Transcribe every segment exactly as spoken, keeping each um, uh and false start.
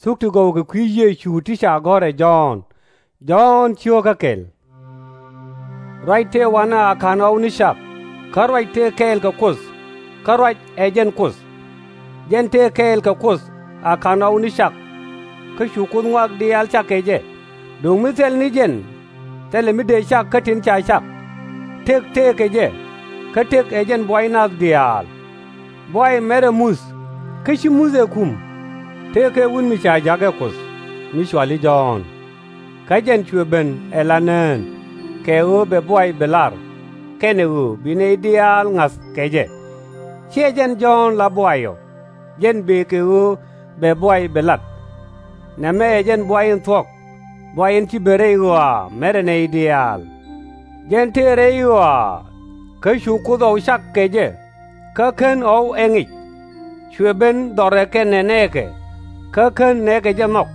Thuk ti gɔw kɛ kui̱ Yecu ti ca gɔ̱r ɛ Jɔ̱ɔ̱n. Jɔ̱ɔ̱n cio̱kä kɛl. Ruac tëë wanɛ a ka̱n ɣɔw ni cak, kä ruac tëë kɛɛl kɛ Kuoth, kä ruac ɛ jɛn Kuoth. Jɛn tëë kɛɛl kɛ Kuoth a ka̱n ɣɔw ni cak, kä cu Kuoth ŋɔak diaal cak kɛ jɛ. Duŋ mi thil ni jɛn, thilɛ mi dëë cak kä tin ca cak. Tëk tëëkɛ jɛ, kä tëk ɛ jɛn buay nath diaal. Buay mɛrɛ muth, kä ci muth ɛ kum. Tëëkɛ Wut mi ca ja̱k ɛ Kuoth, mi cɔal i̱ Jɔ̱ɔ̱n. Kä jɛn cuɛ ben ɛ la nään, kɛ ɣöö bɛ buay bi lar, kɛnɛ ɣöö bi nɛy diaal ŋa̱th kɛ jɛ. /Ciɛ jɛn Jɔ̱ɔ̱n la buay ɔ, jɛn bëë kɛ ɣöö bɛ buay bi lat. Nɛmɛ ɛ jɛn buay in thuɔ̱k, buay in ci ben rɛy ɣɔaa mɛrɛ nɛy diaal. Jɛn tëë rɛy ɣɔaa, kä cu Kuoth ɣɔw cak kɛ jɛ, kä kän ɣɔw ɛ ŋic. Cuɛ ben dhɔrɛ kɛnɛ nɛɛkɛ, kä kän nɛɛkɛ jɛ nhɔk.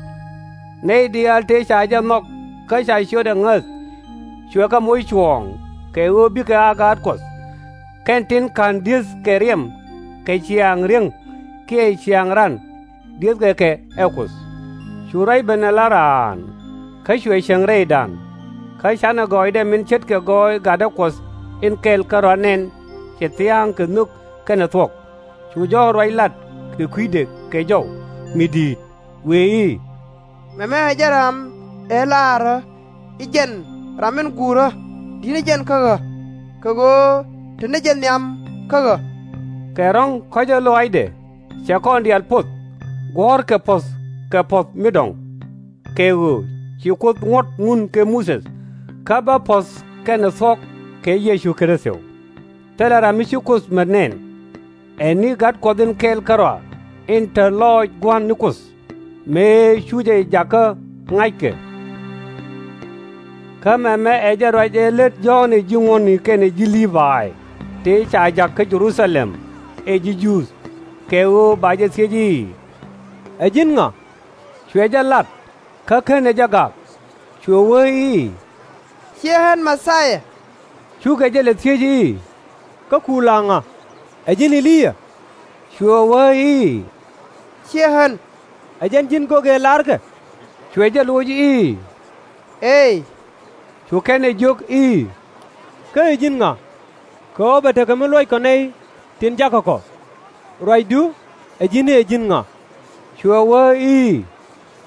Nɛy diaal tëë ca jɛ nhɔk kä ca ciötdɛ ŋäth, cuɛ kɛ moc cuɔ̱ɔ̱ŋ kɛ ɣöö bikɛ a gaat Kuɔth. Kɛn tin /ka̱n di̱eth kɛ riɛm kɛ ciaaŋ ri̱eŋ kiɛ ciaaŋ ran, di̱ethkɛ kɛ ɛ Kuoth. Cu ruac ben ɛ la raan, kä cuɛ cieŋ rɛydan. Kä canɛ gɔɔydɛ min ce̱tkɛ gɔɔy gatdä Kuɔth in kɛl kärɔa nɛn cɛ thia̱a̱ŋ kɛ nhök kɛnɛ thuɔ̱k. Cu Jɔ̱ɔ̱n ruac lat kɛ kui̱dɛ kɛ jɔw mi di̱i̱t, wëë i̱, Mɛmɛ ɛ jɛn ram ëë laarä i̱ jɛn ram min guurä, di̱t ni jɛn kä ɣä, kɛ ɣöö te ni jɛ nhiam kä ɣä. Kɛ ro̱ŋ kɔ̱cä lɔaacdɛ cɛ kɔn diaal poth, guɔ̱ɔ̱rkɛ puɔ̱th kɛ puɔ̱th mi dɔ̱ŋ. Kɛ ɣöö ci Kuoth ŋuɔ̱t ŋun kɛ Muthɛ, kä bä puɔ̱th kɛnɛ thuɔ̱k kɛ Yecu Kritho. Thilɛ ram mi ci Kuoth mät nɛn, ɛ ni Gat Kuɔth in kɛl kärɔa, in te lɔɔc Gua̱n ni Kuoth, mëë cu jɛ jakä ŋa̱ckɛ. Kä mɛmɛ ɛ jɛn ruac ëë lät Jɔ̱ɔ̱n ɛ ji̱ ŋuɔ̱tni kɛnɛ ji̱ Lii-bay, tëë ca jak kä Jɛ-ru-tha-lɛm ɛ ji̱ Juudh, kɛ ɣöö ba jɛ thiec i̱, Ɛ ji̱n ŋa? Cuɛ jɛ lat, kä /kenɛ jɛ gak. Cuɛ wee i̱, /ciɛ ɣän Mɛ-thia-yaa. Cukɛ jɛ lɛ thiec i̱, Kä ku la ŋa? Ɛ ji̱n E-li-yaa? Cuɛ wee i̱, /Ciɛ ɣän. Ɛ jɛn ji̱n gök ëë larkɛ? Cuɛ jɛ loc i̱, Eey. Cu kɛn ɛ jiök i̱, Kä ɛ ji̱n ŋa? Kɛ ɣöö bɛ tekɛ mi luɔckɔ nɛy tin jakä kɔ. Ruacdu ɛ ji̱n i̱ ɛ ji̱n ŋa? Cuɛ wee i̱,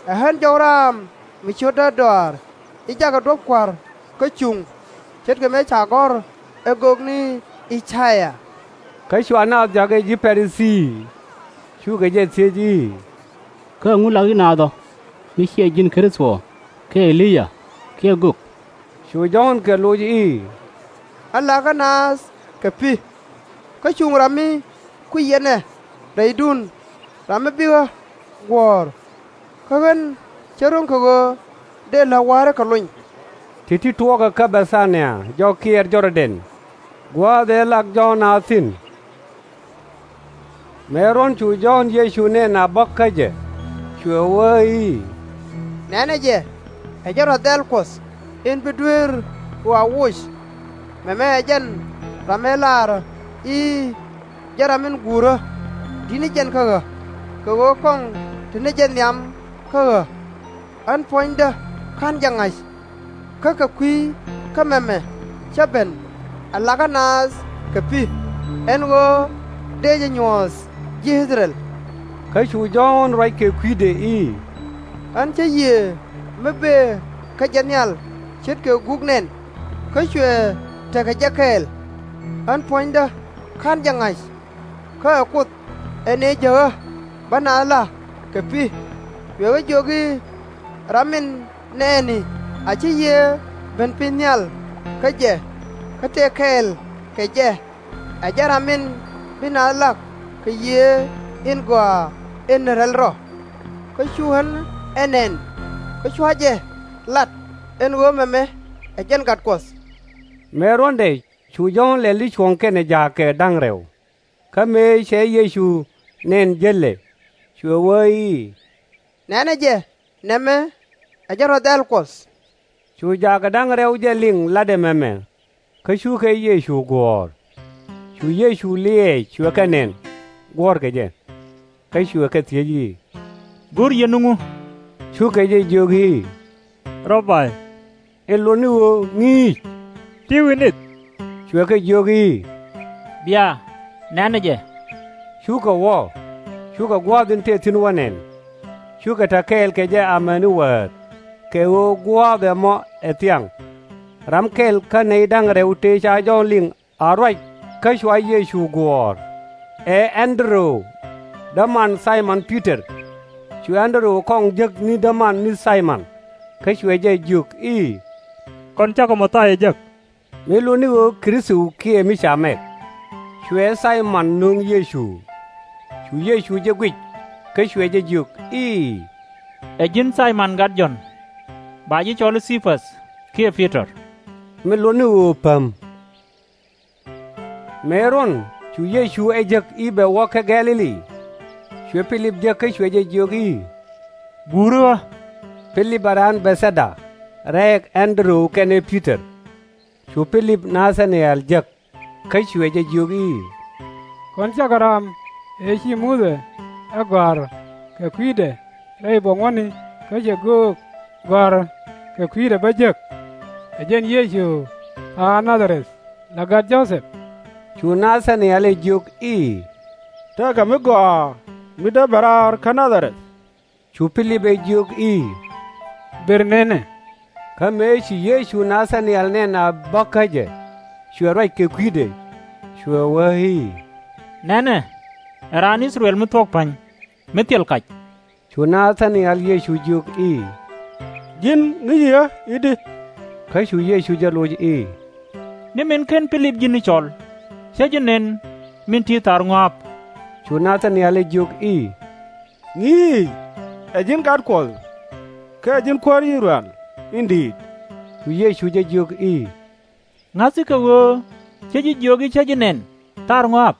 Ɛ ɣän jɔw raam mi cio̱tdä dɔaar, i̱ jakɛ duɔ̱p Kua̱r kä cuŋ, ce̱tkɛ mëë ca gɔ̱r ɛ göök ni I-ca-yaa. Kä cua naath jakä ji̱ Pa-ri-thii, cukɛ jɛ thiec i̱, Kä ɛŋu lak yɛn naath ɔ, mi /ciɛ ji̱n Kritho, kiɛ E-li-yaa, kiɛ gök? Cu Jɔ̱ɔ̱n kɛ loc i̱, Ɣän lakä naath kɛ pi̱, kä cuŋ ram mi kui̱c yɛn ɛ rɛydun, ram mi bi ɣä guɔ̱ɔ̱r. Kä ɣän cä ro̱ŋ kɛ ɣöö dëë läk wa̱a̱ rɔ̱ kɛ lony. Ti̱ti̱ tuɔɔkä kä Bɛ-tha-nia jɔk kiɛɛr Jɔr-dɛn, gua̱a̱th ëë lak Jɔ̱ɔ̱n naath thi̱n. Mëë ruɔ̱n cu Jɔ̱ɔ̱n Yecu nɛn a bä kä jɛ, cuɛ wee i̱, Nɛ̈nɛ jɛ, ɛ jɛn rɔ̱ dhɛl Kuɔth in bi dueer ɣɔaa woc. Mɛmɛ ɛ jɛn ram ëë laarä i̱, Jɛn ram min guurä, di̱t ni jɛn kä ɣä, kɛ ɣöö kɔŋ te ni jɛ nhiam kä ɣä. Ɣän puɔ̱nydä /ka̱n jɛ ŋa̱c. Kä kɛ kui̱ kä mɛmɛ cä ben, ɛ lakä naath kɛ pi̱, ɛn ɣöö dëë jɛ nyuɔ̱th ji̱ I-thɛ-rɛl. Kä cu Jɔ̱ɔ̱n ruac kɛ kui̱dɛ i̱, Ɣän cä Yiëë mi bëë kä jɛ nhial ce̱tkɛ guk nɛn, kä cuɛ tekɛ jɛ kɛɛl. Ɣän puɔ̱nydä /ka̱n jɛ ŋa̱c. Kä ɛ Kuoth ɛ nëë jäk ɣä bä naath la kɛ pi̱. Cuɛ ɣä jiök i̱, Ram min nɛɛni a cä Yiëë ben piny nhial kä jɛ, kä tëë kɛɛl kɛ jɛ. Ɛ jɛn ram min bi naath lak kɛ Yiëë in Gɔaa in Rɛl Rɔ. Kä cu ɣän ɛ nɛn, kä cua jɛ lat ɛn ɣöö mɛmɛ ɛ jɛn Gat Kuɔth. Mëë ruɔ̱ndɛ cu Jɔ̱ɔ̱n lɛl i̱ cuɔ̱ŋ kɛnɛ jaak kɛ da̱ŋ rɛw. Kä mëë cɛ Yecu nɛn jälɛ, cuɛ wee i̱, Nɛ̈nɛ jɛ, nɛmɛ ɛ jɛn rɔ̱ dhɛl Kuɔth. Cu jaak kɛ da̱ŋ rɛw jɛ liŋ latdɛ mɛmɛ, kä cukɛ Yecu guɔ̱ɔ̱r. Cu Yecu liɛɛc cuɛ kɛ nɛn, guɔ̱ɔ̱rkɛ jɛ. Kä cuɛ kɛ thiec i̱, Go̱r yɛn ni ŋu? Cukɛ jɛ jiök i̱, Rɛ̈bi, in luɔt ni ɣöö ŋi̱i̱c, ti wi̱i̱ nith. Cuɛ kɛ jiök i̱, Bia, nɛ̈nɛ jɛ. Cukɛ wä, cukɛ gua̱a̱th in tëë thi̱n wä nɛn. Cukɛ te kɛɛl kɛ jɛ amäni wäär, kɛ ɣöö gua̱a̱th ɛmɔ ɛ thiaŋ. Ram kɛl kä nɛy da̱ŋ rɛw tëë ca Jɔ̱ɔ̱n liŋ a ruac kä cua Yecu guɔ̱ɔ̱r, ɛ Ɛn-dɛ-röw, däman Thay-mɔn Pi-tɔr. Cu Ɛn-dɛ-röw kɔŋ jek ni däman ni Thay-mɔn, kä cuɛ jɛ jiök i̱, Kɔn cakɔ Mɛ-thia jek, mi lot ni ɣöö Kritho kiɛ mi ca mɛk. Cuɛ Thay-mɔn nöŋ Yecu. Cu Yecu jɛ guic, kä cuɛ jɛ jiök i̱, Ɛ ji̱n Thay-mɔn gat Jɔ̱ɔ̱n. Ba ji̱ cɔl i̱ Thi-päth kiɛ Pi-tɔr, mi lot ni ɣöö Päm. Mëë ruɔ̱n cu Yecu ɛ jek i̱ bɛ wä kä Gɛ̈-lɛ-li, cuɛ Pi-lip jek kä cuɛ jɛ jiök i̱, Guuri ɣä. Pi-lip ɛ raan Bɛ̈th-thɛ-da, rɛɛk Ɛn-dɛ-röw kɛnɛ Pi-tɔr. Cu Pi-lip Na-tha-ni-ɛl jek, kä cuɛ jɛ jiök i̱, Kɔn cakɔ ram ëë ci Muthɛ ɛ gɔ̱a̱r kɛ kui̱dɛ rɛy buɔ̱m wäni kä cɛ göök gɔ̱a̱r kɛ kui̱dɛ bä jek? Ɛ jɛn Yecu tha̱a̱ŋ Na-dha-rɛth, la gat Jo-thɛp. Cu Na-tha-ni-ɛl ɛ jiök i̱, Tekɛ mi gɔaa mi dee bɛ raar kä Na-dha-rɛth. Cu Pi-lip ɛ jiök i̱, Ber nënɛ. Kä mëë ci Yecu Na-tha-ni-ɛl nɛn a bä kä jɛ, cuɛ ruac kɛ kui̱dɛ, cuɛ wee i̱, Nɛnɛ, ɛ raan I-thɛ-rɛl mi thuɔ̱k pa̱ny, mi thil kac. Cu Na-tha-ni-ɛl Yecu jiök i̱, Ji̱n ŋi̱i̱ci ɣä i̱di? Kä cu Yecu jɛ loc i̱, Ni min /ken Pi-lip ji̱n i̱ cɔl, /cä ji̱ nɛn min ti̱i̱ thaar ŋɔaap. Cu Na-tha-ni-ɛl ɛ jiök i̱, Ŋi̱i̱c, ɛ ji̱n gat Kuɔth, kä ɛ ji̱n Kuäär I-thɛ-rɛl in di̱i̱t. Cu Yecu jɛ jiök i̱, Ŋa̱thkɛ ɣöö cä ji̱ jiök i̱ cä ji̱ nɛn thaar ŋɔaap?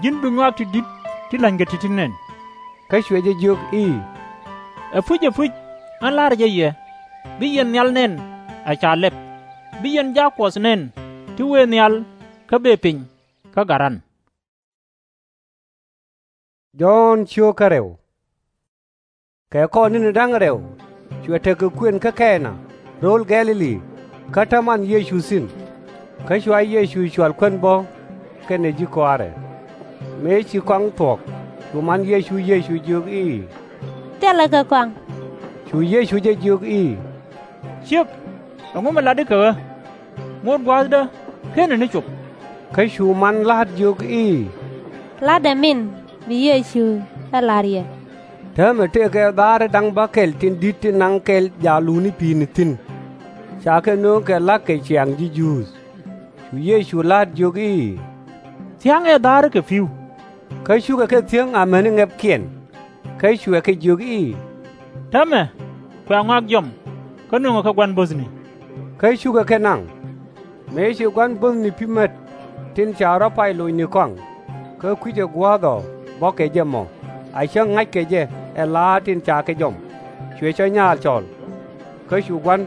Ji̱n bi ŋɔak ti di̱t ti la̱nykɛ ti̱ti̱ nɛn. Kä cuɛ jɛ jiök i̱, Ɛpuc, ɛpuc, ɣän la̱rä jɛ yɛ, bi yɛn nhial nɛn a ca lɛp, bi yɛn jak Kuɔth nɛn ti wëë nhial kä bëë piny kä Gat ran. Jɔ̱ɔ̱n ciök kä rɛw. Kɛ kɔr ni̱ni da̱ŋ rɛw, cuɛ tekɛ kuën kä Kɛna, rööl Gɛ̈-lɛ-li, kä te man Yecu thi̱n. Kä cua Yecu cual kuän bä kɛnɛ ji̱ kɔaarɛ. Mëë ci kɔaŋ thuɔ̱k, cu man Yecu Yecu jiök i̱, Thilɛ kɛ kɔaŋ. Cu Yecu jɛ jiök i̱, Ciek, ɛŋu mi latdi kɛ ɣä? Ŋot gua̱a̱thdä /kenɛ ni cop. Kä cu man la̱t jiök i̱, La̱tdɛ min bi Yecu ɛ la̱r yɛ. Täämɛ tëëkɛ dha̱a̱ri da̱ŋ bäkɛl tin di̱t tin naŋ kɛl jaak luni pi̱i̱ni thi̱n, ca kɛ nööŋ kɛ la̱k kɛ ciaŋ ji̱ Juudh. Cu Yecu la̱t jiök i̱, Thia̱ŋɛ dha̱a̱ri kɛ pi̱w. Kä cukɛ kɛ thiäŋ amäni ŋɛpkiɛn. Kä cuɛ kɛ jiök i̱, Täämɛ kuɛ ŋɔak jiɔam, kä nöŋɛ kɛ gua̱n bo̱thni. Kä cukɛ kɛ naŋ. Mëë ci gua̱n bo̱thni pi̱ mät, tin ca rɔ̱ pay locni kɔaŋ, kä kui̱cɛ gua̱a̱th ɔ bɔ̱kɛ jɛ mɔ, a cäŋ ŋa̱ckɛ jɛ ɛ la̱a̱t tin ca kɛ jɔam, cuɛ cä nyaal cɔl. Kä cu gua̱n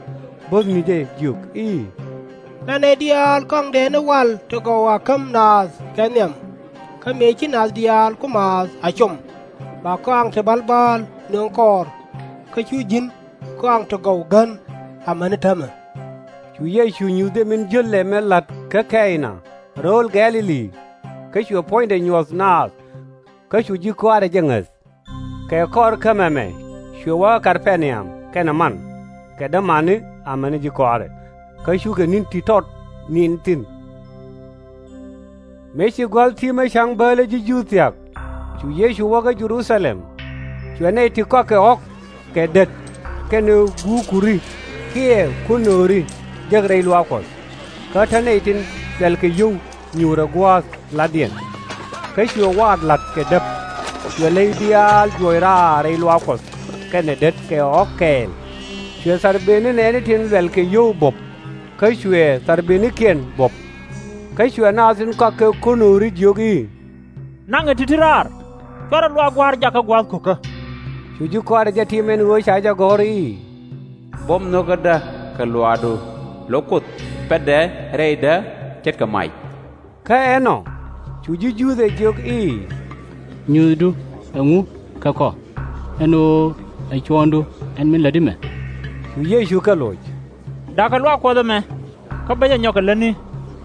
bo̱thni jɛ jiök i̱, La nɛy diaal kɔaŋdɛ ni wal ti gɔw a käm naath kɛ nhiam, kä mëë ci nath diaal ku maath a com, ba kɔaŋ ti bäl bääl nöŋ kɔɔr, kä cu ji̱n kɔaŋ ti gɔw gän amäni täämɛ. Cu Yecu nyuth jɛ min jiöl ɛmɛ la̱t kä Kɛna, rööl Gɛ̈-lɛ-li, kä cuɛ puɔ̱nydɛ nyuɔ̱th naath, kä cu ji̱ kɔaarɛ jɛ ŋäth. Kɛ kɔr kä mɛmɛ cuɛ wä kä Kɛp-ɛ-na-yam kɛnɛ man kɛ dämani amäni ji̱ kɔaarɛ, kä cukɛ ni̱n ti tɔt ni̱n thi̱n. Mëë ci gua̱th ti̱mä ca̱ŋ bäälä ji̱ Juudh thia̱k, cu Yecu wä kä Jɛ-ru-tha-lɛm. Cuɛ nɛy ti kɔakɛ ɣɔ̱k kɛ dät kɛnɛ guukuri kiɛ konööri jek rɛy luaak Kuɔth, kä te nɛy tin luɛlkɛ yio̱w nyuurɛ gua̱a̱th la̱tdiɛn. Kä cuɛ waat la̱t kɛ däp, cuɛ ley diaal juɔc raar rɛy luaak Kuɔth kɛnɛ dät kɛ ɣɔ̱k kɛɛl. Cuɛ tharbëëni nɛɛni tin luɛlkɛ yio̱w buɔ̱p, kä cuɛ tharbëënikiɛn buɔ̱p. Kä cuɛ naath tin kɔakɛ konööri jiök i̱, Naŋɛ ti̱ti̱ raar, cuarɛ luaak Gua̱a̱r jakä gua̱a̱th ko̱kä. Cu ji̱ kɔaarɛ jɛ tim ɛn ɣöö ca jɛ gɔ̱r i̱, Buɔ̱m nho̱kädä kɛ luaakdu, lo̱k Kuoth pɛtdɛ rɛydä ce̱tkɛ mac. Kä ɛnɔ cu ji̱ Juudh ɛ jiök i̱, Nyuuthdu ɛŋu kɛ kɔ? ɛn ɣöö ɛ cuɔ̱ɔ̱ŋdu ɛn min lätdi mɛ. Cu Yecu kɛ loc, Da̱kɛ luaak Kuɔth ɛmɛ, kä bä jɛ nyɔk kɛ lätni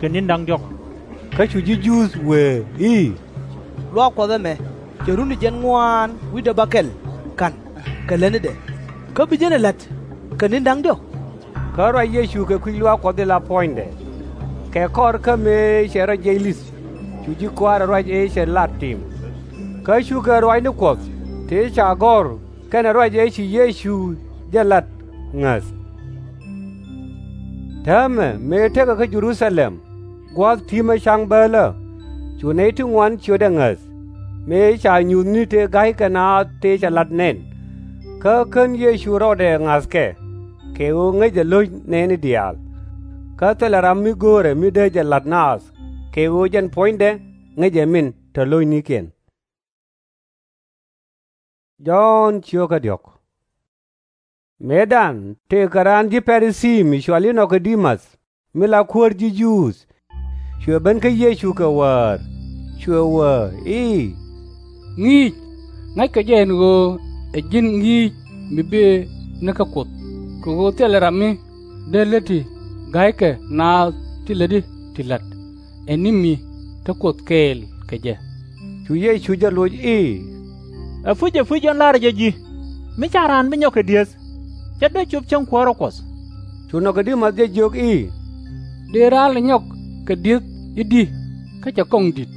kɛ ni̱n da̱ŋ diɔ̱k. Kä cu ji̱ Juudh wëë i̱, Luaak Kuɔth ɛmɛ cɛ run ti jiɛn ŋuaan wi̱cdɛ bäkɛl ka̱n kɛ lätnidɛ, kä bi jɛn ɛ la̱t kɛ ni̱n da̱ŋ diɔ̱k? Kä ruac Yecu kɛ kui̱ luaak Kuɔth in la puɔ̱nydɛ. Kɛ kɔr kä mëë cɛ rɔ jiɛc li̱th, cu ji̱ kɔaarɛ ruac ëë cɛ lat tim. Kä cukɛ ruacni Kuɔth tëë ca gɔ̱r kɛnɛ ruac ëë ci Yecu jɛ lat ŋäth. Täämɛ mëë tekɛ kä Jɛ-ru-tha-lɛm, gua̱a̱th ti̱mä ca̱ŋ bäälä, cu nɛy ti ŋuan ciötdɛ ŋäth, mëë ca nyuthni tëë ga̱ykɛ naath tëë cɛ la̱t nɛn. Kä kän Yecu rɔɔdɛ ŋa̱thkɛ, kɛ ɣöö ŋäcɛ lo̱c nɛɛni diaal. Kä thilɛ ram mi go̱o̱rɛ mi dee jɛ la̱t naath, kɛ ɣöö jɛn puɔ̱nydɛ ŋäcɛ min te lo̱cnikiɛn. Jɔ̱ɔ̱n ciökä diɔ̱k. Mëëdan tëëkɛ raan ji̱ Pa-ri-thii mi cɔal i̱ Nɔ-ko-di-mäth, mi la kuäär ji̱ Juudh, cuɛ ben kä Yecu kɛ wäär, cuɛ wee i̱, Ŋi̱i̱c, ŋa̱ckɛ jɛ ɛn ɣöö ɛ ji̱n ŋi̱i̱c mi bëë ni kä Kuoth, kɛ ɣöö thilɛ ram mi dee läti ga̱ykɛ naath ti lätdi ti la̱t, ɛ ni mi te Kuoth kɛɛl kɛ jɛ. Cu Yecu jɛ loc i̱, Ɛpuc, ɛpuc, ɛn la̱rä jɛ ji̱, mi /ca raan bi nyɔk kɛ di̱eth, /cɛ dee cop cäŋ kuäärä Kuɔth. Cu Nɔ-ko-di-mäth jɛ jiök i̱, Dëë raan lɛ nyɔk kɛ di̱eth i̱di kä cɛ kɔŋ di̱t?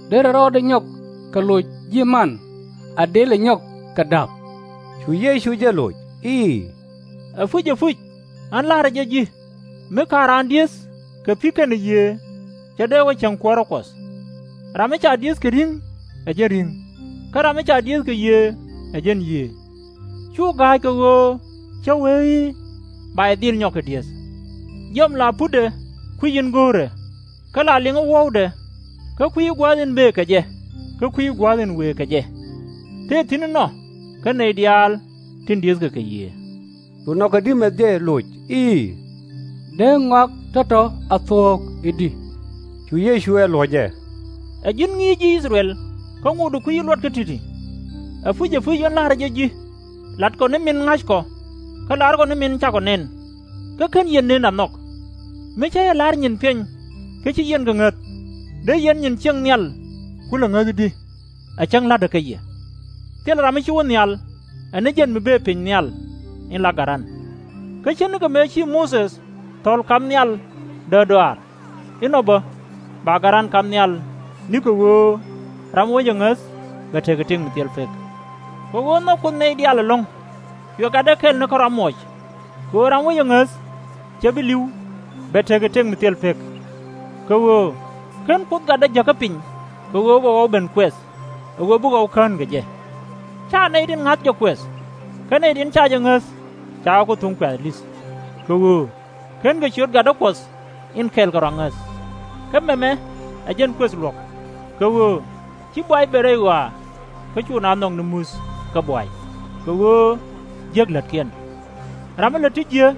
Derɛ rɔɔdɛ nyɔk kɛ loc ji̱ man, a dëë lɛ nyɔk kɛ da̱p? Cu Yecu jɛ loc i̱, Ɛpuc, ɛpuc, ɛn la̱rä jɛ ji̱, mi /ka̱n raan di̱eth kɛ pi̱ kɛnɛ yiëë, /cɛ dee wä cäŋ kuäärä Kuɔth. Ram mi ca di̱eth kɛ ri̱ŋ, ɛ jɛn ri̱ŋ, kä ram mi ca di̱eth kɛ yiëë, ɛ jɛn yiëë. /Cu ga̱a̱c kɛ ɣöö cä wee i̱, Ba yɛ dhil nyɔk kɛ di̱eth. Jiɔam la putdɛ kui̱c in go̱o̱rɛ, kä la liŋä wuɔ̱wdɛ, kä kui̱ gua̱a̱th in bëë kɛ jɛ, kä kui̱ gua̱a̱th in wëë kɛ jɛ. Tëë thi̱n inɔ kä nɛy diaal tin di̱ethkɛ kɛ yiëë. Cu Nɔ-ko-di-mäth jɛ loc i̱, Dee ŋɔak tɔ̱tɔ̱ a thuɔ̱k i̱di? Cu Yecu ɛ loc ɛ, Ɛ ji̱n ŋi̱i̱c ji̱ I-thɛ-rɛl, kä ŋotdɛ kui̱ i̱ luɔt kä ti̱ti̱. Ɛpuc, ɛpuc, ɛn la̱rä jɛ ji̱, latkɔ ni min ŋa̱ckɔ, kä la̱rkɔ ni min cakɔ nɛn, kä /ken yɛn nën a nhɔk. Mi cä jɛ la̱r nyin piɛny kä /ci yɛn kɛ ŋäth, dee yɛn nyin ciëŋ nhial kulɛ ŋäth i̱di? Ɛ cäŋ la̱tdä kä yɛ. Thilɛ ram mi ci wä nhial, ɛ ni jɛn mi bëë piny nhial, in la Garan. Kä /ce̱tnikɛ mëë ci Mothe thɔ̱l ka̱m nhial däärdɔaar, inɔ bä ba Garan ka̱m nhial, ni kɛ ɣöö ram mi wä jɛ ŋäth bɛ tekɛ tëk mi thil pek. Kɛ ɣöö nhɔk Kuoth nɛy diaal ɛlɔ̱ŋ, cuɛ gatdɛ kɛl ni kärɔa muɔc, kɛ ɣöö ram mi wä jɛ ŋäth /cɛ bi li̱w, bɛ tekɛ tëk mi thil pek. Kɛ ɣöö /ken Kuoth gatdä jäkä piny kɛ ɣöö bɛ ɣɔw ben kuɛth, ɛ ɣöö bi ɣɔw kään kɛ jɛ. /Ca nɛy tin ŋa̱th jɛ kuɛth, kä nɛy tin /ca jɛ ŋäth cakɛ ku thuŋ kuɛ̈th li̱th. Kɛ ɣöö /kenkɛ ciöt gatdä Kuɔth in kɛl kärɔa ŋäth. Kä mɛmɛ ɛ jɛn kuëth luɔ̱k, kɛ ɣöö /ci buay ben rɛy ɣɔaa, kä /cu naath nhɔk ni muth kä buay, kɛ ɣöö jiäk lätkiɛn. Ram mi lät ti jiäk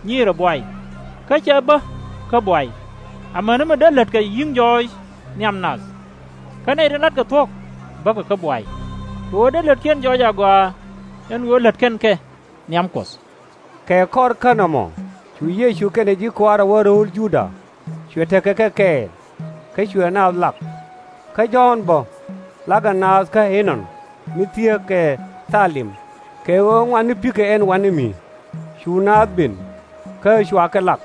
nyiirɛ buay, kä /cɛ bä kä buay, amäni mi dee lät kɛ nyi̱i̱ŋ jɔɔc nhiam nath. Kä nɛy tin la̱tkɛ thuɔ̱k bäkɛ kä buay, kɛ ɣöö dee lätkiɛn jɔɔc agɔaa, ɛn ɣöö lät kɛn kɛ nhiam Kuɔth. Kɛ kɔr kä nɔmɔ cu Yecu kɛnɛ ji̱ kɔaarɛ wä rööl Juda, cuɛ tekɛ kɛ kɛɛl, kä cuɛ naath lak. Kä Jɔ̱ɔ̱n bä, lakɛ naath kä Ɛnɔn mi thieekɛ Thalim, kɛ ɣöö ŋuan ni pi̱kɛ ɛn wani mi. Cu naath ben, kä cua kɛ lak,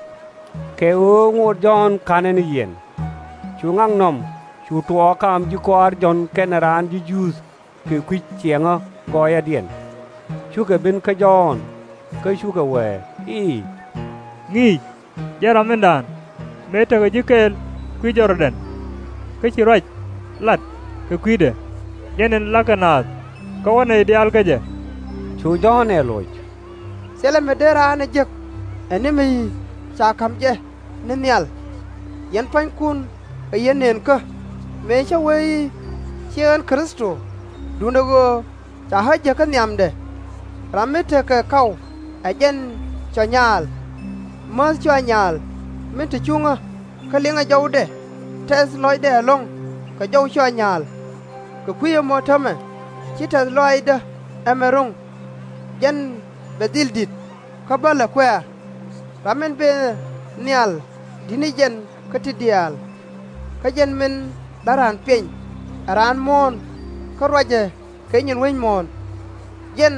kɛ ɣöö ŋot Jɔ̱ɔ̱n ka̱n ɛ ni yiɛn. Cu ŋaknɔm cu tuɔɔk kaam ji̱ kɔaar Jɔ̱ɔ̱n kɛnɛ raan ji̱ Juudh kɛ kui̱ ciɛŋä gɔɔyädiɛn. Cukɛ ben kä Jɔ̱ɔ̱n, kä cukɛ wee i̱, Ŋi̱i̱c, jɛn ram mindan, mëë tekɛ ji̱ kɛɛl kui̱ Jɔr-dɛn, kä ci ruac lat kɛ kui̱dɛ, jɛn in lakɛ naath, kä wä nɛy diaal kä jɛ. Cu Jɔ̱ɔ̱n ɛ loc, Thilɛ mi dee raan ɛ jek ɛ ni mi ca ka̱m jɛ ni nhial. Yɛn pua̱nykun ɛ yɛn nëënkä, mëë cä wee i̱, Ciɛ ɣän Kritho, duundɛ ɣöö ca ɣä jäk kä nhiamdɛ. Ram mi tekɛ kaw ɛ jɛn cua nyaal, määth cua nyaal min te cuŋä, kä liŋɛ jɔwdɛ, tɛth lɔcdɛ ɛlɔ̱ŋ kɛ jɔw cua nyaal. Kɛ kui̱ ɛmɔ täämɛ, ci tɛ̈th lɔaacdä ɛmɛ ro̱ŋ, jɛn bɛ dhil di̱t, kä bä lɛ kuɛ̈ɛ̈. Ram min bëë nhial di̱t ni jɛn kä ti diaal. Kä jɛn min la raan piɛny ɛ raan muɔ̱ɔ̱n, kä ruacɛ kɛ nyin wec muɔ̱ɔ̱n. Jɛn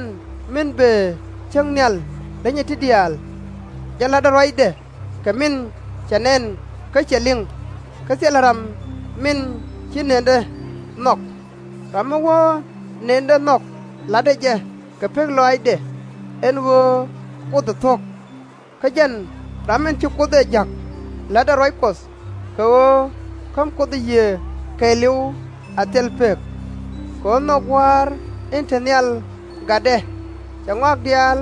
min bëë cäŋ nhial lenyɛ ti diaal, jɛn la̱tdɛ ruacdɛ kɛ min cɛ nɛn kä cɛ liŋ, kä thilɛ ram min ci nëndɛ nhɔk. Ram mi wä nëndɛ nhɔk la̱tdɛ jɛ kɛ pek lɔaacdɛ, ɛn ɣöö Kuoth ɛ thuɔ̱k. Kä jɛn ram min ci Kuoth ɛ ja̱k la̱tdɛ ruac Kuɔth, kɛ ɣöö käm Kuoth ɛ Yiëë kɛɛliw a thil pek. Kɛ ɣöö nhɔk Gua̱a̱r in te nhial gatdɛ, cɛ ŋɔak diaal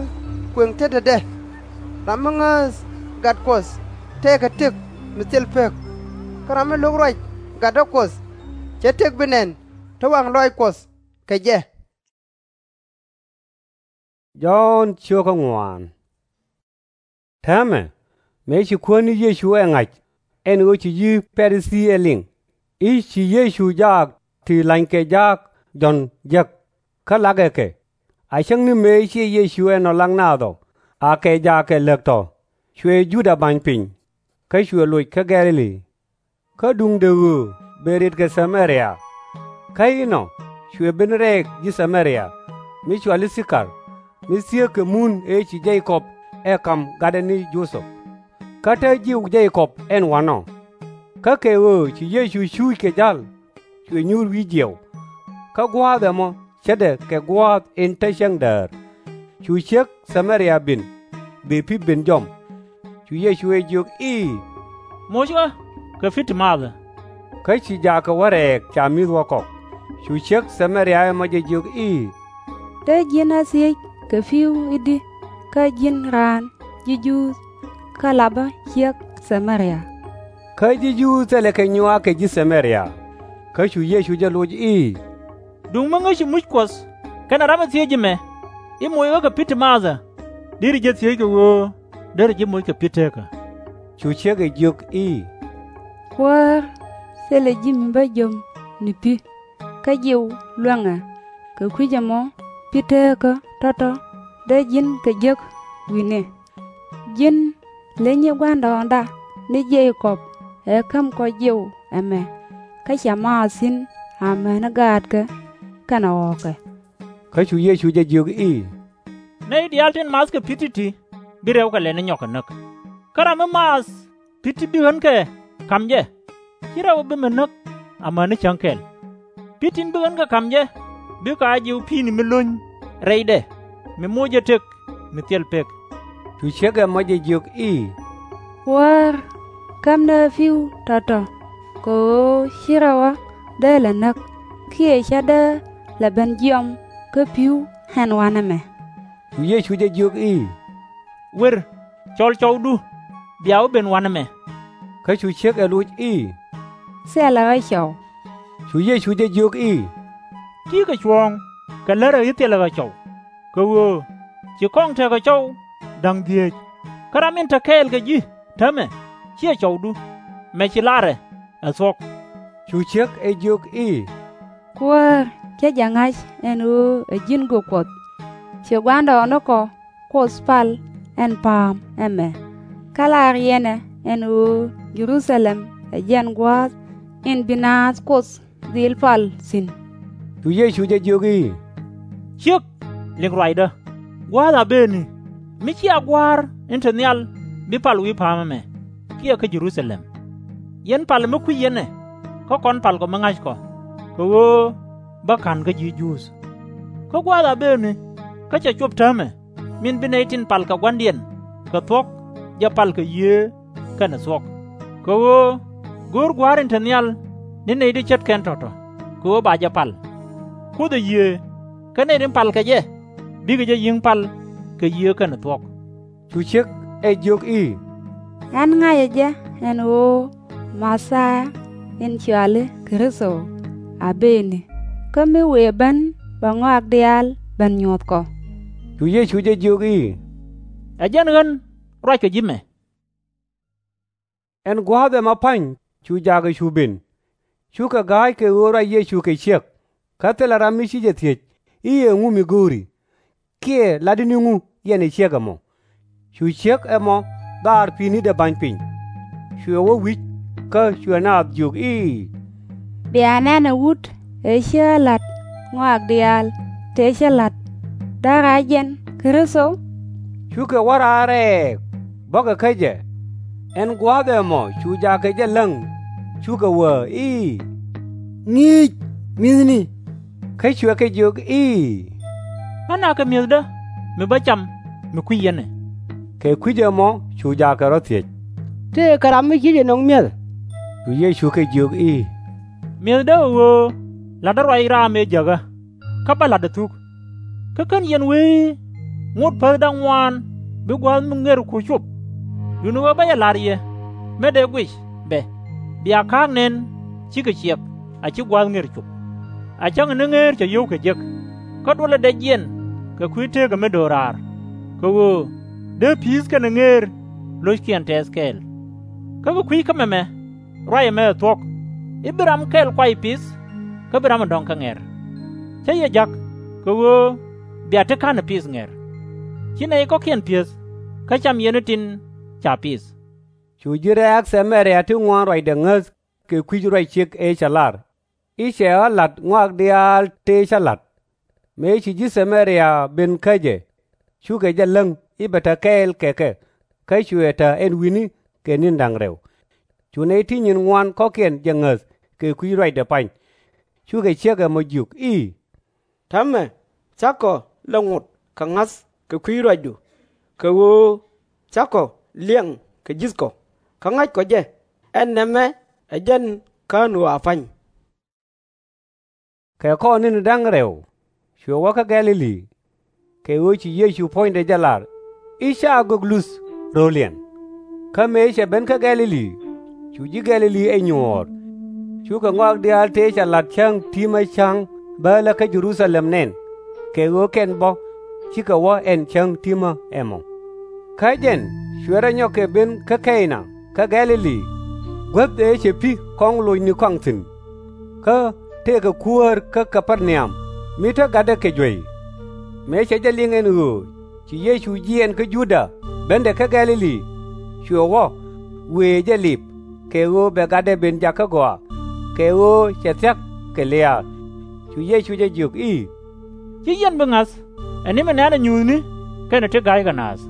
kuëŋ tetdɛ. Ram mi ŋääth gat Kuɔth tëëkɛ tëk mi thil pek. Kä ram mi lo̱k ruac gatdä Kuɔth, cɛ tëk bi nɛn te waŋ lɔaac Kuɔth kɛ jɛ. Jɔ̱ɔ̱n cio̱kä ŋuan. Täämɛ mëë ci Kuäär ni Yecu ɛ ŋa̱c, ɛn ɣöö ci ji̱ Pa-ri-thii ɛ liŋ, i̱ ci Yecu jaak ti la̱nykɛ jaak Jɔ̱ɔ̱n jek, kä lakɛ kɛ. A cäŋ ni mëë ciɛ Yecu ɛnɔ lak naath ɔ, akɛ jaakɛ lääk tɔ̱, cuɛ Juda ba̱ny piny, kä cuɛ loc kä Gɛ̈-lɛ-li. Kä duundɛ ɣöö bëë rët kɛ Thɛ-mɛ-ria. Kä inɔ cuɛ ben rɛɛk ji̱ Thɛ-mɛ-ria, mi cɔal i̱ Thi-kar, mi thieek kɛ mun ëë ci Je-kɔb ɛ ka̱m gatdɛ ni Jo-thɛp. Kä te jiw Je-kɔb ɛn wa̱nɔ. Kä kɛ ɣöö ci Yecu cuuc kɛ ja̱l, cuɛ nyuur wi̱i̱ jiɛw. Kä gua̱a̱th ɛmɔ ce̱tdɛ kɛ gua̱a̱th in te cäŋ däär. Cu ciek Thɛ-mɛ-ria ben, bëë pi̱ ben jɔm. Cu Yecu ɛ jiök i̱, Moc ɣä kɛ pi̱ ti maathä. Kä ci jaakɛ wä rɛɛk ca mi̱th wä kɔk. Cu ciek Thɛ-mɛ-ria ɛmɔ jɛ jiök i̱, Te ji̱n a thiec kɛ pi̱w i̱di, kä ji̱n raan ji̱ Juudh, kä lapä ciek Thɛ-mɛ-ria? Kä ji̱ Juudh thilɛ kɛ nyuak kɛ ji̱ Thɛ-mɛ-ria. Kä cu Yecu jɛ loc i̱, Duŋ mi ŋäci muc Kuɔth kɛnɛ ram mi thiec ji̱ mɛ, i̱ moc ɣä kɛ pi̱ ti maathä, deri jɛ thiec kɛ ɣöö deri ji̱ moc kɛ pi̱ teekä. Cu ciek ɛ jiök i̱, Kuäär, thilɛ ji̱ mi bä jɔm ni pi̱, kä jiw luäŋɛ, kɛ kui̱c ɛmɔ pi̱ teekä tɔ̱tɔ̱ dee ji̱n kɛ jek wi̱ni. Ji̱n leny i̱ gua̱ndɔɔŋda ni Je-kɔb ɛ käm kɔ jiw ɛmɛ, kä cɛ maath thi̱n amäni gaatkɛ kɛnɛ ɣɔ̱ɔ̱kɛ. Kä cu Yecu jɛ jiök i̱, Nɛy diaal tin mathkɛ pi̱ ti̱ti̱ bi rɛw kɛ lɛni nyɔk kɛ näk. Kä ram mi maath pi̱ ti bi ɣän kɛ ka̱m jɛ, /ci rɛw bi mi näk amäni cäŋ kɛl. Pi̱ tin bi ɣän kɛ ka̱m jɛ bikɛ a jiw pi̱i̱ni mi lony rɛydɛ, mi moc jɛ tëk mi thil pek. Cu ciek ɛmɔ jɛ jiök i̱, Kuäär, kämni ɣä pi̱w tɔ̱tɔ̱, kɛ ɣöö /ci rɛw ɣä dee lɛ näk, kiɛ /cä dee lɛ ben jiɔam kä pi̱w ɛn wanɛ mɛ. Cu Yecu jɛ jiök i̱, Wer, cɔl cɔwdu, bia wä ben wanɛ mɛ. Kä cu ciek ɛ loc i̱, Thilɛ ɣä cɔw. Cu Yecu jɛ jiök i̱, Ti̱i̱ kɛ cuɔ̱ɔ̱ŋ kɛ lärä i̱ thilɛ ɣä cɔw, kɛ ɣöö ci kɔŋ tekɛ cɔw da̱ŋ dhieec, kä ram in te kɛɛl kɛ ji̱ täämɛ /ciɛ cɔwdu, mɛ ci larɛ ɛ thuɔ̱k. Cu ciek ɛ jiök i̱, Kuäär, cä jɛ ŋa̱c ɛn ɣöö ɛ ji̱n gök Kuɔth. Ci gua̱ndɔɔŋnikɔ Kuoth pal ɛn pa̱a̱m ɛmɛ, kä la riɛnɛ ɛn ɣöö Jɛ-ru-tha-lɛm ɛ jɛn gua̱a̱th in bi naath Kuoth dhil pal thi̱n. Cu Yecu jɛ jiök i̱, Ciek, liŋ ruacdä, gua̱a̱th a bëëni, mi /cia Gua̱a̱r in te nhial bi pal wi̱i̱ pa̱a̱m ɛmɛ, kiɛ kä Jɛ-ru-tha-lɛm. Yɛn palɛ mi kui̱c yɛn ɛ, kä kɔn palkɔ mi ŋa̱ckɔ, kɛ ɣöö bä ka̱n kä ji̱ Juudh. Kä gua̱a̱th a bëëni, kä cɛ cop täämɛ, min bi nɛy tin pal kɛ gua̱ndiɛn kɛ thuɔ̱k jɛ pal kɛ Yiëë kɛnɛ thuɔ̱k. Kɛ ɣöö go̱o̱r Gua̱a̱r in te nhial ni nɛy ti ce̱tkɛn tɔ̱tɔ̱, kɛ ɣöö ba jɛ pal. Kuoth ɛ Yiëë, kä nɛy tin pal kɛ jɛ bikɛ jɛ yi̱ŋ pal kɛ Yiëë kɛnɛ thuɔ̱k. Cu ciek ɛ jiök i̱, Ɣän ŋa̱cä jɛ ɛn ɣöö Mɛ-thia in cɔal i̱ Kritho a bëëni, kä mi wëë ben bɛ ŋɔak diaal ben nyuɔ̱th kɔ. Cu Yecu jɛ jiök i̱, Ɛ jɛn ɣän ruackɔ ji̱ mɛ. Ɛn gua̱a̱th ɛmɔ pa̱ny cu jaakɛ cu ben. Cukɛ ga̱a̱c kɛ ɣöö ruac Yecu kɛ ciek. Kä thilɛ ram mi ci jɛ thiec i̱, Ɛŋu mi go̱o̱ri? kiɛ latdä ni ŋu yɛn ɛ ciek ɛmɔ? Cu ciek ɛmɔ dhɔaar pi̱i̱ni dee ba̱ny piny. Cuɛ wä wi̱c, kä cuɛ naath jiök i̱, Bia nɛn ɛ wut ëë cä la̱t ŋɔak diaal tëë cä la̱t, däk a jɛn Kritho? Cukɛ wä raar rɛɛk, bäkɛ kä jɛ. Ɛn gua̱a̱th ɛmɔ cu jaakɛ jɛ läŋ, cukɛ wee i̱, Ŋi̱i̱c, mi̱thni! Kä cuɛ kɛ jiök i̱, Ŋa nakɛ mi̱ethdä mi bä cam mi kui̱c yɛn ɛ? Kɛ kui̱c ɛmɔ cu jaakɛ rɔ thiec, Tëëkɛ ram mi /ciɛ jɛ nöŋ mi̱eth. Cu Yecu kɛ jiök i̱, Mi̱ethdä ɛ ɣöö la̱tdä ruac raam ëë jäkä, kä bä la̱tdɛ thuk. Kä /ken yɛn wee i̱ ŋot päthdä ŋuan bi gua̱a̱th mi ŋer ku cop? Duundɛ ɣöö bä jɛ la̱r yɛ, mi dee guic bɛ, Bia ka̱a̱k nɛn cikɛ ciɛk a /ci gua̱a̱th ŋer cop. A cäŋɛ ni ŋeer cɛ yio̱w kɛ jek, kä duɔlɛ dɛc jiɛn kɛ kui̱ tëkä mi do̱raar, kɛ ɣöö dee pi̱i̱th kɛnɛ ŋeer lo̱ckiɛn tɛth kɛɛl. Kä kɛ kui̱ kä mɛmɛ ruac ɛmɛ ɛ thuɔ̱k, i̱ bi ram kɛl kuay pith, kä bi ram ɛ dɔ̱ŋ kɛ ŋɛr. Cä yɛ ja̱k, kɛ ɣöö bia ti ka̱n ɛ pith ŋɛr. Ci nɛy kɔ̱kiɛn pi̱eth, kä cam yɛn ni tin ca pith. Cu ji̱ rɛ̈ɛ̈k Thɛ-mɛ-ria ti ŋuan ruacdɛ ŋäth kɛ kui̱c ruac ciek ëë cɛ lar, i̱ cɛ ɣä la̱t ŋɔak diaal tëë cä la̱t. Mëë ci ji̱ Thɛ-mɛ-ria ben kä jɛ, cukɛ jɛ läŋ i̱ bɛ te kɛɛl kɛ kɛ, kä cuɛ te ɛn wi̱ni kɛ ni̱n da̱ŋ rɛw. Cu nɛy ti nyin ŋuan kɔ̱kiɛn jɛ ŋäth kɛ kui̱ ruacdɛ pa̱ny. Cukɛ ciek ɛmɔ jiök i̱, Täämɛ cakɔ lɛ ŋot kɛ ŋa̱th kɛ kui̱ ruacdu, kɛ ɣöö cakɔ liɛŋ kɛ ji̱thkɔ, kä ŋa̱ckɔ jɛ, ɛn nɛmɛ ɛ jɛn /kän ɣɔaa pa̱ny. Kɛ kɔr ni̱ni da̱ŋ rɛw, cuɛ wä kä Gɛ̈-lɛ-li, kɛ ɣöö ci Yecu puɔ̱nydɛ jɛ lar i̱ /ca gök luth ro̱liɛn. Kä mëë cɛ ben kä Gɛ̈-lɛ-li, cu ji̱ Gɛ̈-lɛ-li ɛ nyuɔ̱ɔ̱r. Cukɛ ŋɔak diaal tëë cɛ la̱t cäŋ ti̱mä ca̱ŋ bäälä kä Jɛ-ru-tha-lɛm nɛn, kɛ ɣöö kɛn bä cikɛ wä ɛn cäŋ ti̱mä ɛmɔ. Kä jɛn cuɛ rɔ nyɔk kɛ ben kä Kɛy-na kä Gɛ̈-lɛ-li, guäth ëë cɛ pi̱ kɔŋ locni kɔaŋ thi̱n. Kä tëëkɛ kuäär kä Kä-per-na-yam mi te gatdɛ kɛ juey. Mëë cɛ jɛ liŋ ɛn ɣöö ci Yecu jiɛɛn kä Juda bendɛ kä Gɛ̈-lɛ-li, cuɛ wä, wëë jɛ lip, kɛ ɣöö bɛ gatdɛ ben jakä gɔaa, kɛ ɣöö cɛ thia̱k kɛ lia̱a̱. Cu Yecu jɛ jiök i̱, Ci yɛn bi ŋa̱th ɛ ni mi nɛ̈nɛ nyuuthni kɛnɛ ti ga̱ykɛ naath.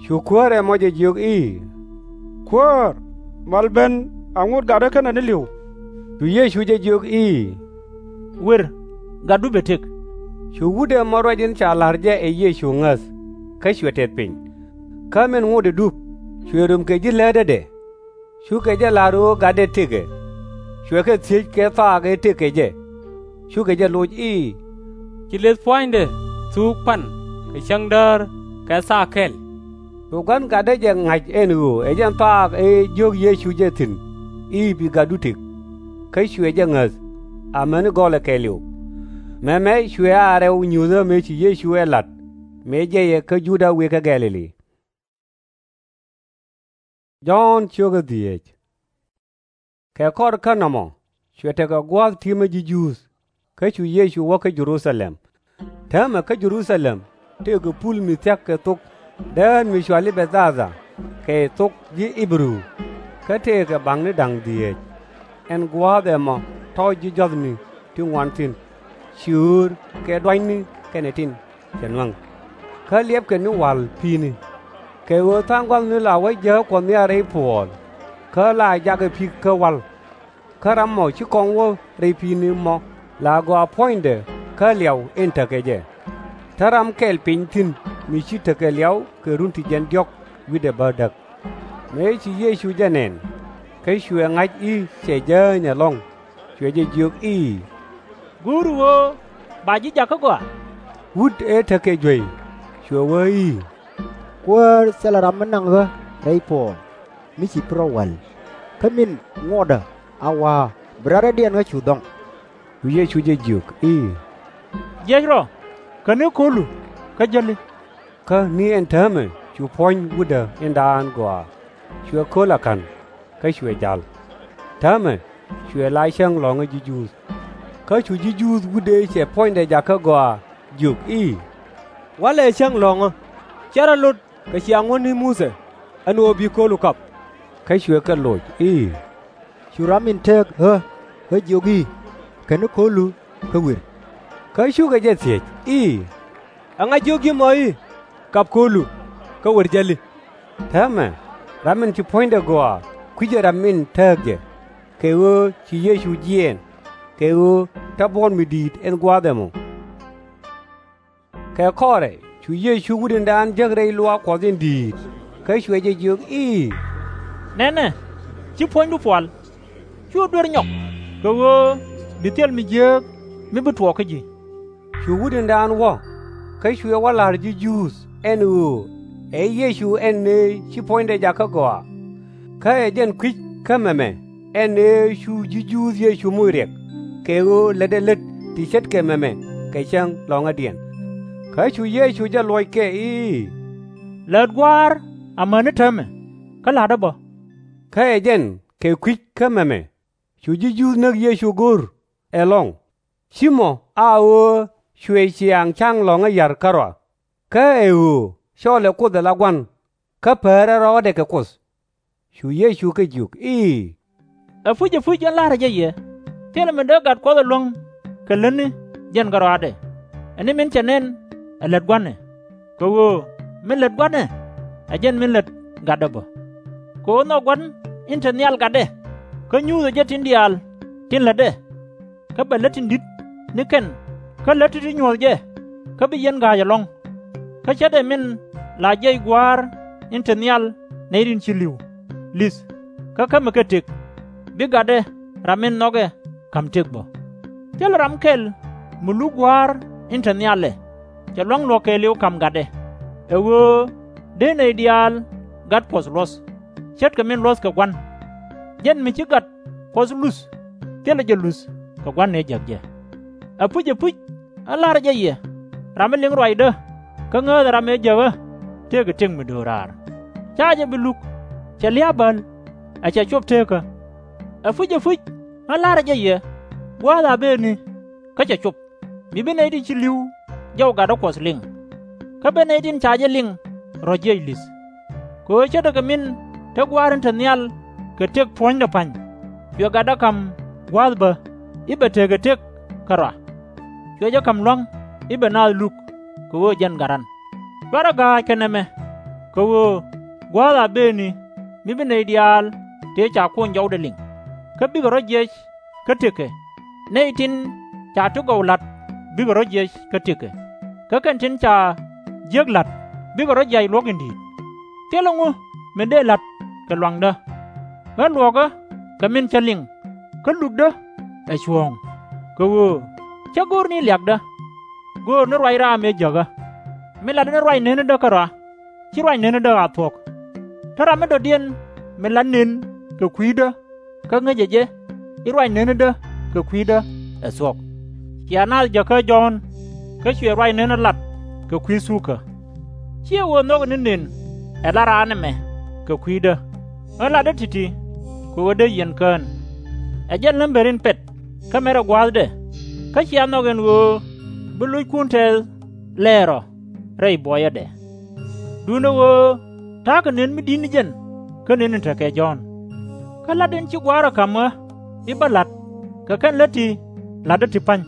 Cu kuäär ɛmɔ jɛ jiök i̱, Kuäär, mal ben a ŋot gatdä kɛnɛ ni li̱w. Cu Yecu jɛ jiök i̱, Wër, gatdu bɛ tëk. Cu wut ɛmɔ ruac in ca la̱r jɛ ɛ Yecu ŋäth, kä cuɛ tɛth piny. Kä min ŋotdɛ dup, cuɛ röm kɛ ji̱ läätdädɛ. Cukɛ jɛ la̱r ɣöö gatdɛ tëkɛ. Cuɛ kɛ thiec kɛ thaak ëë tëk kɛ jɛ. Cukɛ jɛ loc i̱, Ci leth pua̱nydɛ thuk pan kɛ cäŋ däär kɛ thaak kɛl? Cu gua̱n gatdä jɛ ŋa̱c ɛn ɣöö ɛ jɛn thaak ëë jiök Yecu jɛ thi̱n i̱ bi gatdu tëk. Kä cuɛ jɛ ŋäth, amäni gɔlɛ kɛɛliw. Mɛmɛ cuɛ a rɛw nyuuthä mëë ci Yecu ɛ la̱t mëë jiɛcɛ kä Juda wëë kä Gɛ̈-lɛ-li. Jɔ̱ɔ̱n ciökä dhieec. Kɛ kɔr kä nɔmɔ, cuɛ tekɛ gua̱a̱th ti̱mä ji̱ Juudh, kä cu Yecu wä kä Jɛ-ru-tha-lɛm. Täämɛ kä Jɛ-ru-tha-lɛm tëëkɛ pul mi thia̱k kɛ thok dään mi cɔal i̱ Bɛ-dha-dha kɛ thok ji̱ Ɣi-bɛ-ru, kä tëëkɛ ba̱ŋni da̱ŋ dhieec. Ɛn gua̱a̱th ɛmɔ tɔ̱ ji̱ jɔ̱thni ti ŋuan thi̱n, ciöör kɛ duanyni kɛnɛ tin cɛ nuäŋ. Kä liɛpkɛ ni wa̱l pi̱i̱ni, kɛ ɣöö tha̱a̱ŋ gua̱thni la wä jääk Kuɔth Nhial rɛy puɔ̱ɔ̱l, kä la jakɛ pi̱k kä wa̱l. Kä ram mɔ ci kɔŋ wä rɛy pi̱i̱ni mɔ la gɔaa puɔ̱nydɛ kä liaw in tekɛ jɛ. Te ram kɛl piny thi̱n mi ci tekɛ liaw kɛ run ti jiɛn diɔ̱k wi̱cdɛ bädäk. Mëë ci Yecu jɛ nɛn, kä cuɛ ŋa̱c i̱ cɛ jääny ɛlɔ̱ŋ, cuɛ jɛ jiök i̱, Go̱o̱ru ɣöö ba ji̱ jakä gɔaa? Wut ëë tekɛ juey, cuɛ wee i̱, Kuäär, thilɛ ram mi naŋ ɣä rɛy puɔ̱ɔ̱l mi ci bi rɔ wa̱l, kä min ŋotdä a wa̱a̱ bi rarädiɛn ɣä cu dhɔ̱ŋ. Cu Yecu jɛ jiök i̱, Jiɛc rɔ, käni ko̱lu, kä jäli. Kä ni ɛn täämɛ cu puɔ̱ny wutdä in daan gɔaa, cuɛ köl a ka̱n, kä cuɛ ja̱l. Täämɛ cuɛ la cäŋ lɔ̱ŋä ji̱ Juudh. Kä cu ji̱ Juudh wut ëë cɛ puɔ̱nydɛ jakä gɔaa jiök i̱, Walɛ cäŋ lɔ̱ŋä, /cɛ rɔ lot kɛ ciaŋ wä ni Muthɛ, ɛn ɣöö bi köölu kap. Kä cuɛ kɛ loc i̱, Cu ram in tëëk ɣä ɣä jiök i̱, Kɛn ni köölu kä wir. Kä cukɛ jɛ thiec i̱, Ɛŋa jiök ji̱ mɔ i̱, Kap köölu, kä wer jäli? Täämɛ ram in ci puɔ̱nydɛ gɔaa kui̱cɛ ram in tääk jɛ, kɛ ɣöö ci Yecu jiɛɛn, kɛ ɣöö te buɔ̱n mi di̱i̱t in gua̱a̱th ɛmɔ. Kɛ kɔrɛ cu Yecu wutnidan jäk rɛy luaak Kuɔth in di̱i̱t, kä cuɛ jɛ jiök i̱, Nɛnɛ, ci puɔ̱nydu pual. /Cu duer nyɔk, kɛ ɣöö bi thil mi jiääk mi bi tuɔɔk kä ji̱. Cu wutnidan wä, kä cuɛ wä la̱r ji̱ Juudh ɛn ɣöö ɛ Yecu ɛn ëë ci puɔ̱nydɛ jakä gɔaa. Kä ɛ jɛn kui̱c kä mɛmɛ ɛn ëë cu ji̱ Juudh Yecu moc riɛk, kɛ ɣöö lätdɛ lät ti ce̱tkɛ mɛmɛ kɛ cäŋ lɔ̱ŋädiɛn. Kä cu Yecu jɛ luɔc kɛ i̱, Lät Gua̱a̱r amäni täämɛ, kä la̱tdä bä. Kä ɛ jɛn kɛ kui̱c kä mɛmɛ cu ji̱ Juudh näk Yecu go̱r ɛlɔ̱ŋ, /ci mɔ a ɣöö cuɛ ciaŋ ca̱ŋ lɔ̱ŋä ya̱r kärɔa, kä ɛ ɣöö cɔɔlɛ Kuoth ala Gua̱n, kä päärɛ rɔɔdɛ kɛ Kuoth. Cu Yecu kɛ jiök i̱, Ɛpuc, ɛpuc, ɣän la̱rä jɛ yɛ, thilɛ mi dee gat Kuɔth ɛlɔ̱ŋ kɛ lätni jɛn kärɔaadɛ, ɛ ni min cɛ nɛn ɛ lät Gua̱nɛ. Kɛ ɣöö min lät Gua̱nɛ ɛ jɛn min lät gatdä bä. Kɛ ɣöö nhɔk Gua̱n in te nhial gatdɛ, kä nyuuthɛ jɛ tin diaal tin lätdɛ, kä bɛ lät tin di̱t ni kɛn kä lät ti̱ti̱ nyuɔ̱th jɛ, kä bi yɛn ga̱a̱c ɛlɔ̱ŋ. Kä ce̱tdɛ min la jiɛc Gua̱a̱r in te nhial nɛy tin ci li̱w, li̱th, kä kämɛ kɛ tëk, bi gatdɛ ram in nhɔkɛ ka̱m tëk bä. Thilɛ ram kɛl mi luk Gua̱a̱r in te nhial ɛ, cɛ lua̱ŋ luɔ̱k kɛɛliw ka̱m gatdɛ, ɛ ɣöö dee nɛy diaal gat Kuɔth luɔ̱th, ce̱tkɛ min luɔ̱thkɛ Gua̱n. Jɛn mi ci gat Kuɔth luth, thilɛ jɛ luth kɛ Gua̱n ëë jäk jɛ. Ɛpuc, ɛpuc, ɣän la̱rä jɛ yɛ, ram mi liŋ ruacdä kä ŋääthɛ ram ëë jäkä, tëëkɛ tëk mi do̱raar. /Ca jɛ bi luk, cɛ lia̱a̱ bäl, ɛ cɛ cop teekä. Ɛpuc, ɛpuc, ɣän la̱rä jɛ yɛ, gua̱a̱th a bëëni, kä cɛ cop, mi bi nɛy tin ci li̱w jɔw gatdä Kuɔth liŋ. Kä bi nɛy tin ca jɛ liŋ rɔ̱ jiɛc li̱th. Kɛ ɣöö ce̱tdɛ kɛ min te Gua̱a̱r in te nhial kɛ tëk puɔ̱nydɛ pa̱ny, cuɛ gatdä ka̱m gua̱a̱th bä, i̱ bɛ tekɛ tëk kärɔa. Cuɛ jɛ ka̱m lua̱ŋ i̱ bɛ naath luk, kɛ ɣöö jɛn gat ɣän. /Cuarɛ ga̱a̱c kɛ nɛmɛ, kɛ ɣöö gua̱a̱th a bëëni mi bi nɛy diaal tëë ca kuny jɔwdɛ liŋ, kä bikɛ rɔ̱ jiɛc kä tëkɛ. Nɛy tin ca ti gɔw la̱t bikɛ rɔ̱ jiɛc kä tëkɛ, kä kɛn tin ca jiäk la̱t bikɛ rɔ̱ jiac luɔ̱k in di̱i̱t. Thilɛ ŋu min dee la̱t kɛ lua̱ŋdä. Ɣän luɔ̱ɔ̱kä kɛ min cä liŋ, kä lukdä ɛ cuɔ̱ɔ̱ŋ, kɛ ɣöö /cä go̱o̱r ni liakdä. Go̱o̱r ni ruac raam ëë jäkä, mi latdä ni ruac neeni̱dä kärɔa, /ci ruac neeni̱dä a thuɔ̱k. Te ram mi dɔ̱diɛn mi lat nën kɛ kui̱dä kä ŋäcɛ jɛ i̱ ruac neeni̱dä kɛ kui̱dä ɛ thuɔ̱k. Cia naath jäkä Jɔ̱ɔ̱n, kä cuɛ ruac neeni̱ lat kɛ kui̱ thukä. /Ciɛ ɣöö nhɔkɛ ni nën ɛ lat raan ɛmɛ kɛ kui̱dä, ɣän latdä ti̱ti̱, kɛ ɣöö dee yɛn kään. Ɛ jɛn lämbär in pɛt kä mɛrɛ gua̱a̱thdɛ, kä cia nhɔk ɛn ɣöö bi lo̱ckun tɛth lɛɛr rɔ rɛy buɔyädɛ. Duundɛ ɣöö ta̱a̱kɛ nën mi di̱t ni jɛn kä nën in tekɛ Jɔ̱ɔ̱n. Kä la̱t in ci Gua̱a̱r ɛ ka̱m ɣä i̱ bä la̱t, kɛ kɛn lät ti la̱tdä ti pa̱ny.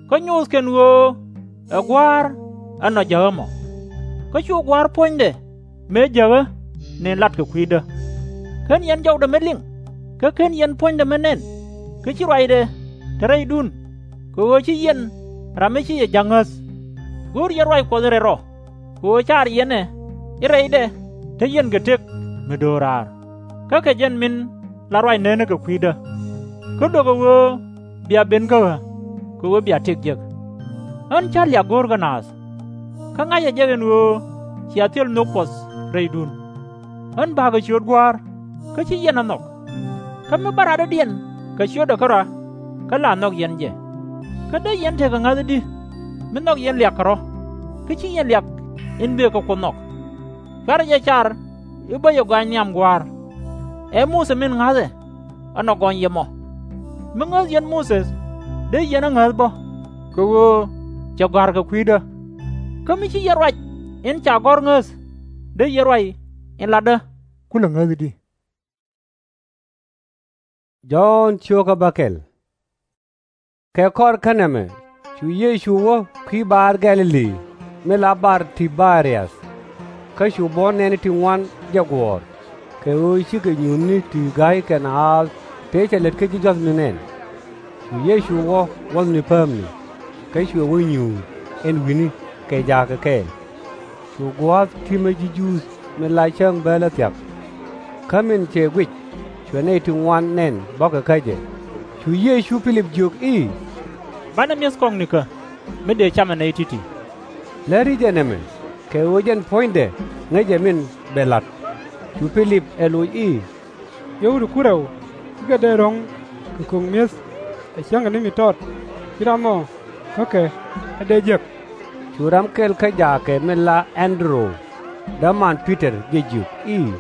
Kä nyoth kɛn ɣöö ɛ Gua̱a̱r ɛ nɔ jäk ɣä mɔ. Kä cu Gua̱a̱r puɔ̱nydɛ mëë jäk ɣä nën lat kɛ kui̱dä. /Ken yɛn jɔwdɛ mi liŋ, kä /ken yɛn puɔ̱nydɛ mi nɛn, kä /ci ruacdɛ te rɛydun, kɛ ɣöö ci yɛn ram mi ci yɛ ja̱k ŋäth. Go̱o̱r yɛn ruac Kuɔth rɛl rɔ, kɛ ɣöö car yɛn ɛ i̱ rɛydɛ te yɛn kɛ tëk mi do̱raar, raar, kä kɛ jɛn min la ruac neeni kɛ kui̱dä. Kä luäk ɛ ɣöö bia ben kä ɣä, kɛ ɣöö bia tëk jek. Ɣän /cä liak go̱o̱r kä naath, kä ŋa̱cä jɛ ɛn ɣöö cia thil nhök Kuɔth rɛydun. Ɣän ba̱a̱kɛ ciöt Gua̱a̱r, kä /ci yɛn ɛ nhɔk. Kä mi bä radɔ̱diɛn kɛ ciötdɛ kärɔa, kä la nhɔk yɛn jɛ. Kä dee yɛn tekɛ ŋa̱thädi mi nhɔk yɛn liak kɛ rɔ̱, kä /ci yɛn liak in bëë kɛ Kuoth nhɔk? /Cuarɛ jɛ car i̱ bä yɛ gɔaaɛ nhiam Gua̱a̱r. Ɛ Muthɛ min ŋa̱thɛ, ɛnɔ gɔny yɛ mɔ. Mi ŋäth yɛn Muthɛ, dee yɛn ɛ ŋäth bä, kɛ ɣöö cɛ gɔ̱a̱r kɛ kui̱dä. Kä mi ci yɛ ruac in ca gɔ̱r ŋäth, dee yɛ ruac in latdä, kulɛ ŋäth i̱di? Jɔ̱ɔ̱n cio̱kä bäkɛl. Kɛ kɔr kä nɛmɛ cu Yecu wä kui̱ bar Gɛ̈-lɛ-li, min la bar Ti-bɛ-riäth. Kä cu buɔ̱n nɛɛni ti ŋuan jɛ guɔ̱ɔ̱r, kɛ ɣöö cikɛ nyuuthni ti ga̱ykɛ naath tëë cɛ lät kä ji̱ jua̱thni nɛn. Cu Yecu wä wuɔ̱thni päämni, kä cuɛ wä nyuur ɛn wi̱ni kɛ jaakɛ kɛɛl. Cu gua̱a̱th ti̱mä ji̱ Juudh min la cäŋ bäälä thia̱k. Kä min cɛ guic, cuɛ nɛy ti ŋuan nɛn bɔ̱kɛ kä jɛ. Cu Yecu Pi-lip jiök i̱, Banɛ mi̱eth kɔŋnikä, mi dëë camɛ nɛy ti̱ti̱. Läri jɛ nɛmɛ, kɛ ɣöö jɛn puɔ̱nydɛ ŋäcɛ min bɛ la̱t. Cu Pi-lip ɛ loc i̱, Yio̱w ti ku rɛw, cikɛ dee ro̱ŋ kɛ ko̱k mi̱eth, ɛ cäŋ kɛ ni mi tɔt, ci ram ɔ kä kɛ ɛ dee jek. Cu ram kɛl kä jaakɛ min la Ɛn-dɛ-ru, däman Pi-tɔr, jɛ jiök i̱,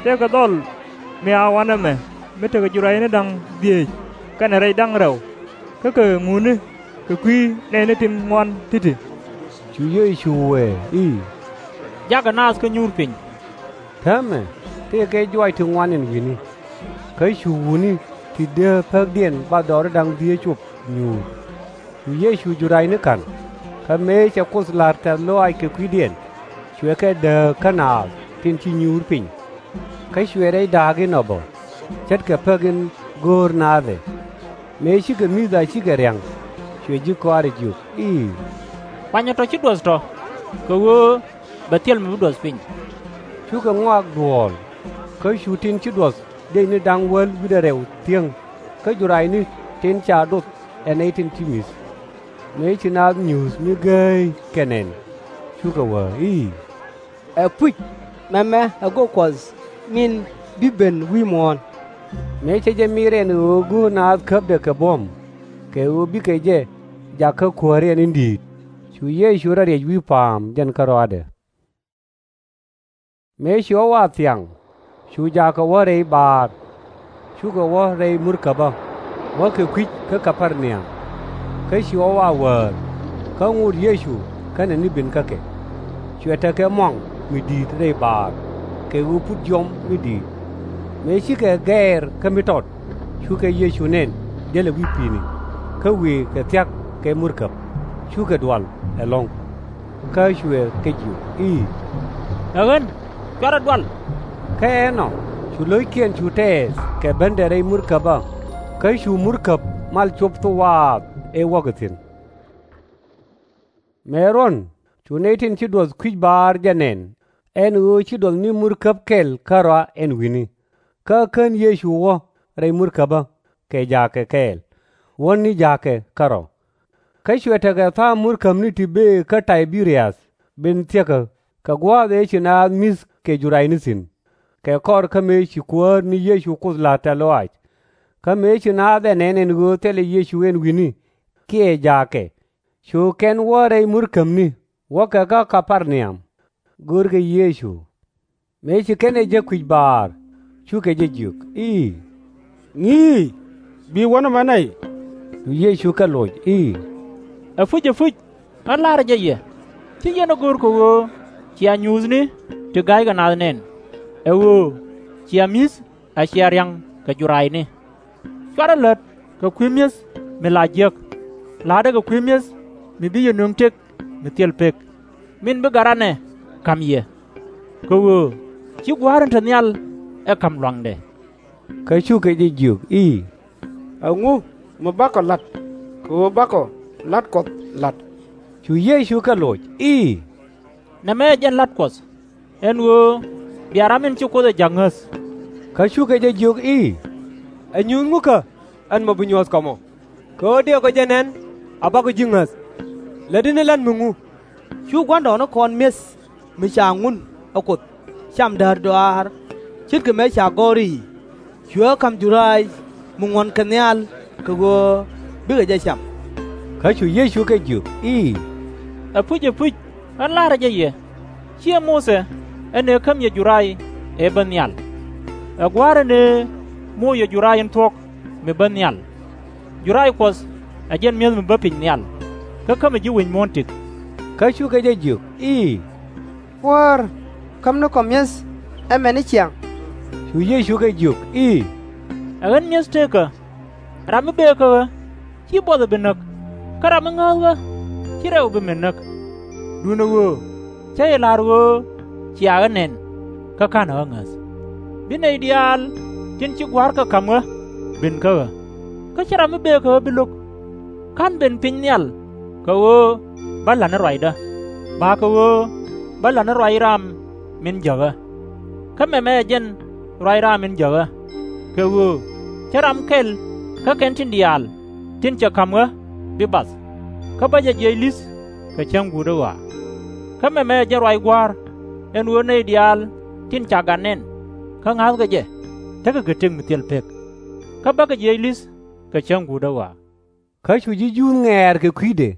Tëëkɛ dhɔl mi a wanɛ mɛ mi tekɛ jur-rɛcni da̱ŋ dhieec kɛnɛ rɛc da̱ŋ rɛw, kä kɛ ŋuni kɛ kui̱ nɛɛni tin ŋuan ti̱ti̱. Cu Yecu wëë i̱, Jakä naath kä nyuur piny. Täämɛ tëëkɛ juaac ti ŋuan ɛn wi̱ni. Kä cu wutni ti dee päkdiɛn bathdɔɔri da̱ŋ dhieec cop nyuur. Cu Yecu jur-rɛcni ka̱n, kä mëë cɛ Kuoth la̱r tɛ̈th lɔaac kɛ kui̱diɛn, cuɛ kɛ dääk kä naath tin ci nyuur piny. Kä cuɛ rɛc da̱a̱k inɔ bä, ce̱tkɛ päk in go̱o̱r naath ɛ. Mëë cikɛ mi̱th a cikɛ ria̱ŋ, cuɛ ji̱ kɔaarɛ jiök i̱, Kuanyɛ tɔ̱ ci duɔth tɔ̱, kɛ ɣöö bɛ thil mi bi duɔth piny. Cukɛ ŋɔak duɔ̱ɔ̱l, kä cu tin ci duɔth diecni da̱ŋ wäl wi̱cdɛ rɛw thiäŋ, kä jur-rɛcni tin ca doth ɛ nɛy tin ci mi̱th. Mëë ci naath nyuuth mi gääy kɛ nɛn, cukɛ wee i̱, Ɛpuc, mɛmɛ ɛ go̱o̱r Kuɔth min bi ben wi̱i̱ muɔ̱ɔ̱n. Mëë cɛ jɛ mi̱i̱r ɛn ɣöö go̱o̱r naath käpdɛ kɛ buɔ̱m, kɛ ɣöö bikɛ jɛ jak kä kuääriɛn in di̱i̱t, cu Yecu rɔ riɛc wi̱i̱ pa̱a̱m jɛn kärɔaadɛ. Mëë ci ɣɔw a thiaŋ, cu jaakɛ wä rɛy baar. Cukɛ wä rɛy murkäbä, wäkɛ kui̱c kä Kɛ-par-ni-am. Kä ci ɣɔw a wäär, kä ŋot Yecu kɛnɛ ni ben kä kɛ. Cuɛ tekɛ muaŋ mi di̱i̱t rɛy baar, kɛ ɣöö put jiɔam mi di̱i̱t. Mëë cikɛ gɛɛr kä mi tɔt, cukɛ Yecu nɛn jälɛ wi̱i̱ pi̱i̱ni, kä wëë kɛ thia̱k kɛ murkäb, cukɛ dual ɛlɔ̱ŋ. Kä cuɛ kɛ jiök i̱, Ɛ ɣän, cuarɛ dual. Kä ɛnɔ cu lo̱ckiɛn cu tɛɛth kɛ bendɛ rɛy murkäbä, kä cu murkäb mal cop thok waath ëë wäkɛ thi̱n. Mëë ruɔ̱n cu nɛy tin ci duɔth kui̱c baar jɛ nɛn ɛn ɣöö ci duɔth ni murkäb kɛl kärɔa ɛn wi̱ni. Kä kän Yecu wä rɛy murkäbä kɛ jaakɛ kɛɛl, wä ni jaakɛ kärɔ̱. Kä cuɛ tekɛ tha̱a̱ŋ murkäbni ti bëë kä Tay-bɛ-riäth ben thiäkä, kɛ gua̱a̱th ëë ci naath mi̱th kɛ jur-rɛcni thi̱n, kɛ kɔr kä mëë ci Kuäär ni Yecu Kuoth la̱r tɛ̈th lɔaac. Kä mëë ci naath ɛ nɛn ɛn ɣöö thilɛ Yecu ɛn wi̱ni kiɛ jaakɛ, cu kɛn wä rɛy murkäbni, wäkɛ kä Kɛ-par-ni-am, görkɛ Yecu. Mëë ci kɛn ɛ jek kui̱c baar, cukɛ jɛ jiök i̱, Ŋi̱i̱c, bi wä nɔmɔ nɛy. Cu Yecu kɛ loc i̱, Ɛpuc, ɛpuc, ɣän la̱rä jɛ yɛ, /ci yɛn ɛ go̱o̱r kɛ ɣöö cia nyuuthni ti ga̱ykɛ naath nɛn, ɛ ɣöö cia mi̱th a cia ria̱ŋ kɛ jur-rɛcni. Cuarɛ lät kɛ kui̱ mi̱eth mi la jiäk, la̱tdɛ kɛ kui̱ mi̱eth mi bi yɛ nöŋ tëk mi thil pek, min bi gat ranɛ ka̱m yɛ. Kɛ ɣöö /ci Gua̱a̱r in te nhial ɛ ka̱m lua̱ŋdɛ. Kä cukɛ jɛ jiök i̱, Ɛŋu mi bakɔ la̱t kɛ ɣöö bakɔ la̱t Kuɔth la̱t? Cu Yecu kɛ loc i̱, Nɛmɛ ɛ jɛn la̱t Kuɔth, ɛn ɣöö bia ram in ci Kuoth ɛ ja̱k ŋäth. Kä cukɛ jɛ jiök i̱, Ɛ nyuuth ŋukä ɛn mɔ bi nyuɔ̱th kɔmɔ? Kɛ ɣöö dëëkɔ jɛ nɛn a bakɔ ji̱ ŋäth. Lätdi ni la̱t mi ŋu? Cu gua̱ndɔɔŋnikɔn mi̱eth mi ca ŋun ɛ Kuoth cam däär dɔaar, ce̱tkɛ mëë ca gɔ̱r i̱, Cuɛ ɣä ka̱m jur-rɛc mi ŋuɔ̱n kɛ nhial kɛ ɣöö bikɛ jɛ cam. Kä cu Yecu kɛ jiök i̱, Ɛpuc, ɛpuc, ɣän la̱rä jɛ yɛ, /ciɛ Muthɛ ɛ nëë käm yɛ jur-rɛc ëë bä nhial. Ɛ Gua̱a̱r ɛ nëë moc yɛ jur-rɛc in thuɔ̱k mi bä nhial. Jur-rɛc Kuɔth ɛ jɛn mi̱eth mi bä piny nhial, kä kämɛ ji̱ wi̱c muɔ̱ɔ̱n tëk. Kä cukɛ jɛ jiök i̱, Kuäär, käm ni kɔ mi̱eth ɛmɛ ni ciaŋ. Cu Yecu kɛ jiök i̱, Ɛ ɣän mi̱eth tëëkä. Ram mi bëë kä ɣä, /ci buɔth ɛ bi näk, kä ram mi ŋääth ɣä, /ci rɛw ɛ bi min näk. Duundɛ ɣöö cä jɛ la̱r ɣöö cia ɣä nɛn, kä /ka̱nɛ ɣä ŋäth. Bi nɛy diaal tin ci Gua̱a̱r kɛ ka̱m ɣä ben kä ɣä. Kä /cɛ ram mi bëë kä ɣä bi lo̱k. /Ka̱n ben piny nhial kɛ ɣöö bä la̱t ni ruacdä, bakɛ ɣöö bä la̱t ni ruac ram min jäk ɣä. Kä mɛmɛ ɛ jɛn ruac ram min jäk ɣä, kɛ ɣöö /cä ram kɛl kä kɛn tin diaal tin cɛ ka̱m ɣä bi bath, kä bä jɛ jiɛc li̱th kɛ cäŋ guutdä ɣɔaa. Kä mɛmɛ ɛ jɛn ruac Gua̱a̱r, ɛn ɣöö nɛy diaal tin ca gat nɛn kä ŋa̱thkɛ jɛ, tekɛ kɛ tëk mi thil pek, kä bä kɛ jiɛc li̱th kɛ cäŋ guutdä ɣɔaa. Kä cu ji̱ Juudh ŋɛ̈ɛ̈r kɛ kui̱dɛ,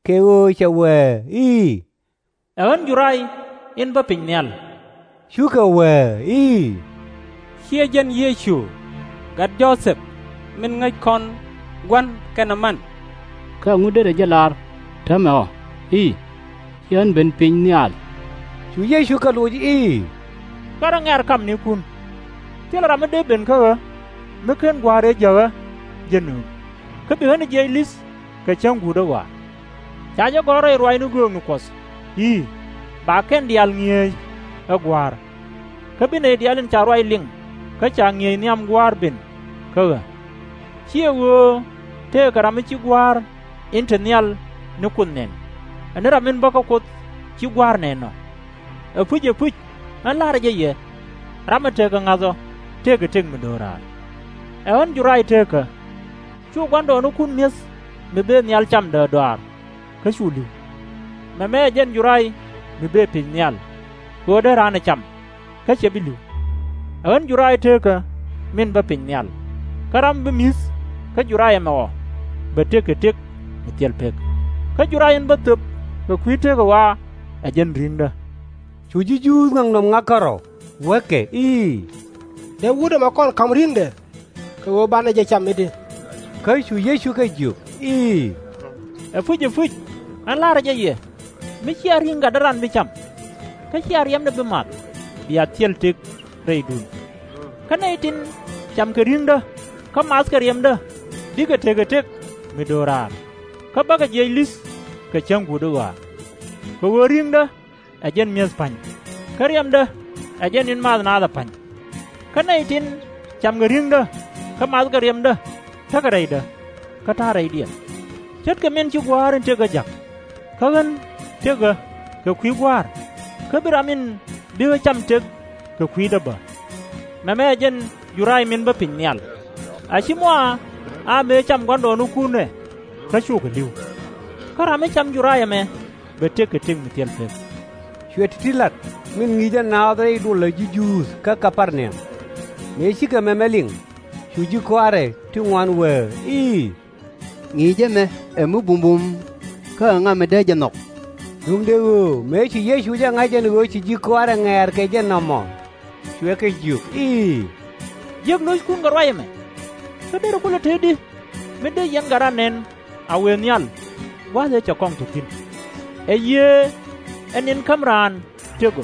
kɛ ɣöö cɛ wee i̱, Ɛ ɣän Juray in bä piny nhial. Cukɛ wee i̱, /Ciɛ jɛn Yecu, gat Jo-thɛp, min ŋäc kɔn gua̱n kɛnɛ man? Kä ɛŋu dee jɛ lar täämɛ ɔ i̱, Ci ɣän ben piny nhial? Cu Yecu kɛ loc i̱, Gat ɛ ŋɛ̈r kamnikun. Thilɛ ram mi dee ben kä ɣä mi /ken Gua̱a̱r ëë jäk ɣä jɛ nööŋ, kä bi ɣän ɛ jiɛc li̱th kɛ cäŋ guutdä ɣɔaa. Ca jɛ gɔ̱r rɛy ruacni göökni Kuɔth i̱, Ba kɛn diaal ŋi̱eec ɛ Gua̱a̱r. Kä bi nɛy diaal tin ca ruac liŋ kä ca ŋi̱eec nhiam Gua̱a̱r ben kä ɣä. /Ciɛ ɣöö tëëkɛ ram mi ci Gua̱a̱r in te nhial ni Kuoth nɛn, ɛ ni ram in bä kä Kuoth ci Gua̱a̱r nɛn ɔ. Ɛpuc, ɛpuc, ɣän la̱rä jɛ yɛ, ram ɛ tekɛ ŋa̱th ɔ tëëkɛ tëk mi do̱raar. Ɛ ɣän Juray tëëkä. Cu gua̱ndɔɔŋnikun mi̱eth mi bëë nhial cam däärdɔaar, kä cu li̱w. Mɛmɛ ɛ jɛn Juray mi bëë piny nhial, kɛ ɣöö dee raan ɛ cam, kä /cɛ bi li̱w. Ɛ ɣän Juray tëëkä min bä piny nhial. Kä ram mi bi mi̱th kä Juray ɛmɛ ɔ bɛ tëk kɛ tëk mi thil pek. Kä Juray in bä thöp kɛ kui̱ tëkä ɣɔaa ɛ jɛn ri̱ŋdä. Cu ji̱ Juudh ŋaknɔm ŋa̱k kärɔ̱, wäkɛ i̱, Dee wut ɛmɛ kɔn ka̱m ri̱ŋdɛ, kɛ ɣöö banɛ jɛ cam i̱di? Kä cu Yecu kɛ jiök i̱, Ɛpuc, ɛpuc, ɣän la̱rä jɛ yɛ, mi /cia ri̱ŋ gatdä ran bi cam, kä /cia riɛmdɛ bi math, bia thil tëk rɛydun. Kä nɛy tin cam kɛ ri̱ŋdä kä math kɛ riɛmdä bikɛ tekɛ tëk mi do̱raar, kä bä kɛ jiɛc li̱th kɛ cäŋ guutdä ɣɔaa. Kɛ ɣöö ri̱ŋdä ɛ jɛn mi̱eth pa̱ny, kä riɛmdä ɛ jɛn in math naath ɛ pa̱ny. Kä nɛy tin cam kɛ ri̱ŋdä kä math kɛ riɛmdä, tekɛ rɛydä, kä ta̱a̱ rɛydiɛn. Ce̱tkɛ min ci Gua̱a̱r in tëk ɣä ja̱k, kä ɣän tëk ɣä kɛ kui̱ Gua̱a̱r, kä bi ram in bi ɣä cam tëk kɛ kui̱dä bä. Mɛmɛ ɛ jɛn Juray min bä piny nhial. A ci mɔa a mëë cam gua̱ndɔɔŋnikun ɛ, kä cukɛ li̱w. Kä ram mi cam Juray ɛmɛ bɛ tëk kɛ tëk mi thil pek. Cuɛ ti̱ti̱ la̱t min ŋi̱i̱cɛ naath rɛy duɔlä ji̱ Juudh kä Kɛ-par-na-yɔm. Mëë cikɛ mɛmɛ liŋ, cu ji̱ kɔaarɛ ti ŋuan wee i̱, Ŋi̱i̱cä ɛmɛ ɛ mi bumbum, kä ɛŋa mi dee jɛ nhɔk? Duundɛ ɣöö mëë ci Yecu jɛ ŋa̱c ɛn ɣöö ci ji̱ kɔaarɛ ŋɛ̈ɛ̈r kɛ jɛ nɔmɔ, cuɛ kɛ jiök i̱, Jiäk lo̱ckun kɛ ruac ɛmɛ, kä derɛ ku lät tëëdi mi dee yɛn gat ran nɛn a wëë nhial gua̱a̱th ëë cɛ kɔŋ te thi̱n. Ɛ Yiëë ɛ ni̱n ka̱m raan tëk ɔ,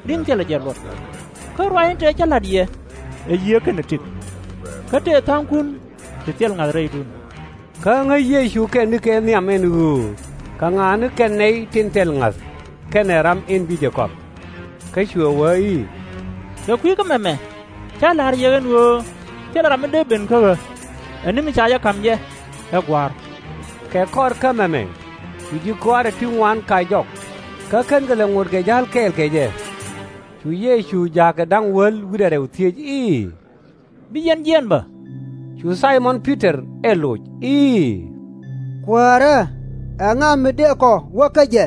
ri̱ŋ thilɛ jɛ luɔt. Kä ruac in te cä la̱t yɛ ɛ Yiëë kɛnɛ tëk, kä tëë tha̱a̱ŋkun ti thil ŋa̱th rɛydun. Kä ŋäc Yecu kɛn ni kɛ nhiam ɛn ɣöö kɛ ŋa ni kɛn nɛy tin thil ŋa̱th kɛnɛ ram in bi jɛ kɔp. Kä cuɛ wee i̱, Kɛ kui̱ kä mɛmɛ cä la̱r yɛ ɣän ɣöö thilɛ ram mi dee ben kä ɣä, ɛ ni mi ca jɛ ka̱m jɛ, ɛ Gua̱a̱r. Kɛ kɔr kä mɛmɛ cu ji̱ kɔaarɛ ti ŋuan kac jɔk, kä /kenkɛ lɛ ŋot kɛ ja̱l kɛɛl kɛ jɛ. Cu Yecu ja̱a̱kɛ da̱ŋ wäl wi̱cdɛ rɛw thiec i̱, Bi yɛn jiɛɛn bä? Cu Thay-mɔn Pi-tɔr ɛ loc i̱, Kuäärä, ɛŋa mi dëë kɔ wä kä jɛ?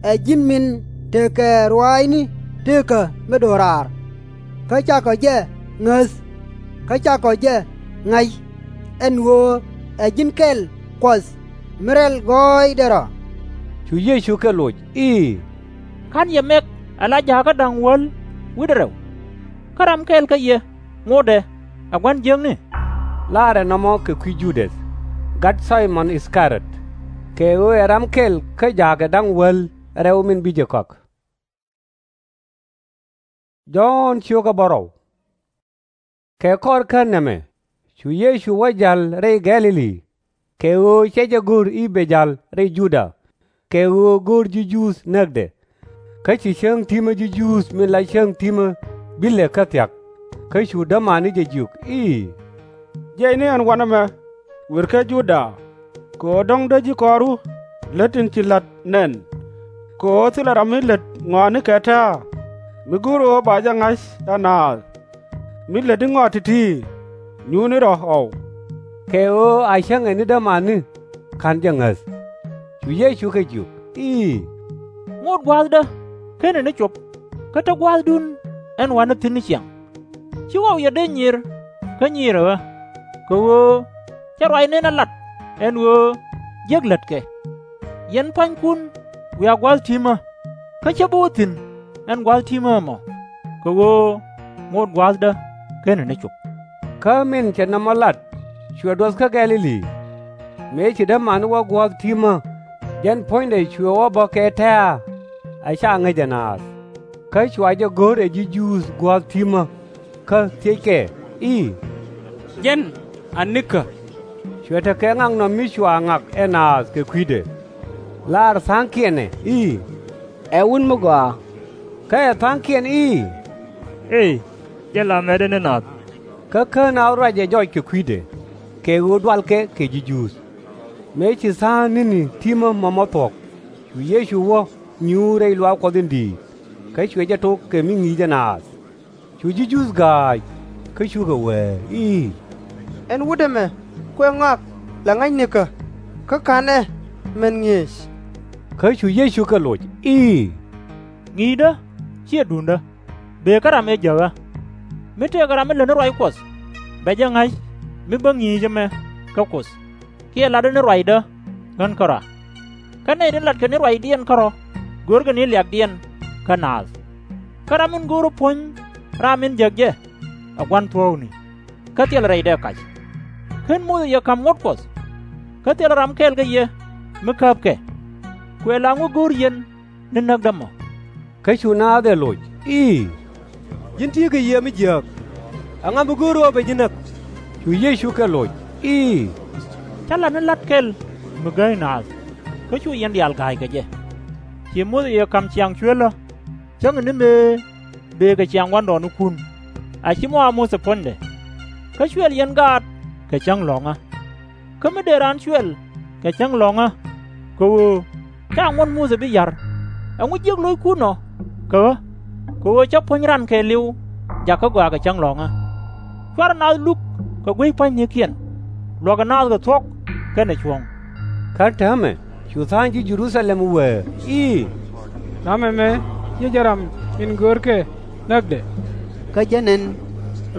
Ɛ ji̱n min tekɛ ruaacni tëkä mi do̱raar, kä cakɔ jɛ ŋäth, kä cakɔ jɛ ŋa̱c, ɛn ɣöö ɛ ji̱n kɛl Kuɔth mi rɛl gɔɔydɛ rɔ. Cu Yecu kɛ loc i̱, Ka̱n yɛ mɛk ala ja̱a̱kä da̱ŋ wäl wi̱cdɛ rɛw? Kä ram kɛl kä yɛ ŋotdɛ ɛ gua̱n jiäkni? Laarɛ nɔmɔ kɛ kui̱ Ju-däth, gat Thay-mɔn Is-ka-riɔt, kɛ ɣöö ɛ ram kɛl kä ja̱a̱kɛ da̱ŋ wäl rɛw min bi jɛ kɔak. Jɔ̱ɔ̱n ciökä bärɔw. Kɛ kɔr kän nɛmɛ cu Yecu wä ja̱l rɛy Gɛ̈-lɛ-li, kɛ ɣöö /cɛ jɛ go̱r i̱ bɛ ja̱l rɛy Juda, kɛ ɣöö go̱o̱r ji̱ Juudh näkdɛ. Kä ci cäŋ ti̱mä ji̱ Juudh min la cäŋ ti̱mä bilɛ kä thia̱k. Kä cu dämani jɛ jiök i̱, Jiɛcni ɛn wanɛ mɛ, wër kä Juda, kɛ ɣöö dɔ̱ŋ dee ji̱ kɔaru lät in ci la̱t nɛn, kɛ ɣöö thilɛ ram mi lät ŋɔaani kɛ tɛ̱̈ɛ̱̈, mi go̱o̱rɛ ɣöö ba jɛ ŋa̱c ɛ naath, mi lätdi ŋɔak ti̱ti̱, nyuurni rɔ̱ ɣɔw. Kɛ ɣöö a cäŋɛ ni dämani, /ka̱n jɛ ŋäth. Cu Yecu kɛ jiök i̱, Ŋot gua̱a̱thdä /kenɛ ni cop, kä te gua̱a̱thdun ɛn wanɛ thi̱n ni ciaŋ. /Ci ɣɔw yɛ dee nyiir kä nyiirɛ ɣä, kɛ ɣöö /cɛ ruacni ɛ lat ɛn ɣöö jiäk lätkɛ. Yɛn pua̱nykun wiaa gua̱a̱th ti̱mä, kä /cä bi wä thi̱n ɛn gua̱a̱th ti̱mä ɛmɔ, kɛ ɣöö ŋot gua̱a̱thdä /kenɛ ni cop. Kä min cɛ nɔmɔ lat, cuɛ duɔth kä Gɛ̈-lɛ-li. Mëë ci dämani wä gua̱a̱th ti̱mä, jɛn puɔ̱nydɛ cuɛ wä bä kɛ tɛ̱̈ɛ̱̈, a /ca ŋäc ɛ naath. Kä cua jɛ go̱r ɛ ji̱ Juudh gua̱a̱th ti̱mä, kä thiëckɛ i̱, Jɛn a nikä? Cuɛ tekɛ ŋaknɔm mi cua ŋak ɛ naath kɛ kui̱dɛ. Laar tha̱a̱ŋkiɛn ɛ i̱, Ɛ wut mi gɔaa. Kä ɛ tha̱a̱ŋkiɛn i̱, Ëë, jɛn la mɛtdä ni naath. Kä kän naath ruacɛ jɔc kɛ kui̱dɛ, kɛ ɣöö dualkɛ kɛ ji̱ Juudh. Mëë ci tha̱a̱ŋ ni̱ni ti̱mä mɔmɔ thuɔ̱k, cu Yecu wä nyuur rɛy luaak Kuɔth in di̱i̱t, kä cuɛ jɛ tok kɛ mi ŋi̱i̱cɛ naath. Cu ji̱ Juudh ga̱a̱c, kä cukɛ wëë i̱, Ɛn wut ɛmɛ kuɛ ŋɔak la ŋa̱c nikä, kä /ka̱n ɛ mɛn ŋi̱eec. Kä cu Yecu kɛ loc i̱, Ŋi̱i̱cdä /ciɛ duundä, bëë kä ram ëë jäkä. Mi tëëkɛ ram mi lät ni ruac Kuɔth, bɛ jɛ ŋa̱c mi bä ŋi̱i̱c ɛmɛ kä Kuoth, kiɛ latdä ni ruacdä ɣän kärɔa. Kä nɛy tin latkɛ ni ruacdiɛn kärɔ̱ görkɛ ni liakdiɛn kä naath. Kä ram in go̱o̱rä puɔ̱ny raam in jäk jɛ, ɛ gua̱n thuɔ̱ɔ̱kni, kä thilɛ rɛydɛ kac. /Ken Muthɛ yɛ ka̱m ŋot Kuɔth? Kä thilɛ ram kɛl kä yɛ mi käpkɛ. Kuɛ la ŋu go̱o̱r yɛn ni näkdä mɔ? Kä cu naath ɛ loc i̱, Ji̱n ti̱i̱ kɛ yiëë mi jiääk, ɛŋa mi go̱o̱r ɣöö bɛ ji̱ näk? Cu Yecu kɛ loc i̱, Cä lat ni la̱t kɛl mi gääy naath, kä cu yɛn diaal ga̱a̱c kɛ jɛ. Ci Muthɛ yɛ ka̱m ciaŋ cuëlä, cäŋ ni mëë bëë kɛ ciaŋ gua̱ndɔɔŋnikun, a /ci mɔ a Muthɛ puɔ̱nydɛ. Kä cuɛl yɛn gaat kɛ cäŋ lɔ̱ŋä. Kä mi dee raan cuɛl kɛ cäŋ lɔ̱ŋä, kɛ ɣöö /ca ŋuɔ̱t Muthɛ bi ya̱r, ɛŋu jiäk lo̱ckun ɔ kä ɣä? Kɛ ɣöö /cä puɔ̱ny ran kɛɛliw jakä gɔaa kɛ cäŋ lɔ̱ŋä. /Cuarɛ naath luk kɛ guic pua̱nynikiɛn, luɔ̱kɛ naath kɛ thuɔ̱k kɛnɛ cuɔ̱ŋ. Kä täämɛ cu tha̱a̱ŋ ji̱ Jɛ-ru-tha-lɛm wëë i̱, Ram ɛmɛ /ciɛ jɛn ram in görkɛ näkdɛ. Kä jɛn ɛn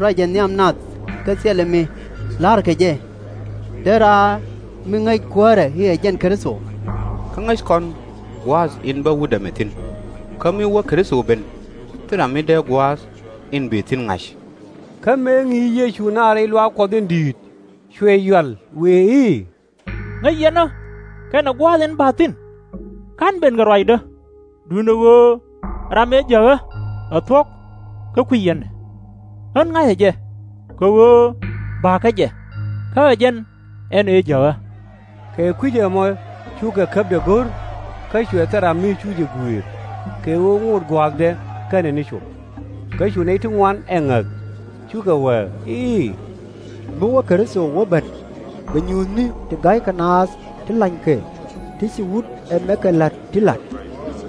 ruacɛ nhiam nath kä thilɛ mi la̱rkɛ jɛ, derɛ a mi ŋäc Kuäärɛ i̱ ɛ jɛn Kritho. Kä ŋäc kɔn gua̱a̱th in bä wut ɛmɛ thi̱n. Kä mi wä Kritho ben, thilɛ ram mi dee gua̱a̱th in bëë thi̱n ŋa̱c. Kä mëë ŋi̱i̱c Yecu naath rɛy luaak Kuɔth in di̱i̱t, cuɛ yual wëë i̱, Ŋäc yɛn ɣä kɛnɛ gua̱a̱th in ba̱a̱th thi̱n. /Ka̱n ben kɛ ruacdä, duundɛ ɣöö ram ëë jäk ɣä ɛ thuɔ̱k kä kui̱c yɛn ɛ. Ɣän ŋa̱cä jɛ, kɛ ɣöö ba̱a̱kä jɛ, kä ɛ jɛn ɛn ëë jäk ɣä. Kɛ kui̱c ɛmɔ cukɛ käpdɛ go̱r, kä cuɛ thil ram mi cu jɛ gui̱i̱r, kɛ ɣöö ŋot gua̱a̱thdɛ /kenɛ ni cop. Kä cu nɛy ti ŋuan ɛ ŋäth, cukɛ wëë i̱, Mi wä Kritho wä ben, bɛ nyuuthni ti ga̱ykɛ naath ti lanykɛ, ti ci wut ɛmɛ kɛ la̱t ti la̱t.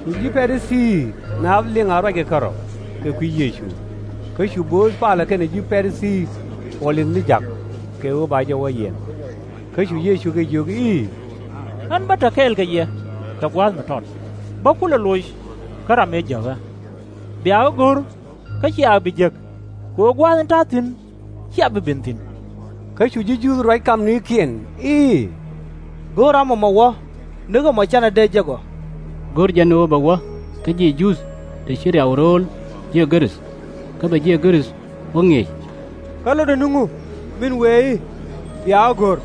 Cu ji̱ Pa-ri-thii naath liŋ a ruackɛ kärɔ̱ kɛ kui̱ Yecu. Kä cu bööth palä kɛnɛ ji̱ Pa-ri-thii puɔl li̱th ni ja̱k, kɛ ɣöö ba jɛ wä yiɛn. Kä cu Yecu kɛ jiök i̱, Ɣän bä te kɛɛl kɛ yɛ kɛ gua̱a̱th mi tɔt, bä kulɛ loc kä ram ëë jäk ɣä. Bia ɣä go̱r, kä cia ɣä bi jek, kɛ ɣöö gua̱a̱th in ta̱a̱ thi̱n /cia bi ben thi̱n. Kä cu ji̱ Juudh ruac kamnikiɛn i̱, Go̱o̱r ram ɛmɔ wä, ni ɣöö mɔ canɛ dee jek ɔ. Go̱o̱r jɛn ɣöö bɛ wä kä ji̱ Juudh tɛ ci riaw ro̱o̱l ji̱ Gɛ̈rɛ̈th, kä bɛ ji̱ Gɛ̈rɛ̈th wä ŋi̱eec. Kä lotdɛ ni ŋu min wëë i̱, Bia ɣä go̱r,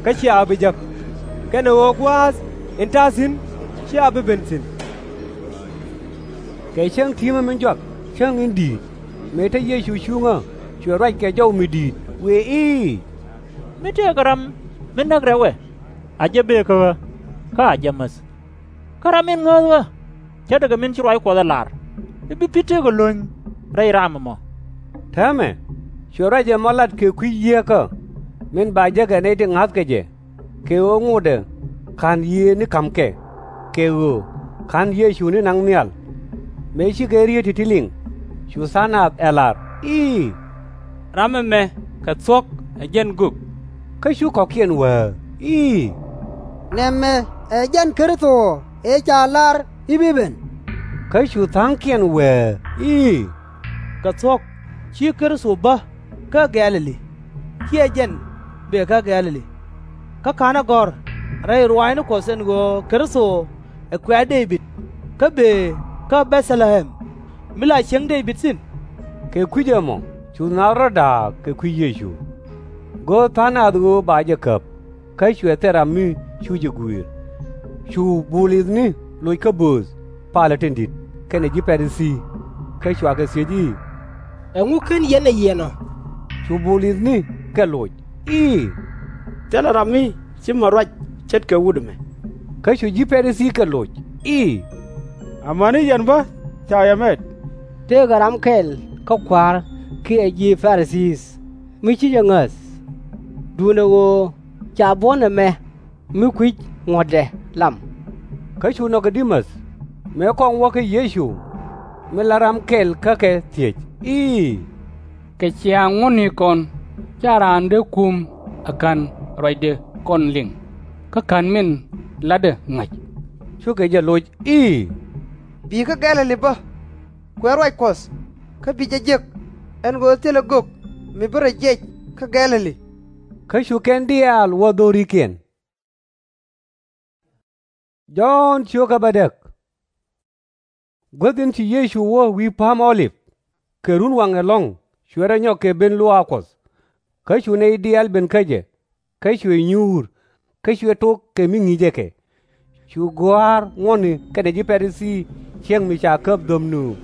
kä cia ɣä bi jek? Kɛnɛ ɣöö gua̱a̱th in ta̱a̱ thi̱n /cia bi ben thi̱n. Kɛ cäŋ ti̱mä min jɔak, cäŋ in di̱i̱t, mëë te Yecu cuŋä, cuɛ ruac kɛ jɔw mi di̱i̱t, wëë i̱, Mi tëëkɛ ram mi näk rɛwɛ, a jɛ bëë kä ɣä, kä a jɛ mäth. Kä ram in ŋääth ɣä, ce̱tdɛ kɛ min ci ruac Kuɔth ɛ lar, i̱ bi pi̱ tëëkɛ lo̱ny rɛy ram ɛmɔ. Täämɛ, cuɛ ruac ɛmɔ lat kɛ kui̱ yieekä, min ba jek ɛ nɛy ti ŋa̱thkɛ jɛ, kɛ ɣöö ŋotdɛ /ka̱n yiëë ni ka̱mkɛ, kɛ ɣöö /ka̱n Yecu ni naŋ nhial. Mëë cikɛ riet ti̱ti̱ liŋ, cu tha̱a̱ŋ nath ɛ lar i̱, Ram ɛmɛ kɛ thuɔ̱k ɛ jɛn gök. Kä cu kɔ̱kiɛn wääk i̱, Nɛmɛ ɛ jɛn Kritho ëë ca lar i̱ bi ben. Kä cu tha̱a̱ŋkiɛn wääk i̱, Kɛ thuɔ̱k, /ci Kritho bä kä Gɛ̈-lɛ-li, /ciɛ jɛn bëë kä Gɛ̈-lɛ-li? Kä /ka̱nɛ gɔ̱r rɛy ruaacni Kuɔth ɛn ɣöö Kritho ɛ kuɛ̈ɛ̈ Dee-bid, kä bëë kä Bɛ̈th-lɛ-ɣɛm, mi la cieŋ Dee-bid thi̱n? Kɛ kui̱c ɛmɔ cu naath rɔ̱ da̱a̱k kɛ kui̱ Yecu. Go̱o̱r tha̱a̱ŋ nath ɣöö ba jɛ käp, kä cuɛ thil ram mi cu jɛ gui̱i̱r. Cu Bulithni loc kä bööth palä tin di̱t kɛnɛ ji̱ Pa-ri-thii, kä cua kɛ thiec i̱, Ɛŋu /ken yɛn ɛ yiɛn ɔ? Cu Bulithni kɛ loc i̱, Thilɛ ram mi ci mät ruac ce̱tkɛ wut ɛmɛ. Kä cu ji̱ Pa-ri-thii kɛ loc i̱, Amäni yɛn bä ca yɛ mɛt. Tëëkɛ ram kɛl kä kua̱r kiɛ ji̱ Pa-ri-thii mi /ci jɛ ŋäth, duundɛ ɣöö ca buɔ̱n ɛmɛ mi kui̱c ŋuɔ̱tdɛ lam. Kä cu nɔkɛ di̱t mäth, mëë kɔŋ wä kä Yecu, min la ram kɛl kä kɛ thiec i̱, Kɛ ciaŋ ŋuɔ̱tnikɔn /ca raan dee kum ɛ /ka̱n ruacdɛ kɔn liŋ, kä /ka̱n min latdɛ ŋa̱c? Cukɛ jɛ loc i̱, Bi̱i̱ kä Gɛ̈-lɛ-li bä, kuɛ̈ɛ̈ ruac Kuɔth, kä bi jɛ jek, ɛn ɣöö thilɛ gök mi bi rɔ jiɛc kä Gɛ̈-lɛ-li. Kä cu kɛn diaal wä dho̱rikiɛn. Jɔ̱ɔ̱n ciökä bädäk. Guäth in ci Yecu wä wi̱i̱ Pa̱a̱m Ɔ-lip, kɛ runwaŋ ɛlɔ̱ŋ, cuɛ rɔ nyɔk kɛ ben luaak Kuɔth. Kä cu nɛy diaal ben kä jɛ, kä cuɛ nyuur, kä cuɛ tok kɛ mi ŋi̱i̱cɛ kɛ. Cu gɔ̱a̱r ŋuɔ̱tni kɛnɛ ji̱ Pa-ri-thii ciɛŋ mi ca käp dhöm nööŋ,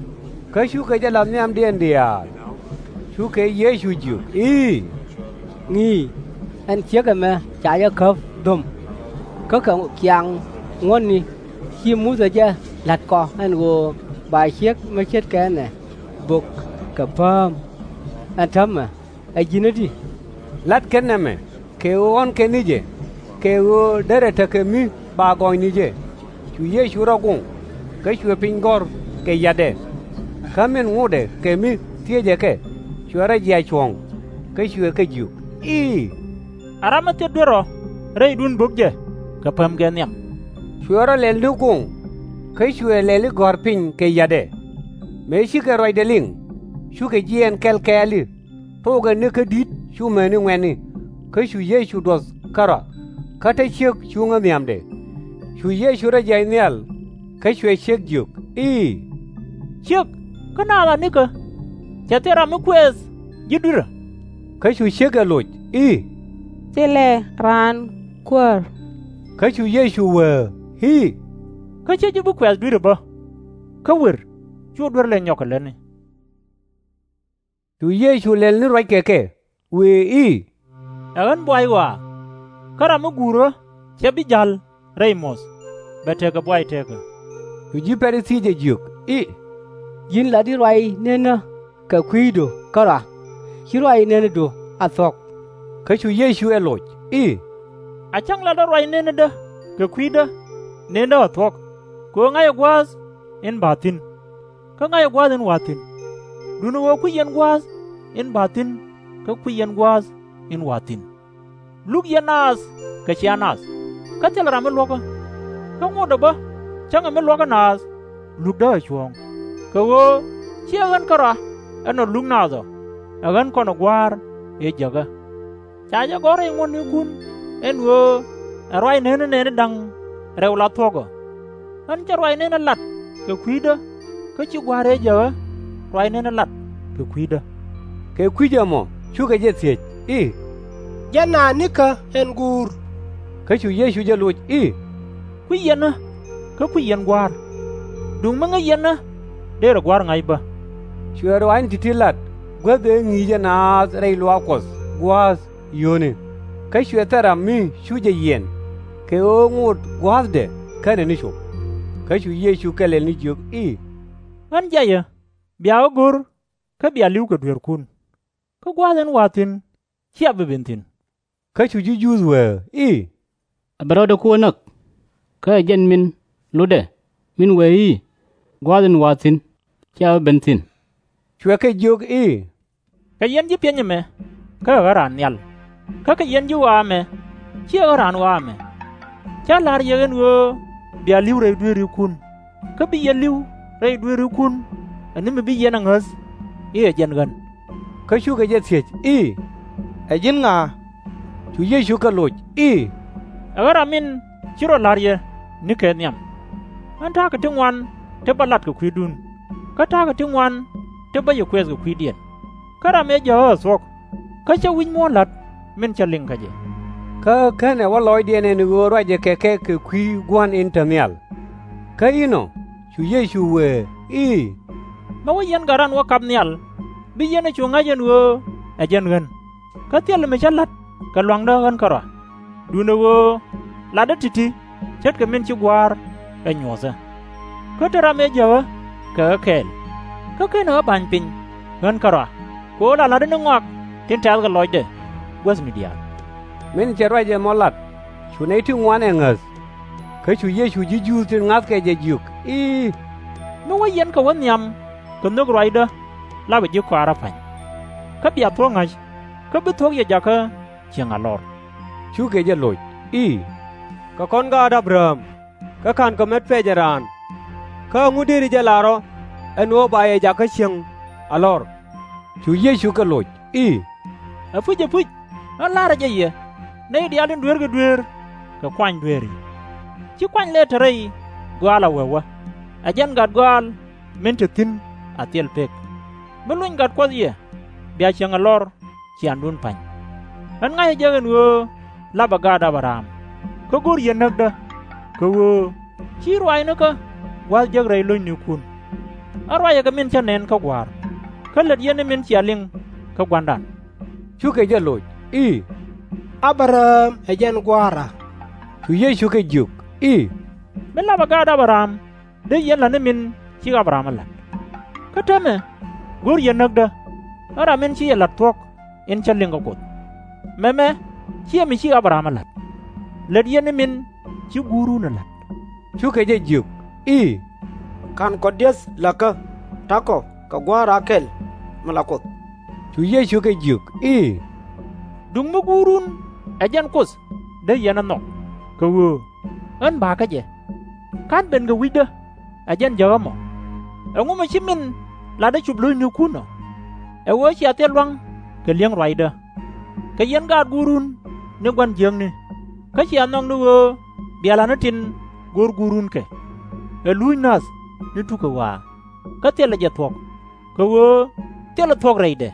kä cukɛ jɛ la̱th nhiamdiɛn diaal. Cukɛ Yecu jiök i̱, Ŋi̱i̱c, ɛn ciek ɛmɛ ca jɛ käp dhöm. Kä kɛ ciaŋ ŋuɔ̱tni ci Muthɛ jɛ la̱t kɔ ɛn ɣöö ba ciek mi ce̱tkɛ ɛnɛ bök kɛ pääm. Ɛn täämɛ, ɛ ji̱n i̱di? La̱t kɛn nɛmɛ kɛ ɣöö ɣɔ̱n kɛn ni jɛ, kɛ ɣöö derɛ tekɛ mi ba gɔny ni jɛ. Cu Yecu rɔ guŋ, kä cuɛ piny gɔ̱r kɛ yatdɛ. Kä min ŋotdɛ kɛ mi thiecɛ kɛ, cuɛ rɔ jiac cuɔ̱ɔ̱ŋ, kä cuɛ kɛ jiök i̱, A ram mi thil duer ɔ, rɛydun bök jɛ kɛ pämkɛ nhiam. Cuɛ rɔ lɛl ni guŋ, kä cuɛ lɛli gɔ̱r piny kɛ yatdɛ. Mëë cikɛ ruacdɛ liŋ, cukɛ jiɛɛn kɛl kɛɛli, thokɛ ni kä di̱t cu mäni ŋuɛ̈tni. Kä cu Yecu duɔth kärɔa, kä te ciek cuŋä nhiamdɛ. Cu Yecu rɔ jiac nhial, kä cuɛ ciek jiök i̱, Ciek, kä naath a nikä? Cɛ thil ram mi kuɛth ji̱ dui̱rä. Kä cu ciek ɛ loc i̱, Thilɛ raan, Kuäär. Kä cu Yecu wee i̱, Kä /cä ji̱ bi kuɛth dui̱rä bä. Kä wer, cu duer lɛ nyɔk kɛ lätni. Cu Yecu lɛl ni ruac kɛ kɛ, wëë i̱, Ɛ ɣän buay ɣɔaa. Kä ram mi guur ɣä /cɛ bi ja̱l rɛy muɔ̱th, bɛ tekɛ buay teekä. Cu ji̱ Pa-ri-thii jɛ jiök i̱, Ji̱n lat i̱ ruac nenä kɛ kui̱du kärɔa, /ci ruac nenädu a thuɔ̱k. Kä cu Yecu ɛ loc i̱, A cäŋ latdä ruac nenädä kɛ kui̱dä, nenädä a thuɔ̱k, kɛ ɣöö ŋa̱cä gua̱a̱th in ba̱a̱ thi̱n, kä ŋa̱cä gua̱a̱th in wa̱a̱ thi̱n. Duundɛ ɣöö kui̱c yɛn gua̱a̱th in ba̱a̱ thi̱n kä kui̱c yɛn gua̱a̱th in wa̱a̱ thi̱n. Luk yɛn naath kɛ cia nath, kä thilɛ ram mi luɔ̱kä. Kä ŋotdɛ bä, cäŋɛ mi luɔ̱kä naath, lukdä ɛ cuɔ̱ɔ̱ŋ. Kɛ ɣöö /ciɛ ɣän kärɔa ɛn ɔ luk naath ɔ, ɛ ɣän kɔnɛ Gua̱a̱r ëë jäkä. Ca jɛ gɔ̱r rɛy ŋuɔ̱tnikun ɛn ɣöö ɛ ruac nenä nɛɛni da̱ŋ rɛw la thuɔ̱k ɔ. Ɣän /cɛ ruac nenä lat kɛ kui̱dä, kä /ci Gua̱a̱r ëë jäkä ruac nenä lat kɛ kui̱dä. Kɛ kui̱c ɛmɔ cukɛ jɛ thiec i̱, Jɛn a nikä ɛn guur? Kä cu Yecu jɛ loc i̱, Kui̱c yɛn ɣä, kä kui̱c yɛn Gua̱a̱r. Duŋ mi ŋäc yɛn ɣä, dërɛ Gua̱a̱r ŋa̱c bä. Cuɛ ruaacni ti̱ti̱ lat guäth ëë ŋi̱i̱cɛ naath rɛy luaak Kuɔth gua̱a̱th yio̱o̱ni. Kä cuɛ thil ram mi cu jɛ yiɛn kɛ ɣöö ŋot gua̱a̱thdɛ /kenɛ ni cop. Kä cu Yecu kɛl lɛl ni jiök i̱, Ɣän jayä, bia ɣä go̱r, kä bia li̱w kɛ dueerkun. Kä gua̱a̱th in wa̱a̱ thi̱n /cia bi ben thi̱n. Kä cu ji̱ Juudh wee i̱, A bɛ rɔɔdɛ ku ɣä näk, kä ɛ jɛn min lotdɛ, min wee i̱, Gua̱a̱th in wa̱a̱ thi̱n /cia bi ben thi̱n? Cuɛ kɛ jiök i̱, Kɛ yɛn ji̱ piɛny ɛmɛ, kä ɛ ɣä raan nhial, kä kɛ yɛn ji̱ ɣɔaa ɛmɛ, /ciɛ ɣä raan ɣɔaa ɛmɛ. Cä la̱r yɛ ɣän ɣöö bia li̱w rɛy dueerikun, kä bi yɛ li̱w rɛy dueerikun ɛ ni mi bi yɛn ɛ ŋäth i̱ ɛ jɛn ɣän. Kä cukɛ jɛ thiec i̱, Ɛ ji̱n ŋa? Cu Yecu kɛ loc i̱, Ɛ ɣän ram min ci rɔ la̱r yɛ nikɛ nhiam. Ɣän ta̱a̱ kɛ ti ŋuan ti bä lat kɛ kui̱dun, kä ta̱a̱ kɛ ti ŋuan ti bä yɛ kuɛth kɛ kui̱diɛn. Kä ram ëë jääk ɣä ɛ thuɔ̱k, kä /cä wi̱c muɔ̱ɔ̱n la̱t min cä liŋ kä jɛ. Kä /kenɛ wä lɔcdiɛn ɛn ɣöö ruacɛ kɛ kɛ kɛ kui̱ Gua̱n in te nhial. Kä inɔ cu Yecu wëë i̱, Mi wä yɛn gat ran wä kap nhial, bi yɛn ɛ cu ŋa̱c ɛn ɣöö ɛ jɛn ɣän. Kä thilɛ mi cä la̱t kɛ lua̱ŋdä ɣän kärɔa, duundɛ ɣöö latdä ti̱ti̱ ce̱tkɛ min ci Gua̱a̱r ɛ nyuɔ̱thä. Kä te ram ëë jäkä kɛ ɣä kɛɛl, kä /kenɛ ɣä ba̱ny piny ɣän kärɔa, kɛ ɣöö la la̱tdä ni ŋɔak tin tɛ̈th kɛ lɔcdɛ guäthni diaal. Min cɛ ruac ɛmɔ lat, cu nɛy ti ŋuan ɛ ŋäth. Kä cu Yecu ji̱ Juudh tin ŋa̱thkɛ jɛ jiök i̱, Mi wä yɛn kɛ wä nhiam kɛ nhök ruacdä, lapɛ ji̱ kɔaarä pa̱ny. Kä bia thuɔ̱k ŋa̱c, kä bi thuɔ̱k yɛ jakä cieŋ alɔr. Cukɛ jɛ loc i̱, Kɛ kɔn gaat Abraɣam, kä /ka̱nkɛ met pɛcɛ raan. Kä ɛŋu dëëri jɛ lar ɔ ɛn ɣöö ba yɛ jakä cieŋ alɔr? Cu Yecu kɛ loc i̱, Ɛpuc, ɛpuc, ɣän la̱rä jɛ yɛ, nɛy diaal tin dueerkɛ dueer kɛ kuany dueeri. /Ci kuany lɛ te rɛy gɔaal a wee wä, ɛ jɛn gat gɔaal min te thi̱n a thil pek. Mi lony gat Kuɔth yɛ, bia cieŋ alɔr ciaaŋdun pa̱ny. Ɣän ŋa̱cä jɛ ɛn ɣöö lapɛ gaat Abraɣam, kä go̱o̱r yɛn näkdä, kɛ ɣöö /ci ruaacnikä gua̱a̱th jek rɛy lo̱cnikun. Ɣän ruacɛ kɛ min cä nɛn kä Gua̱a̱r, kä lät yɛn ni min cia liŋ kä Gua̱ndan. Cukɛ jɛ loc i̱, Abraɣam ɛ jɛn gua̱a̱ra. Cu Yecu kɛ jiök i̱, Mi lapɛ gaat Abraɣam, dee yɛn la̱t ni min ci Abraɣam ɛ la̱t. Kä täämɛ go̱o̱r yɛn näkdä, ɣän ram min ci yɛ la̱t thuɔ̱k in cä liŋ kä Kuoth. Mɛmɛ /ciɛ mi ci Abraɣam ɛ la̱t. Lät yɛn ni min ci guurun ɛ la̱t. Cukɛ jɛ jiök i̱, Ka̱n kɔ di̱eth la̱kä, ta̱kɔ kɛ Gua̱a̱ra kɛl mi la Kuoth. Cu Yecu kɛ jiök i̱, Duŋ mi guurun ɛ jɛn Kuoth dee yɛn ɛ nhɔk, kɛ ɣöö ɣän ba̱a̱ kä jɛ. /Ka̱n ben kɛ wi̱cdä, ɛ jɛn jäkä mɔ. Ɛŋu mi ci min latdä cop lo̱cnikun ɔ? Ɛ ɣöö cia thil lua̱ŋ kɛ li̱eŋ ruacdä. Kɛ yɛn gaat guurun ni gua̱n jiäkni, kä cia nhɔk ni ɣöö bia la̱t ni tin go̱o̱r guurun kɛ. Ɛ luuc nath ni tukɛ ɣɔaa, kä thilɛ jɛ thuɔ̱k, kɛ ɣöö thilɛ thuɔ̱k rɛydɛ.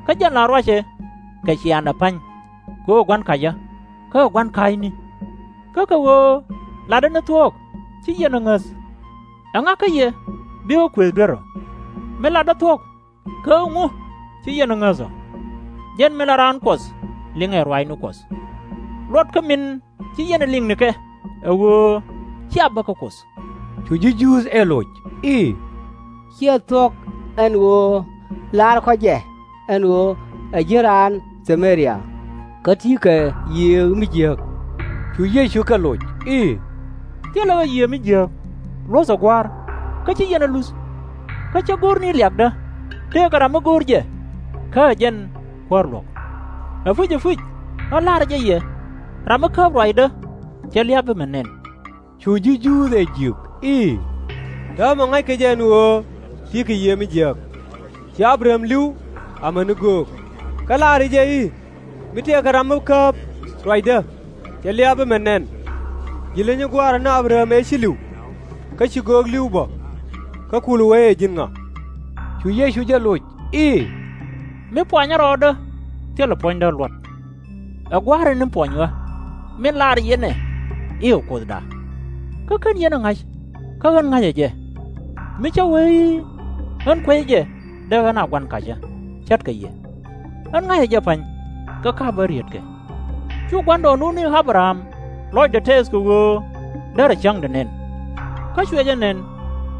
Kä jɛn la ruacɛ kɛ ciaaŋdɛ pa̱ny, kɛ ɣöö ɛ gua̱n kacä, kä ɛ gua̱n ka̱a̱cni. Kä kɛ ɣöö latdä ni thuɔ̱k ci yɛn ɛ ŋäth. Ɛŋa kä yɛ bi ɣä kuëëth duer ɔ? Mi latdä thuɔ̱k, kä ɛŋu ci yɛn ɛ ŋäth ɔ? Jɛn min la raan Kuɔth liŋɛ ruaacni Kuɔth. Luɔt kä min ci yɛn ɛ liŋnikɛ, ɛ ɣöö /cia bä kä Kuoth. Cu ji̱ Juudh ɛ loc i̱, Ciɛ thuɔ̱k ɛn ɣöö la̱rkɔ jɛ ɛn ɣöö ɛ ji̱n raan Thɛ-mɛ-ria, kä ti̱i̱ kɛ yiëë mi jiääk? Cu Yecu kɛ loc i̱, Thilɛ ɣä yiëë mi jiääk. Luɔ̱thɛ Gua̱a̱r, kä /ci yɛn ɛ luth. Kä cä go̱r ni liakdä, tëëkɛ ram mi go̱o̱r jɛ, kä ɛ jɛn Kuäär luɔ̱k. Ɛpuc, ɛpuc, ɣän la̱rä jɛ yɛ, ram mi kääp ruacdä, /cɛ lia̱a̱ bi mɛ nɛn. Cu ji̱ Juudh ɛ jiök i̱, Täämɛ ŋa̱ckɛ jɛ ɛn ɣöö ti̱i̱ kɛ yiëë mi jiääk. Ci A-bɛ-rɛ-am li̱w amäni göök. Kä la̱rä jɛ i̱, Mi tëëkɛ ram mi kääp ruacdä, /cɛ lia̱a̱ bi mɛ nɛn. Ji̱ leny i̱ Gua̱a̱ra ni A-bɛ-rɛ-am ëë ci li̱w, kä ci göök li̱w bä, kä kulɛ wee ɛ ji̱n ŋa? Cu Yecu jɛ loc i̱, Mi puanyä rɔɔdä, thilɛ puɔ̱nydä luɔt. Ɛ Gua̱a̱ra in puɔny ɣä, min la̱rä yɛn ɛ i̱ ɛ Kuothda. kä /ken yɛn ɛ ŋa̱c, kä ɣän ŋa̱cä jɛ. Mi cä wee i̱, ɣän kuecä jɛ, dee ɣän a gua̱n kacä, ce̱tkɛ yɛ. Ɣän ŋa̱cä jɛ pa̱ny, kä ka̱pä rietkɛ. Cu gua̱ndɔɔŋnun i̱ A-bɛ-ram lɔcdɛ tɛɛth kɛ ɣöö derɛ cäŋdɛ nɛn. Kä cuɛ jɛ nɛn,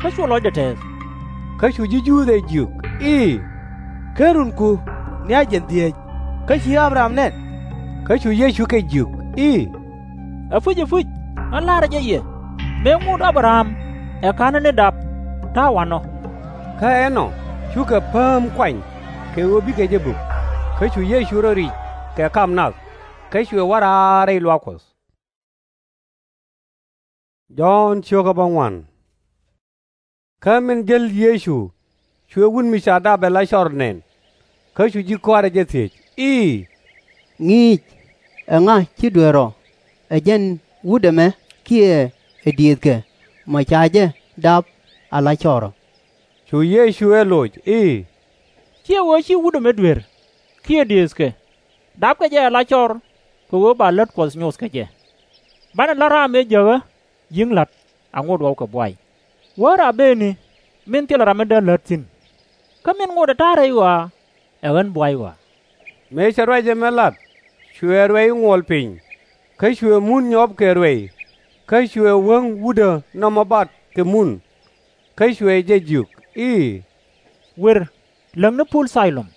kä cu lɔcdɛ tɛɛth. Kä cu ji̱ Juudh ɛ jiök i̱, Ken runku ni a jiɛn dhieec, kä /ci A-bɛ-ram nɛn? Kä cu Yecu kɛ jiök i̱, Ɛpuc, ɛpuc, ɣän la̱rä jɛ yɛ, mëë ŋot A-bɛ-ram ɛ ka̱n ni dap, ta̱a̱ wanɔ. Kä ɛnɔ cukɛ pääm kuany kɛ ɣöö bikɛ jɛ bök. Kä cu Yecu rɔ ric kɛ kam nath, kä cuɛ wä raar rɛy luaak Kuɔth. Jɔ̱ɔ̱n cio̱kä bäŋuan. Kä min jäl Yecu, cuɛ wut mi ca dap ɛ la cɔr nɛn. Kä cu ji̱ kɔaarɛ jɛ thiec i̱, Ŋi̱i̱c, ɛŋa ci duer ɔ, ɛ jɛn wut ɛmɛ kiɛ ɛ diëëthkɛ mɔ ca jɛ dap a la cɔr ɔ? Cu Yecu ɛ loc i̱, /Ciɛ ɣöö ci wut ɛmɛ duer kiɛ diëëthkɛ dapkɛ jɛ a la cɔr kɛ ɣöö ba lät Kuɔth nyoth kɛ jɛ. Banɛ la̱t ram ëë jäkä ji̱ la̱t a ŋot ɣɔw kɛ buay, wäär a bëëni min thilɛ ram mi dee lät thi̱n. Kä min ŋotdɛ ta̱a̱ rɛy ɣɔaa, ɛ ɣän buay ɣɔaa. Mëë cɛ ruac ɛmɛ lat, cuɛ ruɛy ŋuɔl piny, kä cuɛ mun nyɔp kɛ ruɛy, kä cuɛ wäŋ wutdä nɔmɔ bat kɛ mun. Kä cuɛ jɛ jiök i̱, Wër, läŋ ni pul Thilom,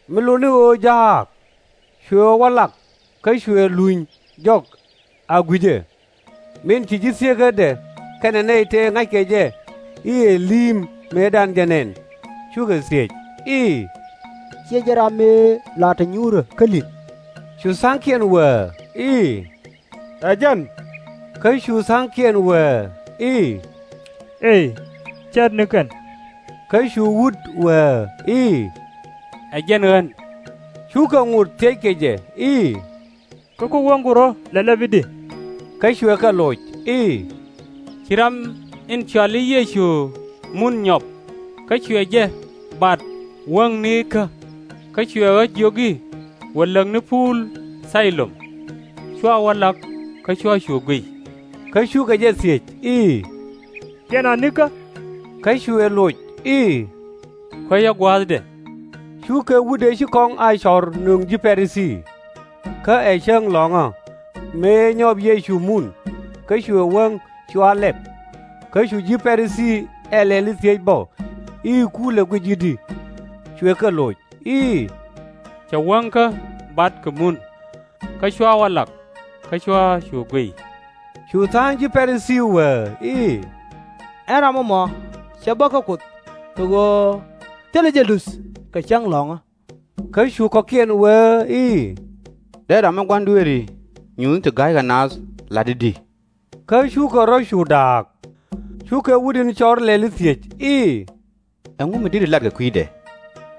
mi lot ni ɣöö Ja̱a̱k. Cuɛ wä lak, kä cuɛ luny jɔk a gui̱cɛ. Min ci ji̱ thieekädɛ kɛnɛ nɛy tëë ŋa̱ckɛ jɛ i̱ ɛ li̱i̱m mëëdan jɛ nɛn, cukɛ thiec i̱, Ciɛ jɛn ram mëë la te nyuurä kä li̱t? Cu tha̱a̱ŋkiɛn wëë i̱, Ɛ jɛn. Kä cu tha̱a̱ŋkiɛn wëë i̱, Ëë, cɛɛtni kɛn. Kä cu wut wëë i̱, Ɛ jɛn ɣän. Cukɛ ŋot thiec kɛ jɛ i̱, Kä ku wäŋku rɔ̱ lɛlɛp i̱di? Kä cuɛ kɛ loc i̱, Ci ram in cɔal i̱ Yecu mun nyɔp, kä cuɛ jɛ bat wäŋnikä, kä cuɛ ɣä jiök i̱, Wër, läŋ ni pul Thilom. Cua wä lak, kä cua cu guic. Kä cukɛ jɛ thiec i̱, Ciɛn anikä? Kä cuɛ loc i̱, Kuäcä gua̱a̱thdɛ. Cu kɛ wut ëë ci kɔŋ a cɔr nöŋ ji̱ Pa-ri-thii. Kä ɛ cäŋ lɔ̱ŋä, mëë nyɔp Yecu mun, kä cuɛ wäŋ cua lɛp. Kä cu ji̱ Pa-ri-thii ɛ lɛli thiec bä i̱, Kulɛ guic i̱di? Cuɛ kɛ loc i̱, Cɛ wäŋkä bat kɛ mun, kä cua wä lak, kä cua cu guic. Cu tha̱a̱ŋ ji̱ Pa-ri-thii wëë i̱, Ɛn ram ɛmɔ cɛ bä kä Kuoth, kɛ ɣöö thilɛ jɛ luth kɛ cäŋ lɔ̱ŋä. Kä cu kɔ̱kiɛn wëë i̱, Dee ram mi gua̱n dueeri nyuuthni ti ga̱ykɛ naath lat i̱di? Kä cukɛ rɔ̱ cu da̱a̱k. Cukɛ wut in cɔr lɛli thiec i̱, Ɛŋu mi di̱t latkɛ kui̱dɛ?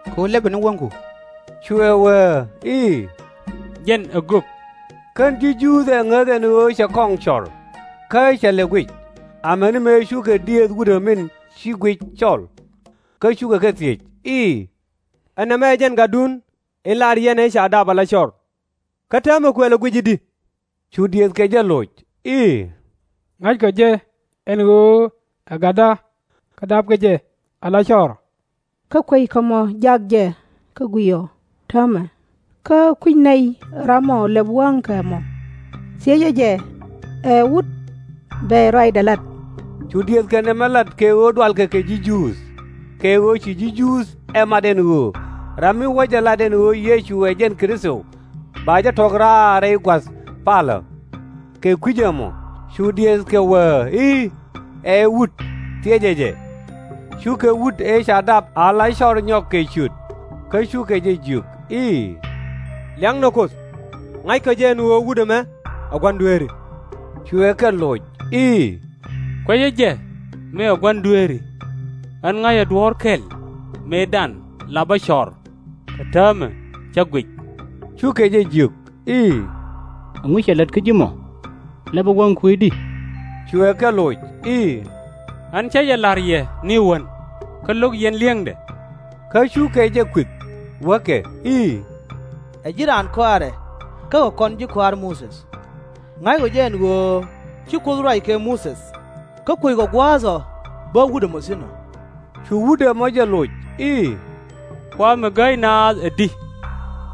Kɛ ɣöö lɛpɛ ni wäŋku. Cuɛ wëë i̱, Jɛn ɛ gök. Kän ji̱ Juudh ɛ ŋäth ɛn ɣöö cɛ kɔŋ cɔr, kä cɛ lɛ guic, amäni mëë cukɛ diëëth wut ɛ min ci guic cɔl. Kä cukɛ kɛ thiec i̱, Ɛ nɛmɛ ɛ jɛn gatdun in lar yɛn ëë ca dap a la cɔr? Kä täämɛ kuɛ lɛ guic i̱di? Cu diëëthkɛ jɛ loc i̱, Ŋa̱ckɔ jɛ ɛn ɣöö ɛ gatda, kä dapkɛ jɛ a la cɔr. Kä kueckɔ mɔ jak jɛ kä guic ɔ täämɛ, kä kui̱c nɛy ram ɔ lɛp wäŋkɛ mɔ, thiecɛ jɛ, Ɛ wut bɛy ruacdɛ lat? Cu diëëthkɛ nɛmɛ lat kɛ ɣöö dualkɛ kɛ ji̱ Juudh, kɛ ɣöö ci ji̱ Juudh ɛ mat ɛn ɣöö ram mi wä jɛ lat ɛn ɣöö Yecu ɛ jɛn Kritho, ba jɛ tɔ̱k raar rɛy gua̱th palä. Kɛ kui̱c ɛmɔ cu diëëthkɛ wëë i̱, Ɛ wut, thiecɛ jɛ. Cukɛ wut ëë ca dap a la cɔr nyɔk kɛ ciöt, kä cukɛ jɛ jiök i̱, Liaknɛ Kuoth, ŋa̱ckɔ jɛ ɛn ɣöö wut ɛmɛ ɛ gua̱n dueeri. Cuɛ kɛ loc i̱, Kuecä jɛ mëë ɛ gua̱n dueeri. Ɣän ŋa̱cä duɔ̱ɔ̱r kɛl mëëdan la bä cɔr, kä täämɛ cä guic. Cukɛ jɛ jiök i̱, Ɛŋu cɛ lät kä ji̱ mɔ? Lɛpɛ wäŋku i̱di? Cuɛ kɛ loc i̱, Ɣän cä jɛ la̱r yɛ ni wän, kä lo̱k yɛn li̱eŋdɛ. Kä cukɛ jɛ kueth wäkɛ i̱, Ɛ ji̱ raan kɔaarɛ kä kɛ kɔn ji̱ kɔaar Muthɛ. Ŋa̱ckɔ jɛ ɛn ɣöö ci Kuoth ruac kɛ Muthɛ, kä kueckɔ gua̱a̱th ɔ bä wut ɛmɔ thi̱n ɔ. Cu wut ɛmɔ jɛ loc i̱, Kua mi gäi naath ɛ di?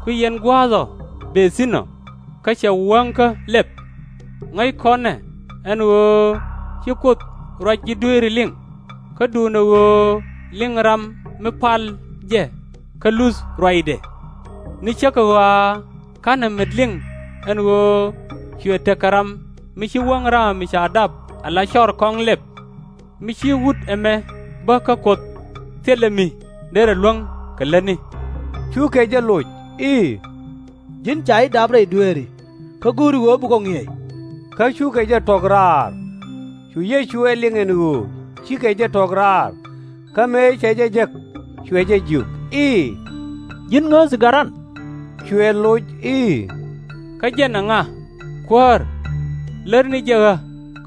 Kui̱ yɛn gua̱a̱th ɔ bëë thi̱n ɔ, kä cɛ wäŋkä lɛp. Ŋäc kɔn ɛ ɛn ɣöö ci Kuoth ruac ji̱ dueeri liŋ, kä duundɛ ɣöö liŋ ram mi pal jɛ kä luth ruacdɛ. Ni cä kɛ ɣɔaa /ka̱nɛ met liŋ ɛn ɣöö cuɛ tekɛ ram mi ci wäŋ raam mi ca dap ala cɔr kɔŋ lɛp, mi ci wut ɛmɛ bä kä Kuoth thilɛ mi derɛ luäŋ kɛ lätni. Cukɛ jɛ loc i̱, Ji̱n ca ji̱ dap rɛy dueeri, kä go̱o̱ri ɣöö bi kɔ ŋi̱eec. Kä cukɛ jɛ tuɔ̱k raar. Cu Yecu ɛ liŋ ɛn ɣöö cikɛ jɛ tuɔ̱k raar, kä mëë cɛ jɛ jek, cuɛ jɛ jiök i̱, Ji̱n ŋääthi garan? Cuɛ loc i̱, Kä jɛn ɛŋa, Kuäär? Lär ni jɛ ɣä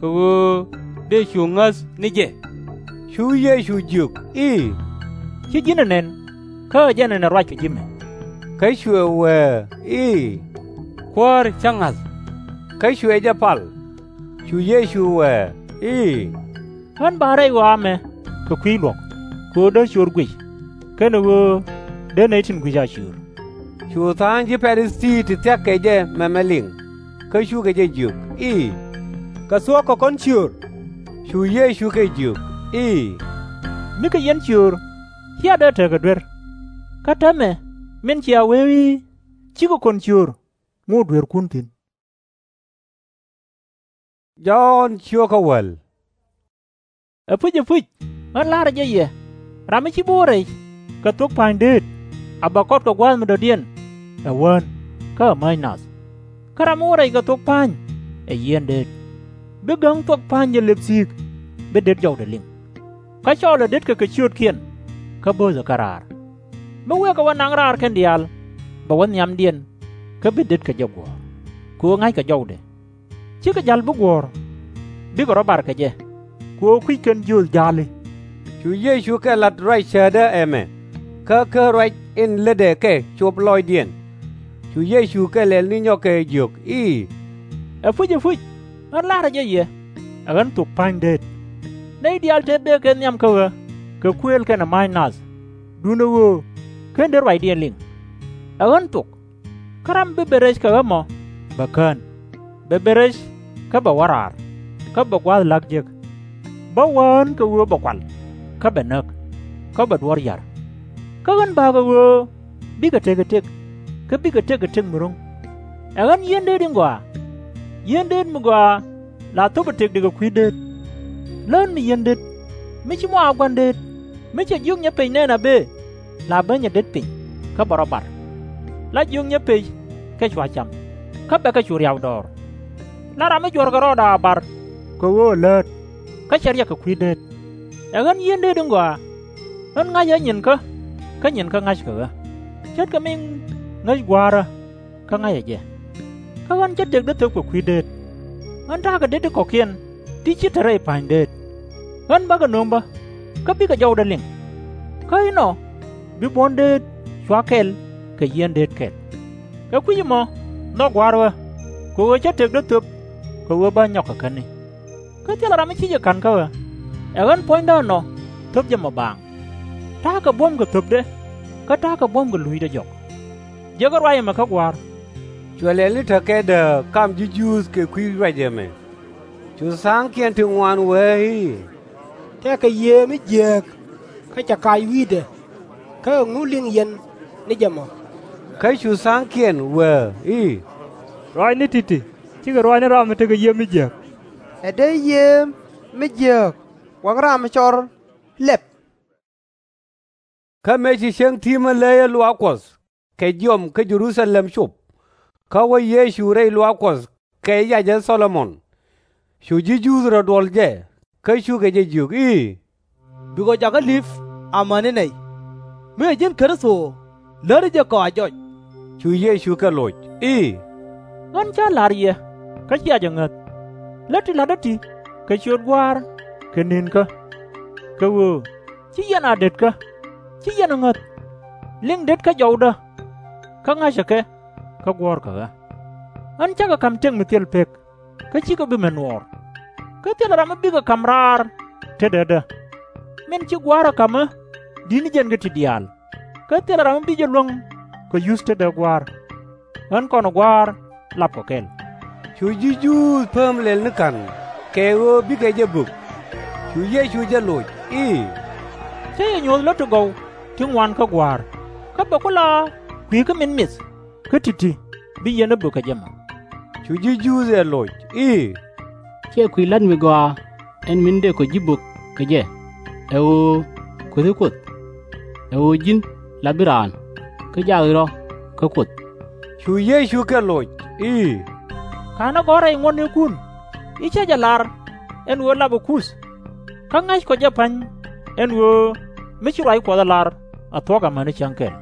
kɛ ɣöö dëë cu ŋäth ni jɛ. Cu Yecu jiök i̱, Ci ji̱n ɛ nɛn, kä ɛ jɛn ɛn ɛ ruac kɛ ji̱ mɛ. Kä cuɛ wëë i̱, Kuäär cä ŋa̱th. Kä cuɛ jɛ pal. Cu Yecu wëë i̱, Ɣän ba rɛy ɣɔaa ɛmɛ kɛ kui̱ luɔ̱k, kɛ ɣöö dee ciöör guic, kɛnɛ ɣöö dee nɛy tin gui̱c a ciöör. Cu tha̱a̱ŋ ji̱ Pa-ri-thii ti thia̱k kɛ jɛ mɛmɛ liŋ, kä cukɛ jɛ jiök i̱, Kɛ thuɔ̱k kɛ kɔn ciöör? Cu Yecu kɛ jiök i̱, Mi kɛ yɛn ciöör cia dee tekɛ duer. Kä täämɛ min cia wee i̱, Cikɛ kɔn ciöör, ŋot dueerkun thi̱n. Jɔ̱ɔ̱n ciökä wäl. Ɛpuc, ɛpuc, ɣän la̱rä jɛ yɛ, ram mi /ci bi wä rɛc kɛ thok pa̱ny deet, a bɛ kɔt kɛ gua̱a̱th mi dɔ̱diɛn ɛ Wän kä ɛ Mäc nath. Kä ram mi wä rɛc kɛ thok pa̱ny ɛ yieen deet, bi gäŋ thuɔk pa̱ny jɛ lëp thi̱i̱k, bi det jɔwdɛ liŋ. Kä cɔɔlɛ detkɛ kɛ ciöötkiɛn, kä bööthɛ kɛ raar. Mi wëë kɛ wä naŋ raar kɛn diaal, bɛ wä nhiamdiɛn, kä bi detkɛ jɛ guɔ̱ɔ̱r, kɛ ɣöö ŋa̱ckɛ jɔwdɛ. /Cikɛ ja̱l bi guɔ̱ɔ̱r, bikɛ rɔ̱ bar kɛ jɛ, kɛ ɣöö kui̱c kɛn jiööth ja̱a̱li. Cu Yecu kɛ la̱t ruac cäätdä ɛmɛ, kä kä ruac in lätdɛ kɛ cop lɔɔcdiɛn. Cu Yecu kɛ lɛl ni nyɔk kɛ jiök i̱, Ɛpuc, ɛpuc, ɣän la̱rä jɛ yɛ, ɛ ɣän thok pa̱ny deet. Nɛy diaal tëë bëë kɛ nhiam kä ɣä kɛ kuëël kɛnɛ ma̱a̱c nath, duundɛ ɣöö /ken dee ruacdiɛn liŋ. Ɛ ɣän thok. Kä ram mi bi ben rɛc kɛ ɣä mɔ, bɛ kään, bɛ ben rɛc, kä bɛ wä raar, kä bɛ gua̱a̱th la̱k jek. Bä wään kɛ ɣöö bɛ kual, kä bɛ näk, kä bɛ duɔ̱ɔ̱r ya̱r. Kä ɣän ba̱a̱ kɛ ɣöö bikɛ tekɛ tëk, kä bikɛ tëk kɛ tëk mi ro̱ŋ. Ɛ ɣän yieen deet in gɔaa. Yieen deet mi gɔaa la thöpɛ tëkdɛ kɛ kui̱ deet. Lään mi yieen deet, mi /ci mɔ a gua̱n deet, mi cɛ jiök nyɛ pec nɛn a bëë, la ben nyɛ det piny, kä bɛ rɔ̱ bar. La jiök nyɛ pec kɛ cua cam, kä bɛ kɛ cu riaw dɔɔr. La ram mi juɔ̱rkɛ rɔɔdɛ a bar kɛ ɣöö ɛ läät, kä cɛ riɛk kɛ kui̱ deet. Ɛ ɣän yieen deet in gɔaa. Ɣän ŋa̱cä nyinkä, kä nyinkä ŋa̱ckɛ ɣä, ce̱tkɛ min ŋäc Gua̱a̱rä, kä ŋa̱cä jɛ. Kä ɣän cä tëkdä thöp kɛ kui̱ deet. Ɣän ta̱a̱kɛ det ti kɔ̱kiɛn ti /ci te rɛy pa̱ny deet. Ɣän bä kɛ nöŋ bä, kä bikɛ jɔwdä liŋ. Kä inɔ bi buɔ̱n deet cua kɛl kɛ yieen deet kɛl. Kɛ kui̱c ɛmɔ nhɔk Gua̱a̱r ɣä, kɛ ɣöö cä tëkdä thöp kɛ ɣöö bä nyɔk kɛ käni. Kä thilɛ ram mi /ci jɛ ka̱n kä ɣä. Ɛ ɣän puɔ̱nydä ɛnɔ thöp jɛ mɔ baaŋ. Ta̱a̱kɛ buɔ̱mkɛ thöpdɛ, kä ta̱a̱kɛ buɔ̱mkɛ luucdɛ jɔk. Jiäkä ruac ɛmɛ kä Gua̱a̱r. Cuɛ lɛl ni te kɛtdä kam ji̱ Juudh kɛ kui̱ ruac ɛmɛ. Cu tha̱a̱ŋkiɛn ti ŋuan wee i̱, Tëëkɛ yiëë mi jiääk, kä cɛ kac wi̱i̱dɛ. Kä ɛŋu liŋ yɛn ni jɛ mɔ? Kä cu tha̱a̱ŋkiɛn wee i̱, Ruaacni ti̱ti̱, /cikɛ ruac ni ram mi tekɛ yiëë mi jiääk. Ɛ dee yiëë mi jiääk waŋ ram mi cɔr lɛp. Kä mëë ci cäŋ ti̱mä le̱yä luaak Kuɔth kɛ jiɔam kä Jɛ-ru-tha-lɛm cop, kä wä Yecu rɛy luaak Kuɔth kɛ yacä Thɔ-lo-mon. Cu ji̱ Juudh rɔ duɔl jɛ, kä cukɛ jɛ jiök i̱, Bikɔ jakä li̱p amäni nɛy. Mi ɛ ji̱n Kritho, läri jɛ kɔ a jɔc. Cu Yecu kɛ loc i̱, Ɣän cä la̱r yɛ, kä cia jɛ ŋäth. Lät ti la̱tdä ti kɛ ciöt Gua̱a̱r kɛ ni̱nkä, kɛ ɣöö ci yɛn a detkä, ci yɛn a ŋäth. Liŋ detkä jɔwdä, kä ŋa̱cä kɛ, kä guɔ̱ɔ̱rkɛ ɣä. Ɣän cä kɛ ka̱m tëk mi thil pek, kä /cikɛ bi mɛ nuɔɔr. Kä thilɛ ram mi bikɛ ka̱m raar tetdädä. Min ci Gua̱a̱r ɛ ka̱m ɛ di̱t ni jɛn kä ti diaal. Kä thilɛ ram mi bi jɛ luäŋ kɛ yuth tetdä Gua̱a̱r. Ɣän kɔn Gua̱a̱r lapkɔ kɛl. Cu ji̱ Juudh pääm lɛl ni ka̱n kɛ ɣöö bikɛ jɛ bök. Cu Yecu jɛ loc i̱, Cä yɛ nyuɔ̱th lät ti gɔw ti ŋuan kä Gua̱a̱r, kä bɛ ku la kui̱ kä min mith kä ti̱ti̱ bi yɛn ɛ bök kɛ jɛ mɔ. Cu ji̱ Juudh ɛ loc i̱, Ciɛ kui̱ la̱t mi gɔaa ɛn min dëëkɔ ji̱ bök kɛ jɛ, ɛ ɣöö kuethi Kuoth? Ɛ ɣöö ji̱n la bi raan, kä jaakdi rɔ̱ kä Kuoth. Cu Yecu kɛ loc i̱, Ka̱n ɛ gɔ̱r rɛy ŋuɔ̱tnikun i̱, Cä jɛ lar ɛn ɣöö lapɛ Kuth, kä ŋa̱ckɔ jɛ pa̱ny ɛn ɣöö mi ci ruac Kuɔth ɛ lar a thuɔ̱k amäni cäŋ kɛl.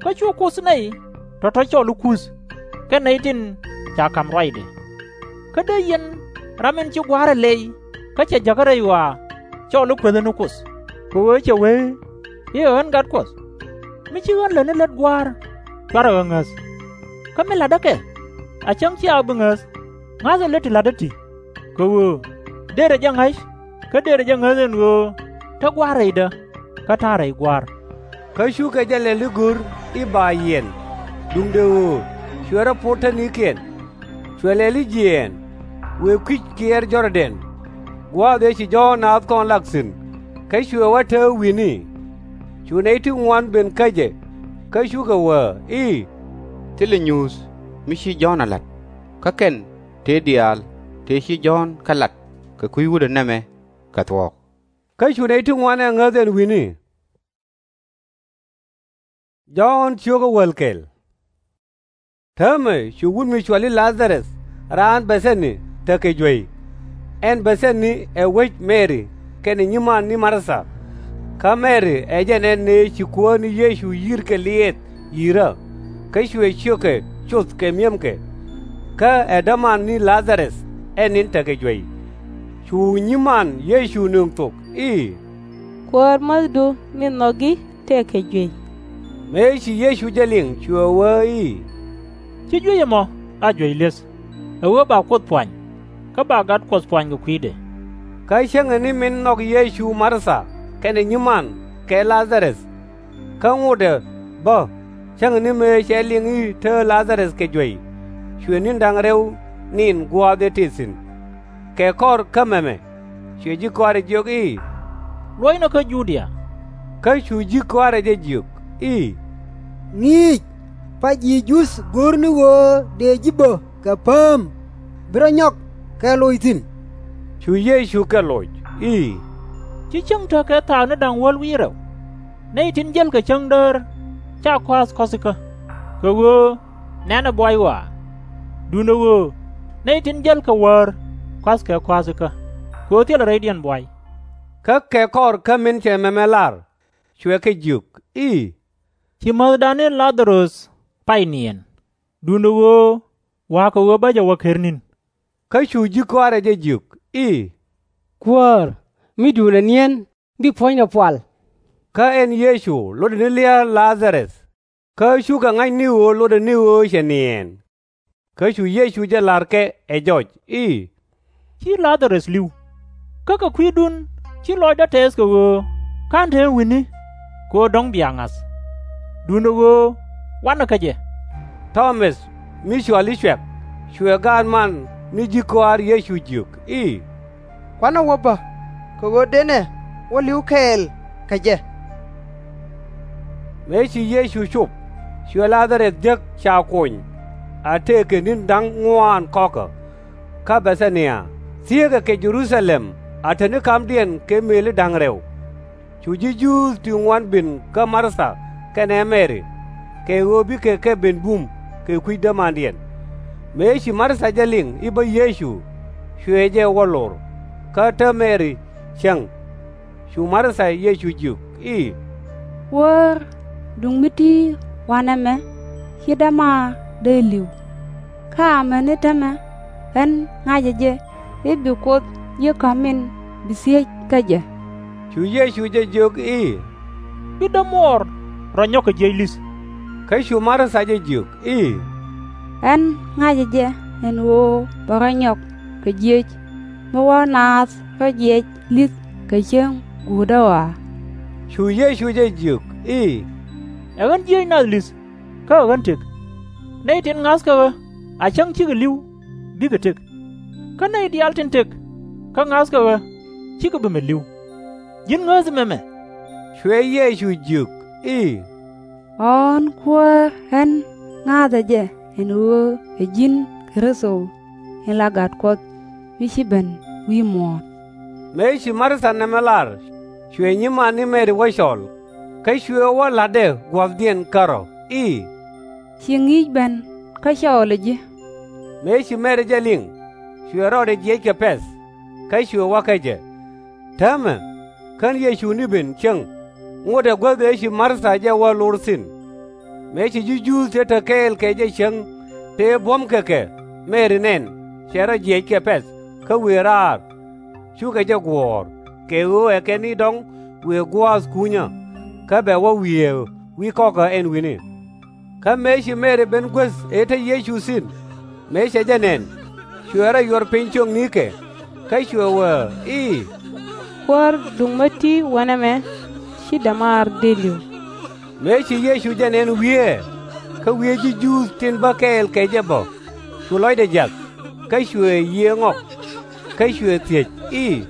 Kä cu Kuoth nɛy tɔ̱tɔ̱ cɔl i̱ Kuth kɛn nɛy tin ca ka̱m ruacdɛ. Kä dee yɛn ram in ci Gua̱a̱r ɛ lɛy kä cɛ jäkä rɛy ɣɔaa cɔl i̱ kueethä ni Kuoth, kɛ ɣöö cɛ wee i̱, Ɛ ɣän Gat Kuɔth. Mi ci ɣän lätni lät Gua̱a̱r, cuarɛ ɣä ŋäth. Kä mi la̱tdä kɛ, a cäŋ /cia bi ŋäth, ŋa̱thɛ lät ti la̱tdä ti, kɛ ɣöö derɛ jɛ ŋa̱c kä derɛ jɛ ŋäth ɛn ɣöö te Gua̱a̱r rɛydä, kä ta̱a̱ rɛy Gua̱a̱r. Kä cukɛ jɛ lɛl i̱ go̱r i̱ ba yiɛn, duundɛ ɣöö cuɛ rɔ pot tätnikiɛn. Cuɛ lɛl i̱ jiɛɛn, wëë kui̱c kiɛɛr Jɔr-dɛn, gua̱a̱th ëë ci Jɔ̱ɔ̱n naath kɔn lak thi̱n, kä cuɛ wä tääk wi̱ni. Cu nɛy ti ŋuan ben kä jɛ, kä cukɛ wee i̱, Thilɛ nyuuth mi ci Jɔ̱ɔ̱n ɛ la̱t, kä kɛn tëë diaal tëë ci Jɔ̱ɔ̱n kɛ la̱t kɛ kui̱ wutdɛ nɛmɛ kɛ thuɔ̱k. Kä cu nɛy ti ŋuan ɛ ŋäth ɛn wi̱ni. Jɔ̱ɔ̱n cio̱kä wäl kɛl. Täämɛ cu wut mi cɔal i̱ La-dha-rɛth raan Bɛ-thɛ-ni tekɛ juey. Ɛn Bɛ-thɛ-ni ɛ wec Mɛri kɛnɛ nyiman ni Mar-tha. Kä Mɛri ɛ jɛn ɛn ëë ci Kuäär ni Yecu yi̱r kɛ liɛɛth yi̱rä, kä cuɛ ciökɛ coth kɛ mi̱emkɛ. Kä ɛ däman ni La-dha-rɛth ɛn in tekɛ juey. Cu nyiman Yecu nöŋ thok i̱, Kuäär, mäthdu mi nhɔki tëëkɛ juey. Mëë ci Yecu jɛ liŋ cuɛ wee i̱, Ci juey ɛmɔ a juey li̱eth, ɛ ɣöö ba Kuoth puany, kä ba Gat Kuɔth puany kɛ kui̱dɛ. Kä cäŋɛ ni min nhɔk Yecu Mar-tha kɛnɛ nyiman kɛ La-dha-rɛth. Kä ŋotdɛ bä, cäŋɛ ni mëë cɛ liŋ i̱ tee La-dha-rɛth kɛ juey, cuɛ ni̱n da̱ŋ rɛw ni̱n gua̱a̱th ëë tëë thi̱n. Kɛ kɔr kä mɛmɛ, cuɛ ji̱ kɔaarɛ jiök i̱, Luɔcnɛ kä Judia. Kä cu ji̱ kɔaarɛ jɛ jiök i̱, Ŋi̱i̱c, pa ji̱ Juudh go̱r ni ɣöö dëë ji̱ bä kɛ pääm, bi rɔ nyɔk kɛ loc thi̱n. Cu Yecu kɛ loc i̱, Ci cäŋ tekɛ thaak ni da̱ŋ wäl wi̱i̱ rɛw? Nɛy tin jäl kɛ cäŋ däär /ca kɔa̱a̱th kɔ̱thikä, kɛ ɣöö nɛ̈nɛ buay ɣɔaa. Duundɛ ɣöö nɛy tin jäl kɛ wäär kɔ̱a̱thkɛ kɔa̱thikä, kɛ ɣöö thilɛ rɛydiɛn buay. Kä kɛ kɔr kä min cɛ mɛmɛ lar, cuɛ kɛ jiök i̱, Ci mäthdan ni La-dha-rɛth pay niɛɛn. Duundɛ ɣöö wa̱a̱ kɛ ɣöö bä jɛ wä ker ni̱n. Kä cu ji̱ kɔaarɛ jɛ jiök i̱, Kuäär, mi duundɛ niɛn, bi puɔ̱nydɛ pual. Kä ɛn Yecu lotdɛ ni lia̱a̱ La-dha-rɛth. Kä cukɛ ŋa̱c ni ɣöö lotdɛ ni ɣöö cɛ niɛɛn. Kä cu Yecu jɛ la̱r kɛ ɛ jɔc i̱, Ci La-dha-rɛth li̱w, kä kɛ kui̱dun ci lɔcdä tɛɛth kɛ ɣöö /ka̱n te wi̱ni, kɛ ɣöö dɔ̱ŋ bia ŋa̱th. Duundɛ ɣöö wanɛ kä jɛ. Tɔ-mäth mi cɔal i̱ Cuɛk, cuɛ gaat man ni ji̱ kɔaar Yecu jiök i̱, Kuanɛ wä bä, kɛ ɣöö dënɛ wä li̱w kɛɛl kɛ jɛ. Mëë ci Yecu cop, cuɛ La-dha-rɛth jek ca kony, a tëëkɛ ni̱n da̱ŋ ŋuaan kɔ̱kä. Kä Bɛ-tha-nia thieekɛ kɛ Jɛ-ru-tha-lɛm a te ni ka̱mdiɛn kɛ mëëli da̱ŋ rɛw. Cu ji̱ Juudh ti ŋuan ben kä Mar-tha kɛnɛ Mɛri, kɛ ɣöö bikɛ kɛ ben bum kɛ kui̱ dämandiɛn. Mëë ci Mar-tha jɛ liŋ i̱ bä Yecu, cuɛ jɛ wä lor, kä te Mɛri cäŋ. Cu Mar-tha Yecu jiök i̱, Wäär, duŋ mi ti̱i̱ wa̱nɛ mɛ, ci dämaar dee li̱w. Kä amäni täämɛ ɣän ŋa̱cä jɛ i̱ bi Kuoth ji̱ ka̱m min bi thiec kä jɛ. Cu Yecu jɛ jiök i̱, Bi dämuɔɔr rɔ nyɔk kɛ jiëc li̱th. Kä cu Mar-tha jɛ jiök i̱, Ɣän ŋa̱cä jɛ ɛn ɣöö bɛ rɔ nyɔk kɛ jiëc. mi wä naath kä jiɛc li̱th kɛ cäŋ guutdä ɣɔaa? Cu Yecu jɛ jiök i̱, Ɛ ɣän jiëc nath li̱th kä ɛ ɣän tëk. Nɛy tin ŋa̱thkɛ ɣä a cäŋ cikɛ li̱w bikɛ tëk, kä nɛy diaal tin tëk kä ŋa̱thkɛ ɣä cikɛ bi mi li̱w. Ji̱n ŋääthi mɛmɛ? Cuɛ Yecu jiök i̱, Ɣɔ̱ɔ̱n Kuäär ɣän ŋa̱a̱thɛ jɛ ɛn ɣöö ɛ ji̱n Kritho, in la Gat Kuɔth mi ci ben wi̱i̱ muɔ̱ɔ̱n. Mëë ci Mar-tha nɛmɛ lar, cuɛ nyiman ni Mɛri wä cɔl, kä cuɛ wä la̱tdɛ gua̱thdiɛn kärɔ̱ i̱, Ci ŋi̱i̱c ben kä cɔɔlɛ ji̱. Mëë ci Mɛri jɛ liŋ, cuɛ rɔɔdɛ jiɛc kɛ pɛ̈th, kä cuɛ wä kä jɛ. Täämɛ, kän Yecu ni ben cäŋ, ŋotdɛ guäth ëë ci Mar-tha jɛ wä lor thi̱n. Mëë ci ji̱ Juudh ti te kɛɛl kɛ jɛ cäŋ tëë buɔ̱mkɛ kɛ Mɛri nɛn cɛ rɔ jiɛc kɛ pɛ̈th kä wëë raar, cukɛ jɛ guɔ̱ɔ̱r, kɛ ɣöö ɛ kɛ ni dɔ̱ŋ wëë gua̱a̱th kunyä, kä bɛ wä wiee wi̱i̱ kɔkä ɛn wi̱ni. Kä mëë ci Mɛri ben guäth ëë te Yecu thi̱n, mëë cɛ jɛ nɛn, cuɛ rɔ yuɔr piny ciöknikɛ, kä cuɛ wee i̱, Kuäär, dhuk mi ti̱ wä nɛmɛ, ci dämaar dëëliw. Mëë ci Yecu jɛ nɛn wieeɛ, kä wieeɛ ji̱ Juudh tin bä kɛɛl kɛ jɛ bä, cu lɔcdɛ jiath, kä cuɛ yiëë ŋɔk, kä cuɛ thiec i̱,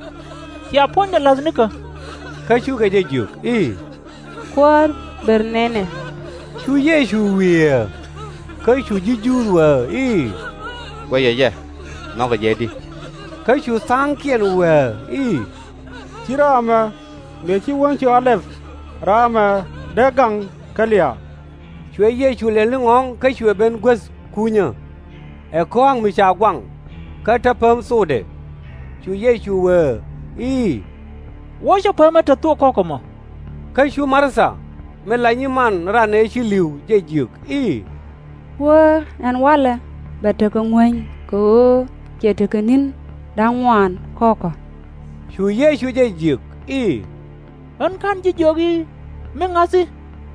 Cia puɔ̱nydɛ la̱th nikä? Kä cukɛ jɛ jiök i̱, Kuäär, ber nɛnɛ. Cu Yecu wieeɛ, kä cu ji̱ Juudh wee i̱, Guɛcɛ jɛ, nhɔkɛ jɛ di? Kä cu tha̱a̱ŋkiɛn wee i̱, Ci rɔ̱ ɛmɛ, mëë ci Wäŋ cɔal ɛp, rɔ̱ ɛmɛ dee gaŋ kä lia̱a̱. Cuɛ Yecu lɛl ni ŋɔ̱ɔ̱ŋ kä cuɛ ben guäth kunyä, ɛ kɔa̱a̱k mi ca guaŋ, kä te pääm thokdɛ. Cu Yecu wee i̱, Wuɔ̱cä päämä te thok kɔ̱k ɛmɔ. Kä cu Mar-tha, min la nyiman ran ëë ci li̱w, jɛ jiök i̱, Kuäär, ɛn walɛ bɛ tekɛ ŋuäny, kɛ ɣöö cɛ tekɛ ni̱n da̱ŋ ŋuan kɔ̱kä. Cu Yecu jɛ jiök i̱, Ɣän /ka̱n ji̱ jiök i̱, mi ŋa̱thi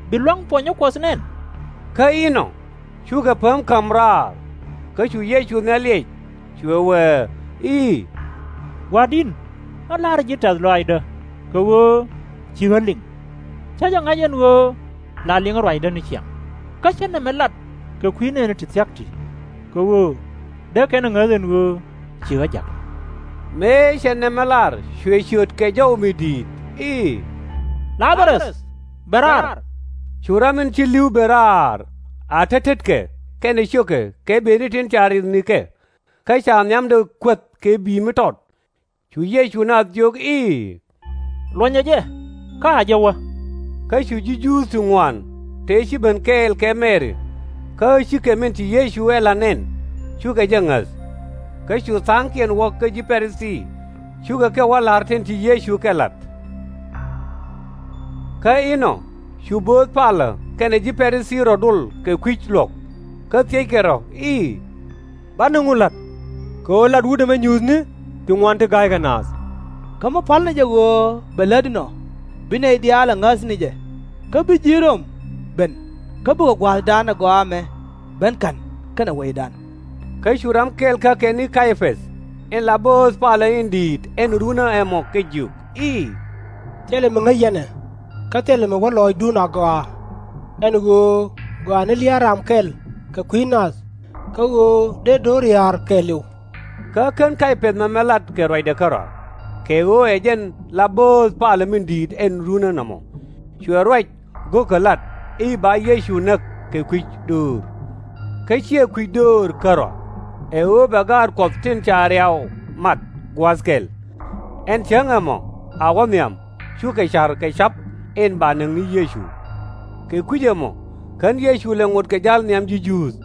bi lua̱ŋ puɔnyä Kuɔth nɛn? Kä inɔ cukɛ pääm ka̱m raar. Kä cu Yecu nhial liɛc, cuɛ wee i̱, Gua̱a̱r di̱t, ɣän la̱rä ji̱ tɛ̈th lɔaacdä, kɛ ɣöö ci ɣä liŋ. Cä jɛ ŋa̱c ɛn ɣöö la liŋä ruacdä ni ciaŋ, kä cä nɛmɛ lat kɛ kui̱ nɛɛni ti thia̱k ti, kɛ ɣöö dee kɛn ɛ ŋäth ɛn ɣöö ci ɣä ja̱k. Mëë cɛ nɛmɛ lar, cuɛ ciöt kɛ jɔw mi di̱i̱t i̱, La-dha-röth, bɛ raar! Cu ram in ci li̱w ben raar, a tet tetkɛ kɛnɛ ciökɛ kɛ bëëni tin ca riɛth nikɛ, kä ca nhiamdɛ kuäth kɛ bi̱i̱ mi tɔt. Cu Yecu naath jiök i̱, Luɔ̱nyɛ jɛ, kä a jɛ wä. Kä cu ji̱ Juudh ti ŋuan tëë ci ben kɛɛl kɛ Mɛri, kä cikɛ min ci Yecu ɛ la̱t nɛn, cukɛ jɛ ŋäth. Kä cu tha̱a̱ŋkiɛn wä kä ji̱ Pa-ri-thii, cukɛ kɛ wä la̱r tin ci Yecu kɛ la̱t. Kä inɔ cu bööth palä kɛnɛ ji̱ Pa-ri-thii rɔ̱ dol kɛ kui̱c luɔ̱k, kä thiëckɛ rɔ̱ i̱, Banɛ ŋu la̱t? Kɛ ɣöö lat wut ɛmɛ nyuuthni ti ŋuan ti ga̱ykɛ naath. Kä mi pa̱l ni jɛ ɣöö bɛ lät inɔ, bi nɛy diaal ɛ ŋäth ni jɛ, kä bi ji̱ Röm ben, kä bikɛ gua̱a̱thdan ɛ gɔaa ɛmɛ ben ka̱n kɛnɛ wecdan. Kä cu ram kɛl kä kɛ ni Kay-päth, in la bööth palä in di̱i̱t ɛn runä ɛmɔ, kɛ jiök i̱, Thilɛ mi ŋäc yɛn ɛ, kä thilɛ mi wä lɔɔcdun agɔaa. Ɛn ɣöö gɔaa ni lia̱a̱ ram kɛl kɛ kui̱ nath, kä ɣöö dee do̱r ya̱r kɛɛliw. Kä /ken Kay-päth mɛmɛ lat kɛ ruacdɛ kärɔa, kɛ ɣöö ɛ jɛn la bööth palä min di̱i̱t ɛn runä nɔmɔ. Cuɛ ruac go̱o̱kä lat i̱ ba Yecu näk kɛ kui̱c döör. Kä /ciɛ kui̱c döör kärɔa, ɛ ɣöö bɛ gaat Kuɔth tin ca riaw mat gua̱a̱th kɛl. Ɛn cäŋ ɛmɔ a wä nhiam, cukɛ ca̱r kɛ ca̱p in ba näk ni Yecu. Kɛ kui̱c ɛmɔ /ken Yecu lɛ ŋot kɛ ja̱l nhiam ji̱ Juudh.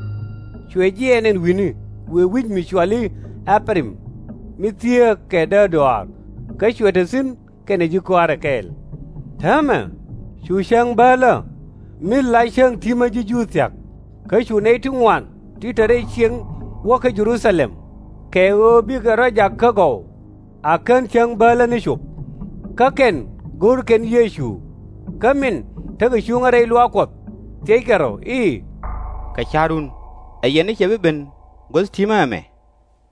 Cuɛ jiɛɛn ɛn wi̱ni wëë wi̱c mi cɔal i̱ Ɛpɛr-im, mi thieek kɛ däär dɔaar, kä cuɛ te thi̱n kɛnɛ ji̱ kɔaarɛ kɛɛl. Täämɛ cu cäŋ bäälä, mi la cäŋ ti̱mä ji̱ Juudh thia̱k, kä cu nɛy ti ŋuan ti te rɛy cieŋ wä kä Jɛ-ru-tha-lɛm, kɛ ɣöö bikɛ rɔ̱ jak kä gɔw, a kän cäŋ bäälä ni cop. Kä kɛn go̱o̱r kɛn Yecu. Kä min tekɛ cuŋä rɛy luaak Kuɔth, thiëckɛ rɔ̱ i̱, Kɛ ca̱run, ɛ yɛn ni cɛ bi ben guäth ti̱mä ɛmɛ?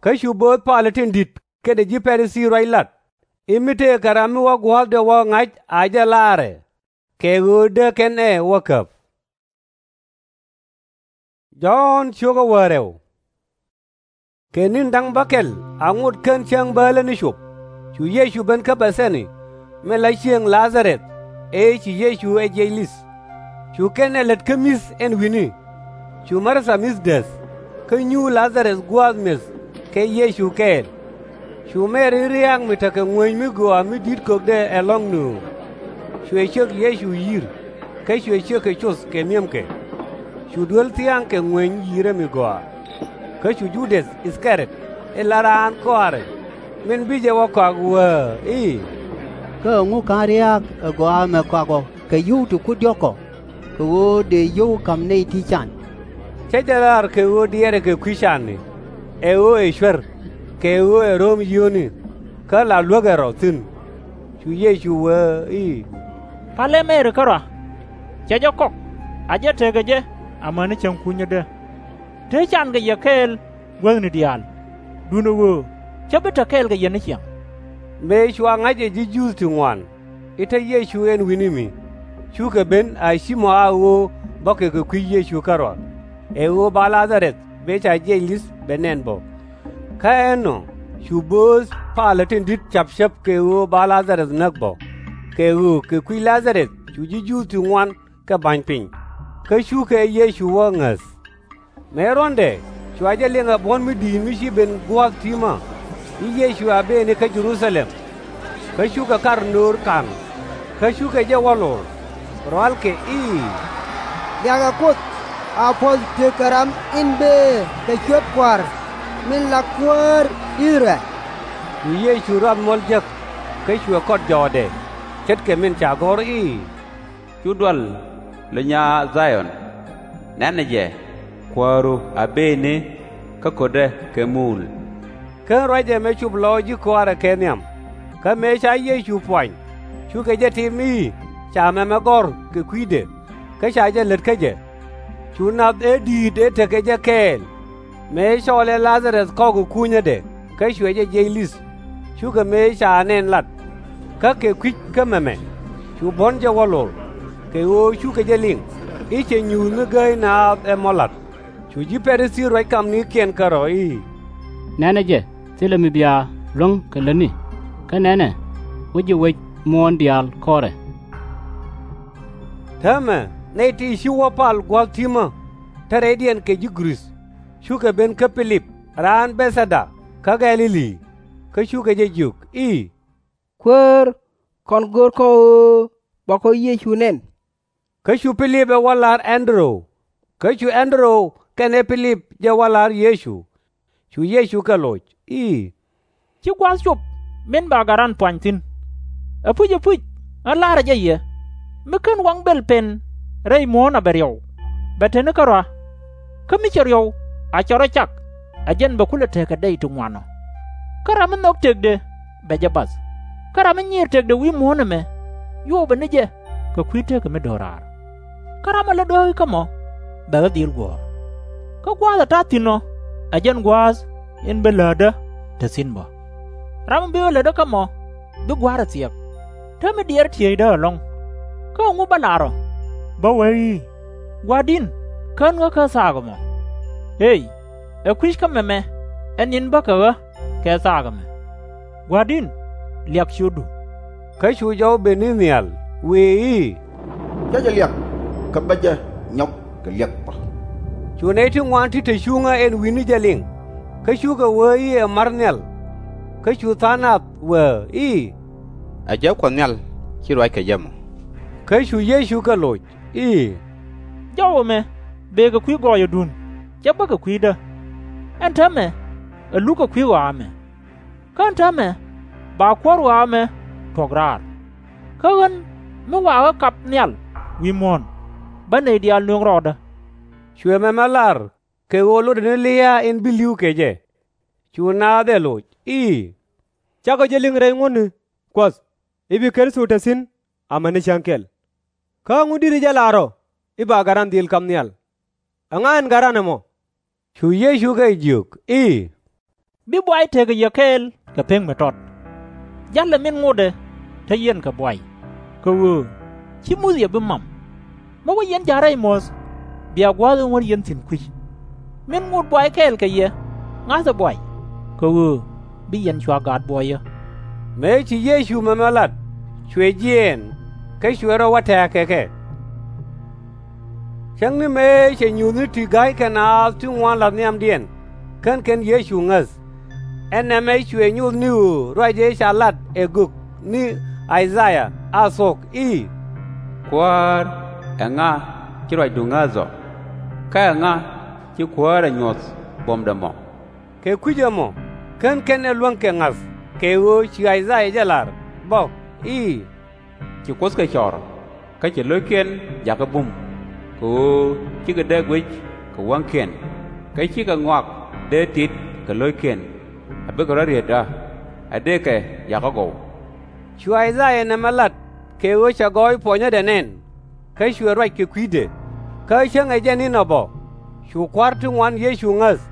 Kä cu bööth palä tin di̱t kɛnɛ ji̱ Pa-ri-thii ruac lat, i̱ mi tëëkɛ ram mi wä gua̱a̱thdɛ wä ŋa̱c a jɛ laarɛ, kɛ ɣöö dee kɛn ɛ wä käp. Jɔ̱ɔ̱n ciökä wäl rɛw. Kɛ ni̱n da̱ŋ bäkɛl, a ŋot kän cäŋ bäälä ni cop, cu Yecu ben kä Bɛ-thani, min la cieŋ La-dha-rɛth, ëë ci Yecu ɛ jiɛc li̱th. Cu kɛn ɛ lät kä mi̱th ɛn wi̱ni. Cu Mar-tha mi̱th dääth, kä nyuur La-dha-rɛth gua̱a̱th mi̱eth kɛ Yecu kɛɛl. Cu Mɛri ria̱a̱k mi tekɛ ŋuäny mi gɔaa mi di̱t kökdɛ ɛlɔ̱ŋ nööŋ. Cuɛ ciek Yecu yi̱r, kä cuɛ ciek kɛ coth kɛ mi̱emkɛ. Cu duel thia̱a̱ŋ kɛ ŋuäny yi̱rɛ mi gɔaa. Kä cu Ju-däth I-thɛ-ri-ɔt, in la raan kɔaarɛ, min bi jɛ wä kɔak, wee i̱, Kä ɛŋu /ka̱n ria̱a̱k ɛ gɔaa ɛmɛ kɔak ɔ kɛ yio̱w ti kui̱ diɔ̱k ɔ, kɛ ɣöö dëë yio̱w ka̱m nɛy ti can? Cä jɛ lar kɛ ɣöö diɛɛrɛ kɛ kui̱ cani, ɛ ɣöö ɛ cuer, kɛ ɣöö ɛ ro̱o̱m yio̱o̱ni, kä la luäk ɛ rɔ thi̱n. Cu Yecu wee i̱, Palɛ Mɛri kärɔa. Cɛ jɛ kɔk, a jɛ tekɛ jɛ amäni cäŋ kunyädä. Te can kɛ yɛ kɛɛl guäthni diaal, duundɛ ɣöö cä bi te kɛɛl kɛ yɛ ni ciaŋ. Mëë cua ŋa̱c ɛ ji̱ Juudh ti ŋuan i̱ te Yecu ɛn wi̱ni mi, cukɛ ben a ci mɔ a ɣöö bɔkɛ kɛ kui̱ Yecu kärɔa, ɛ ɣöö ba La-dha-rɛth mëë ca jiɛc li̱th bɛ nɛn bɔ. Kä ɛnɔ cu bööth palä tin di̱t ca̱pcäp kɛ ɣöö ba La-dha-rɛth näk bɔ, kɛ ɣöö kɛ kui̱ La-dha-rɛth cu ji̱ Juudh ti ŋuan kɛ ba̱ny piny, kä cukɛ Yecu wä ŋäth. Mëë ruɔ̱ndɛ cua jɛ liŋ ɛ buɔ̱n mi di̱i̱t mi ci ben gua̱a̱th ti̱mä i̱ Yecu a bëëni kä Jɛ-ru-tha-lɛm. Kä cukɛ kar nöör ka̱n, kä cukɛ jɛ wä lor, rualkɛ i̱, Liakɛ Kuoth, a puɔ̱th tekɛ ram in bëë kɛ cuɛp Kua̱r min la kuäär I-thɛ-rɛl. Cu Yecu ruath muɔ̱l jek, kä cuɛ kɔt jɔɔdɛ, ce̱tkɛ min ca gɔ̱r i̱, Cu dual, lö nyaa Dha-yɔn. Nɛnɛ jɛ, Kuääru a bëëni, kä ko̱tdɛ kɛ muul. Kä ruacɛ mëë cop lɔɔc ji̱ kɔaarɛ kɛ nhiam. Kä mëë ca Yecu puany, cukɛ jɛ tim i̱ ca mɛmɛ gɔ̱r kɛ kui̱dɛ, kä ca jɛ lät kä jɛ. Cu nath ëë di̱i̱t ëë tekɛ jɛ kɛɛl, mëë cɔɔlɛ La-dha-rɛth kɔk ɛ kunyädɛ kä cuɛ jɛ jiɛc li̱th, cukɛ mëë ca nɛn lat. Kä kɛ kui̱c kä mɛmɛ cu buɔ̱n jɛ wä lor, kɛ ɣöö cukɛ jɛ liŋ i̱ cɛ nyuuth mi gääy naath ɛ mɔ la̱t. Cu ji̱ Pa-ri-thii ruac kamnikiɛn kärɔ̱ i̱, Nɛnɛ jɛ, thilɛ mi bia luäŋ kɛ lätni, kä nɛnɛ, wec ji̱ wec muɔ̱ɔ̱n diaal kɔrɛ. Täämɛ nɛy ti ci wä pal gua̱a̱th ti̱mä, te rɛydiɛn kɛ ji̱ Gɛ-rith, cukɛ ben kä Pi-lip raan Bɛ-thɛ-da kä Gɛ-li-li, kä cukɛ jɛ jiök i̱, Kuäär, kɔn görkɔ ɣöö bakɔ Yecu nɛn. Kä cu Pi-lip ɛ wä la̱r Ɛn-dɛ-röw, kä cu Ɛn-dɛ-röw kɛnɛ Pi-lip jɛ wä la̱r Yecu. Cu Yecu kɛ loc i̱, Ci gua̱a̱th cop min ba Gat Ran puany thi̱n. Ɛpuc, ɛpuc, ɣän la̱rä jɛ yɛ, mi /ken waŋ bël pɛn rɛy muɔ̱ɔ̱n a bɛ riɔw, bɛ te ni kärɔa. Kä mi cɛ riɔw a cɛ rɔ cak, ɛ jɛn bɛ kulɛ tekɛ dɛy ti ŋuan ɔ. Kä ram mi nhɔk tëkdɛ bɛ jɛ bath, kä ram mi nyiir tëkdɛ wi̱i̱ muɔ̱ɔ̱n ɛmɛ, yopɛ ni jɛ kɛ kui̱ tekɛ mi do̱raar. Kä ram mi lät ɣä i̱ kä mɔ, bɛ ɣä dhil guɔ̱ɔ̱r. Kä gua̱a̱th ɛ ta̱a̱ thi̱n ɔ, ɛ jɛn gua̱a̱th in bi läätdä te thi̱n bä. Ram mi bi ɣä lätdä kä mɔ, bi gua̱a̱r ɛ thiɛk, te mi diɛɛr tieyda ɛlɔ̱ŋ. Kä ɛŋu bä lar ɔ? Bä wee i̱, Gua̱a̱r di̱n, kän ɣä kä thaak ɛmɔ. Ëëy, ɛ kui̱c kä mɛmɛ ɛ ni̱n bä kɛ ɣä kɛ thaak ɛmɛ. Gua̱a̱r di̱n, liak ciötdu. Kä cu jɔw ben ni nhial, wëë i̱, Cä jɛ liak, kä bä jɛ nyɔk kɛ liak bä. Cu nɛy ti ŋuan ti te cuŋä ɛn wi̱ni jɛ liŋ, kä cukɛ wee i̱ ɛ ma̱r nhial. Kä cu tha̱a̱ŋ nath wee i̱, Ɛ jɛ Kuɔth Nhial, /ci ruac kɛ jɛ mɔ. Kä cu Yecu kɛ loc i̱, Jɔw ɛmɛ bëë kɛ kui̱ gɔɔyädun, /cɛ bä kɛ kui̱dä. Ɛn täämɛ ɛ luk kɛ kui̱ ɣɔaa ɛmɛ. Kä ɛn täämɛ ba kuäär ɣɔaa ɛmɛ tuɔ̱k raar. Kä ɣän mi wa ɣä kap nhial wi̱i̱ muɔ̱ɔ̱n, bä nɛy diaal nööŋ rɔɔdä. Cuɛ mɛmɛ lar kɛ ɣöö lotdɛ ni lia̱a̱ in bi li̱w kɛ jɛ. Cu naath ɛ loc i̱, Cakɔ jɛ liŋ rɛy ŋuɔ̱tni, Kuɔth, i̱ bi Kritho te thi̱n amäni cäŋ kɛl. Kä ɛŋu di̱t jɛ lar ɔ i̱ ba Gat Ran dhil kap nhial? Ɛŋa ɛn Gat Ran ɛmɔ? Cu Yecu kɛ jiök i̱, bi buay tekɛ yɛ kɛɛl kɛ pek mi tɔt. Jalɛ min ŋotdɛ te yɛn kɛ buay, kɛ ɣöö ci Muthɛ bi mam. Mi wä yɛn ja̱k rɛy muɔ̱th, bia gua̱a̱th in wä yɛn thi̱n kui̱c. Min ŋot buay kɛɛl kɛ yɛ, ŋa̱thɛ buay, kɛ ɣöö bi yɛn cua gaat buɔyä. Mëë ci Yecu mɛmɛ lat, cuɛ jiɛɛn, kä cuɛ rɔ wä tɛ̱̈ɛ̱̈ kɛ kɛ. Cäŋ ni mëë cɛ nyuuthni ti ga̱ykɛ naath ti ŋuan la̱th nhiamdiɛn, /ken kɛn Yecu ŋäth. Ɛ nɛmɛ cuɛ nyoth ni ɣöö ruacdɛ ca lat ɛ gök ni I-ca-yaa a thuɔ̱k i̱, Kuäär, ɛŋa ci ruacdu ŋäth ɔ? Kä ɛŋa ci Kuäär ɛ nyuɔ̱th buɔ̱mdɛ mɔ? Kɛ kui̱c ɛmɔ, /ken kɛn ɛ luäŋ kɛ ŋa̱th, kɛ ɣöö ci I-ca-yaa jɛ lar bä i̱, Ci Kuoth kɛ cɔr, kä cɛ lo̱ckiɛn jakä bum, kɛ ɣöö cikɛ dee guic kɛ wäŋkiɛn, kä cikɛ ŋɔak dee tit kɛ lo̱ckiɛn, a bikɛ rɔ̱ riet ɣä, a dëëkɛ jakä gɔw. Cu I-ca-yaa nɛmɛ lat kɛ ɣöö cɛ gɔɔy puɔnyädɛ nɛn, kä cuɛ ruac kɛ kui̱dɛ. Kä cäŋ ɛ jɛn inɔ bä, cu kua̱r ti ŋuan Yecu ŋäth.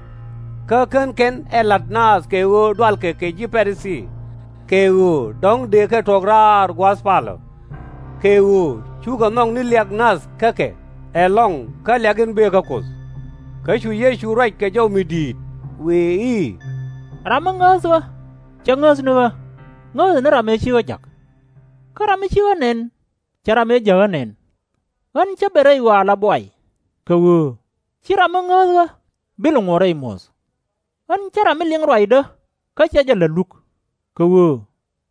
Kä /ken kɛn ɛ la̱t naath kɛ ɣöö dualkɛ kɛ ji̱ Pa-ri-thii, kɛ ɣöö dɔ̱ŋ dëëkɛ tuɔ̱k raar gua̱a̱th palä, kɛ ɣöö cukɛ nhɔk ni liak nath kä kɛ ɛlɔ̱ŋ kä liak in bëë kä Kuoth. Kä cu Yecu ruac kɛ jɔw mi di̱i̱t, wëë i̱, Ram mi ŋääth ɣä, cɛ ŋääth ni ɣä, ŋääthɛ ni ram ëë ci ɣä ja̱k. Kä ram mi ci ɣä nɛn, cɛ ram ëë jäk ɣä nɛn. Ɣän cä ben rɛy ɣɔaa la buay, kɛ ɣöö /ci ram mi ŋääth ɣä bi lɛ ŋuɔ̱t rɛy muɔ̱th. Ɣän cä ram mi liŋ ruacdä kä /cɛ jɛ la̱t luk, kɛ ɣöö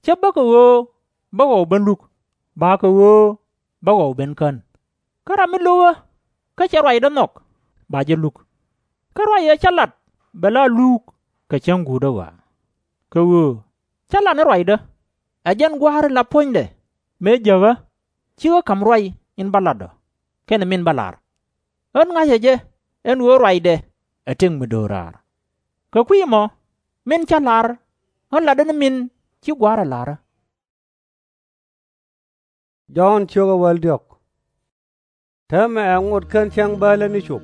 /cä bä kɛ ɣöö bä ɣɔw ben luk, ba kɛ ɣöö bä ɣɔw ben kän. Kä ram mi lo̱k ɣä kä cɛ ruacdä nhɔk, ba jɛ luk. Kä ruac ëë cä lat bɛ la luuk kɛ cäŋ guutdä ɣɔaa. Kɛ ɣöö cä lat ni ruacdä, ɛ jɛn Gua̱a̱r in la puɔ̱nydɛ mëë jäk ɣä, /ci ɣä ka̱m ruac in bä lat ɔ kɛnɛ min bä lar. Ɣän ŋa̱cä jɛ ɛn ɣöö ruacdɛ ɛ tëk mi do̱raar. Kɛ kui̱ ɛmɔ, min cä la̱r, ɣän latdä ni min ci Gua̱a̱rä la̱rä. Jɔ̱ɔ̱n ciökä wäl diɔ̱k. Täämɛ ɛ ŋot kän cäŋ bäälä ni cop,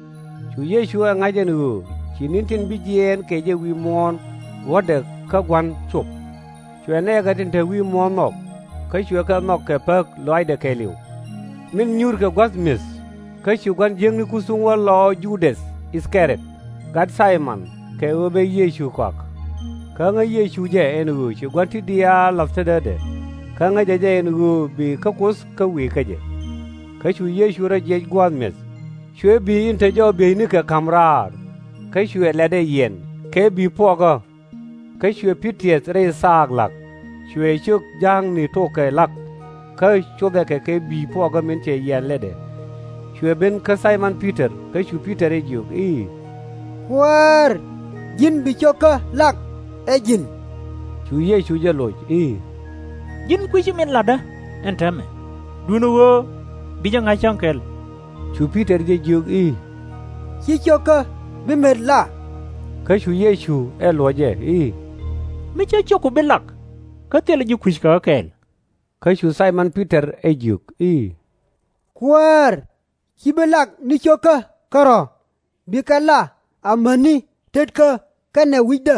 cu Yecu ɛ ŋa̱c ɛn ɣöö ci ni̱n tin bi jiɛɛn kɛ jɛ wi̱i̱ muɔ̱ɔ̱n luɔ̱tdɛ kä gua̱n cop. Cuɛ nɛɛkɛ tin te wi̱i̱ muɔ̱ɔ̱n nhɔk, kä cuɛ kɛ nhɔk kɛ päk lɔaacdɛ kɛɛliw. Min nyuurkɛ gua̱th mi̱eth, kä ci gua̱n jiäkni ku thuŋ wä lɔɔk Ju-däth I-thɛ-riɔt, gat Thay-mɔn, kɛ ɣöö bɛ Yecu kɔak. Kä ŋäc Yecu jɛ ɛn ɣöö ci gua̱n ti diaal la̱th tetdä, kä ŋäcɛ jɛ ɛn ɣöö bëë kä Kuoth kä wëë kä jɛ. Kä cu Yecu rɔ jiɛc gua̱a̱th mi̱eth, cuɛ bi̱i̱ in te jɔw bieynikɛ ka̱m raar, kä cuɛ lɛ̈tdɛ yiɛn kɛ bi̱i̱ puɔkä. Kä cuɛ pi̱t tiɛth rɛy thaak la̱k, cuɛ cök ja̱a̱kni tokɛ la̱k, kä cothɛ kɛ kɛ bi̱i̱ puɔkä min cɛ yiɛn lɛ̈tdɛ. Cuɛ ben kä Thay-mɔn Pi-tɔr, kä cu Pi-tɔr jɛ jiök i̱, Kuäär, ji̱n bi cio̱kä la̱k ɛ ji̱n. Cu Yecu jɛ loc i̱, Ji̱n kui̱ci min la̱tdä ɛn täämɛ, duundɛ ɣöö bi jɛ ŋa̱c cäŋ kɛl. Cu Pi-tɔr jɛ jiök i̱, Ci cio̱kä bi met la. Kä cu Yecu ɛ luɔ̱c jɛ i̱, Mi cä ciökku bi lak, kä thilɛ ji̱ kui̱c kɛ ɣä kɛɛl. Kä cu Thay-mɔn Pi-tɔr ɛ jiök i̱, Kuäär, /ci bi lak ni cio̱kä kärɔ̱, bikɛ la amäni tetkä kɛnɛ wi̱cdä.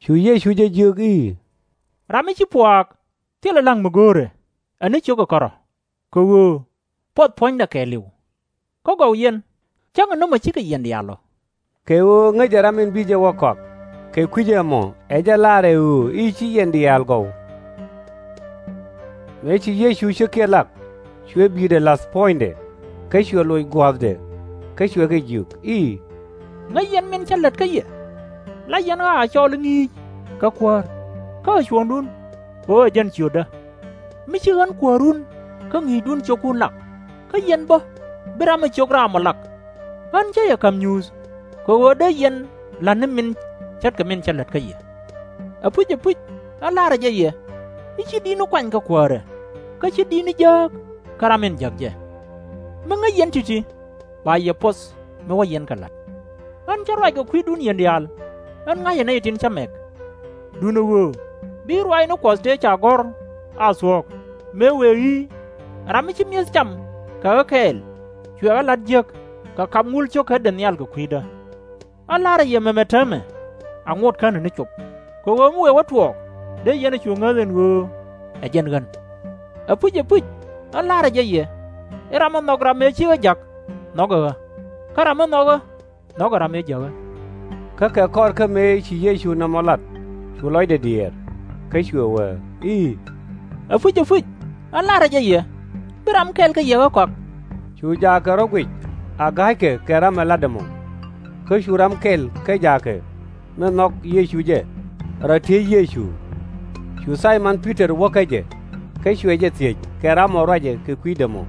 Cu Yecu jɛ jiök i̱, Ram mi ci puaak thilɛ la̱ŋ mi go̱o̱rɛ, ɛ ni cio̱kä kärɔ̱, kɛ ɣöö puɔth puɔ̱nydɛ kɛɛliw. Kä gɔw yɛn, cäŋɛ nɔmɔ cikɛ yiɛn diaal ɔ. Kɛ ɣöö ŋäcɛ ram in bi jɛ wä kɔak. Kɛ kui̱c ɛmɔ ɛ jɛn laarɛ ɣöö i̱ ci yiɛn diaal gɔw. Mëë ci Yecu cio̱kiɛn lak, cuɛ bi̱i̱dɛ la̱th puɔ̱nydɛ, kä cuɛ loc gua̱a̱thdɛ, kä cuɛ kɛ jiök i̱, Ŋäc yɛn min cä lät kä yɛ. La yɛn ɣaa cɔɔl i̱ ŋi̱i̱c, kä kuäär, kä ɣä cuɔ̱ɔ̱ŋdun, ɣöö ɛ jɛn ciötdä. Mi ci ɣän kuäärun kä ŋi̱i̱cdun ciökun lak, kä yɛn bä bi ram mi ciök raam ɔ lak. Ɣän cä yɛ ka̱m nyuuth, kɛ ɣöö dee yɛn la̱t ni min ce̱tkɛ min cä lät kä yɛ. Ɛpuc, ɛpuc, ɣän la̱rä jɛ yɛ, i̱ /ci di̱tni kuany kɛ kuäärɛ, kä /ci di̱tni jääk kä ram in jäk jɛ. Mi ŋäc yɛn ti̱ti̱, ba yɛ puɔth mi wä yɛn kɛ la̱t. Ɣän cä ruac kɛ kui̱dun yiɛn diaal, ɣän ŋa̱cä nɛy tin cä mɛk. Duundɛ ɣöö bi ruaacni Kuɔth tëë ca gɔ̱r a thuɔ̱k, mëë wëë i̱, Ram mi ci mi̱eth cam kɛ ɣä kɛɛl, cuɛ ɣä la̱t jiäk kɛ kap ŋul cio̱kädɛ nhial kɛ kui̱dä. Ɣän la̱rä yɛ mɛmɛ täämɛ, a ŋot känɛ ni cop. Kɛ ɣöö mi wëë wä tuɔɔk, dee yɛn ɛ cu ŋäth ɛn ɣöö ɛ jɛn ɣän. Ɛpuc, ɛpuc, ɣän la̱rä jɛ yɛ, i̱ ram mi nhɔk ram mëë ci ɣä jak, nhɔkɛ ɣä, kä ram mi nhɔk ɣä, nhɔkɛ ram ëë jäk ɣä. Kä kɛ kɔr kä mëë ci Yecu nɔmɔ lat, cu lɔcdɛ diëër, kä cuɛ wee i̱, Ɛpuc, ɛpuc, ɣän la̱rä jɛ yɛ, bi ram kɛl kä yɛ ɣä kɔak. Cu jaakɛ rɔ guic a ga̱ykɛ kɛ ram ɛ lat ɛmɔ. Kä cu ram kɛl kä jaakɛ mi nhɔk Yecu jɛ, rɔ tiec Yecu. Cu Thaymɔn Pi-tɔr wä kä jɛ, kä cuɛ jɛ thiec kɛ ram ɔ ruacɛ kɛ kui̱dɛ mɔ.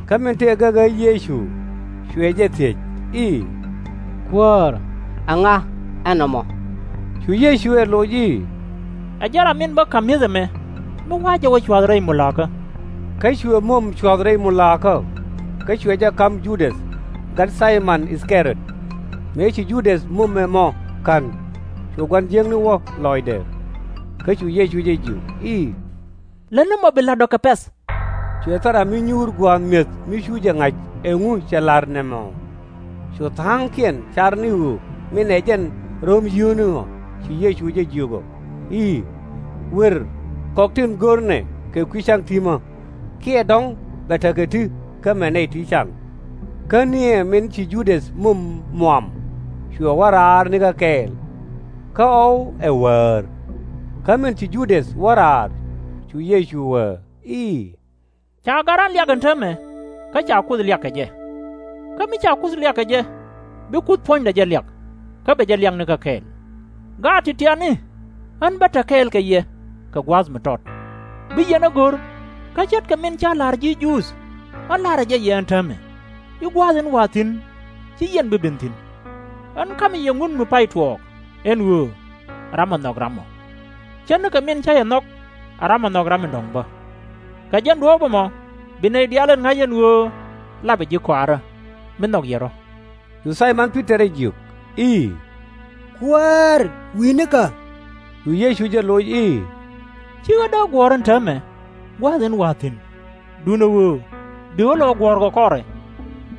Kä min tëë gäk ɣä Yecu, cuɛ jɛ thiec i̱, Kuäär, ɛŋa ɛn nɔmɔ? Cu Yecu ɛ loc i̱, Ɛ jɛn ram min bä ka̱m mi̱eth ɛmɛ, mi wa̱a̱ jɛ wä cua̱th rɛy mulakä. Kä cuɛ mom cua̱th rɛy mulakä, kä cuɛ jɛ ka̱m Judäth, gat Thaymɔn I-thɛ-riɔt. Mëë ci Judäth mom ɛmɔ ka̱n, cu gua̱n jiäkni wä lɔcdɛ. Kä cu Yecu jɛ jiök i̱, Lätni mɔ bi la̱t ɔ kɛ pɛ̈th. Cuɛ thil ram mi nyuur gua̱a̱th mi̱eth mi cu jɛ ŋa̱c ɛŋu cɛ la̱r nɛmɔ. Cu tha̱a̱ŋkiɛn car ni ɣöö min ɛ jɛn röm yio̱o̱ni ɔ. Cu Yecu jɛ jiök ɔ i̱, Wër kɔk tin görnɛ kɛ kui̱ ca̱ŋ ti̱mä, kiɛ dɔ̱ŋ bɛ tekɛ ti kä mɛ nɛy ti ca̱ŋ. Kä niɛ min ci Judäth mom muam, cuɛ wä raar nikä kɛɛl, kä ɣɔw ɛ wäär. Kä min ci Judäth wä raar, cu Yecu wee i̱, Ca gat raan liak ɛn täämɛ, kä ca Kuoth liak kɛ jɛ. Kä mi ca Kuoth liak kɛ jɛ, bi Kuoth puɔ̱nydɛ jɛ liak, kä bɛ jɛ liak nikä kɛɛl. Gaat ti̱ti̱ ɛ i̱, ɣän bä te kɛɛl kɛ yɛ kɛ gua̱a̱th mi tɔt. Bi yɛn ɛ go̱r, kä ce̱tkɛ min cä la̱r ji̱ Juudh, ɣän la̱rä jɛ yɛ ɛn täämɛ, i̱ gua̱a̱th in wa̱a̱ thi̱n, /ci yɛn bi ben thi̱n. Ɣän ka̱mɛ yɛ ŋut mi pay tuɔɔk, ɛn ɣöö ram ɛ nhɔk ram ɔ, ce̱tnikɛ min cä yɛ nhɔk ɛ ram ɛ nhɔk ram in dɔ̱ŋ bä. Kɛ jɛn duɔ̱ɔ̱p ɛmɔ bi nɛy diaal ŋa̱c ɛn ɣöö lapɛ ji̱ kɔaarä, mi nhɔk yɛ rɔ̱. Cu Thaymɔn Pi-tɔr ɛ jiök i̱, Kuäär, wi̱i̱nikä. Cu Yecu jɛ loc i̱, /Ci ɣä dee guɔ̱ɔ̱r ɛn täämɛ gua̱a̱th in wa̱a̱ thi̱n, duundɛ ɣöö bi ɣä lɛ ɣä guɔ̱ɔ̱r kɛ kɔrɛ.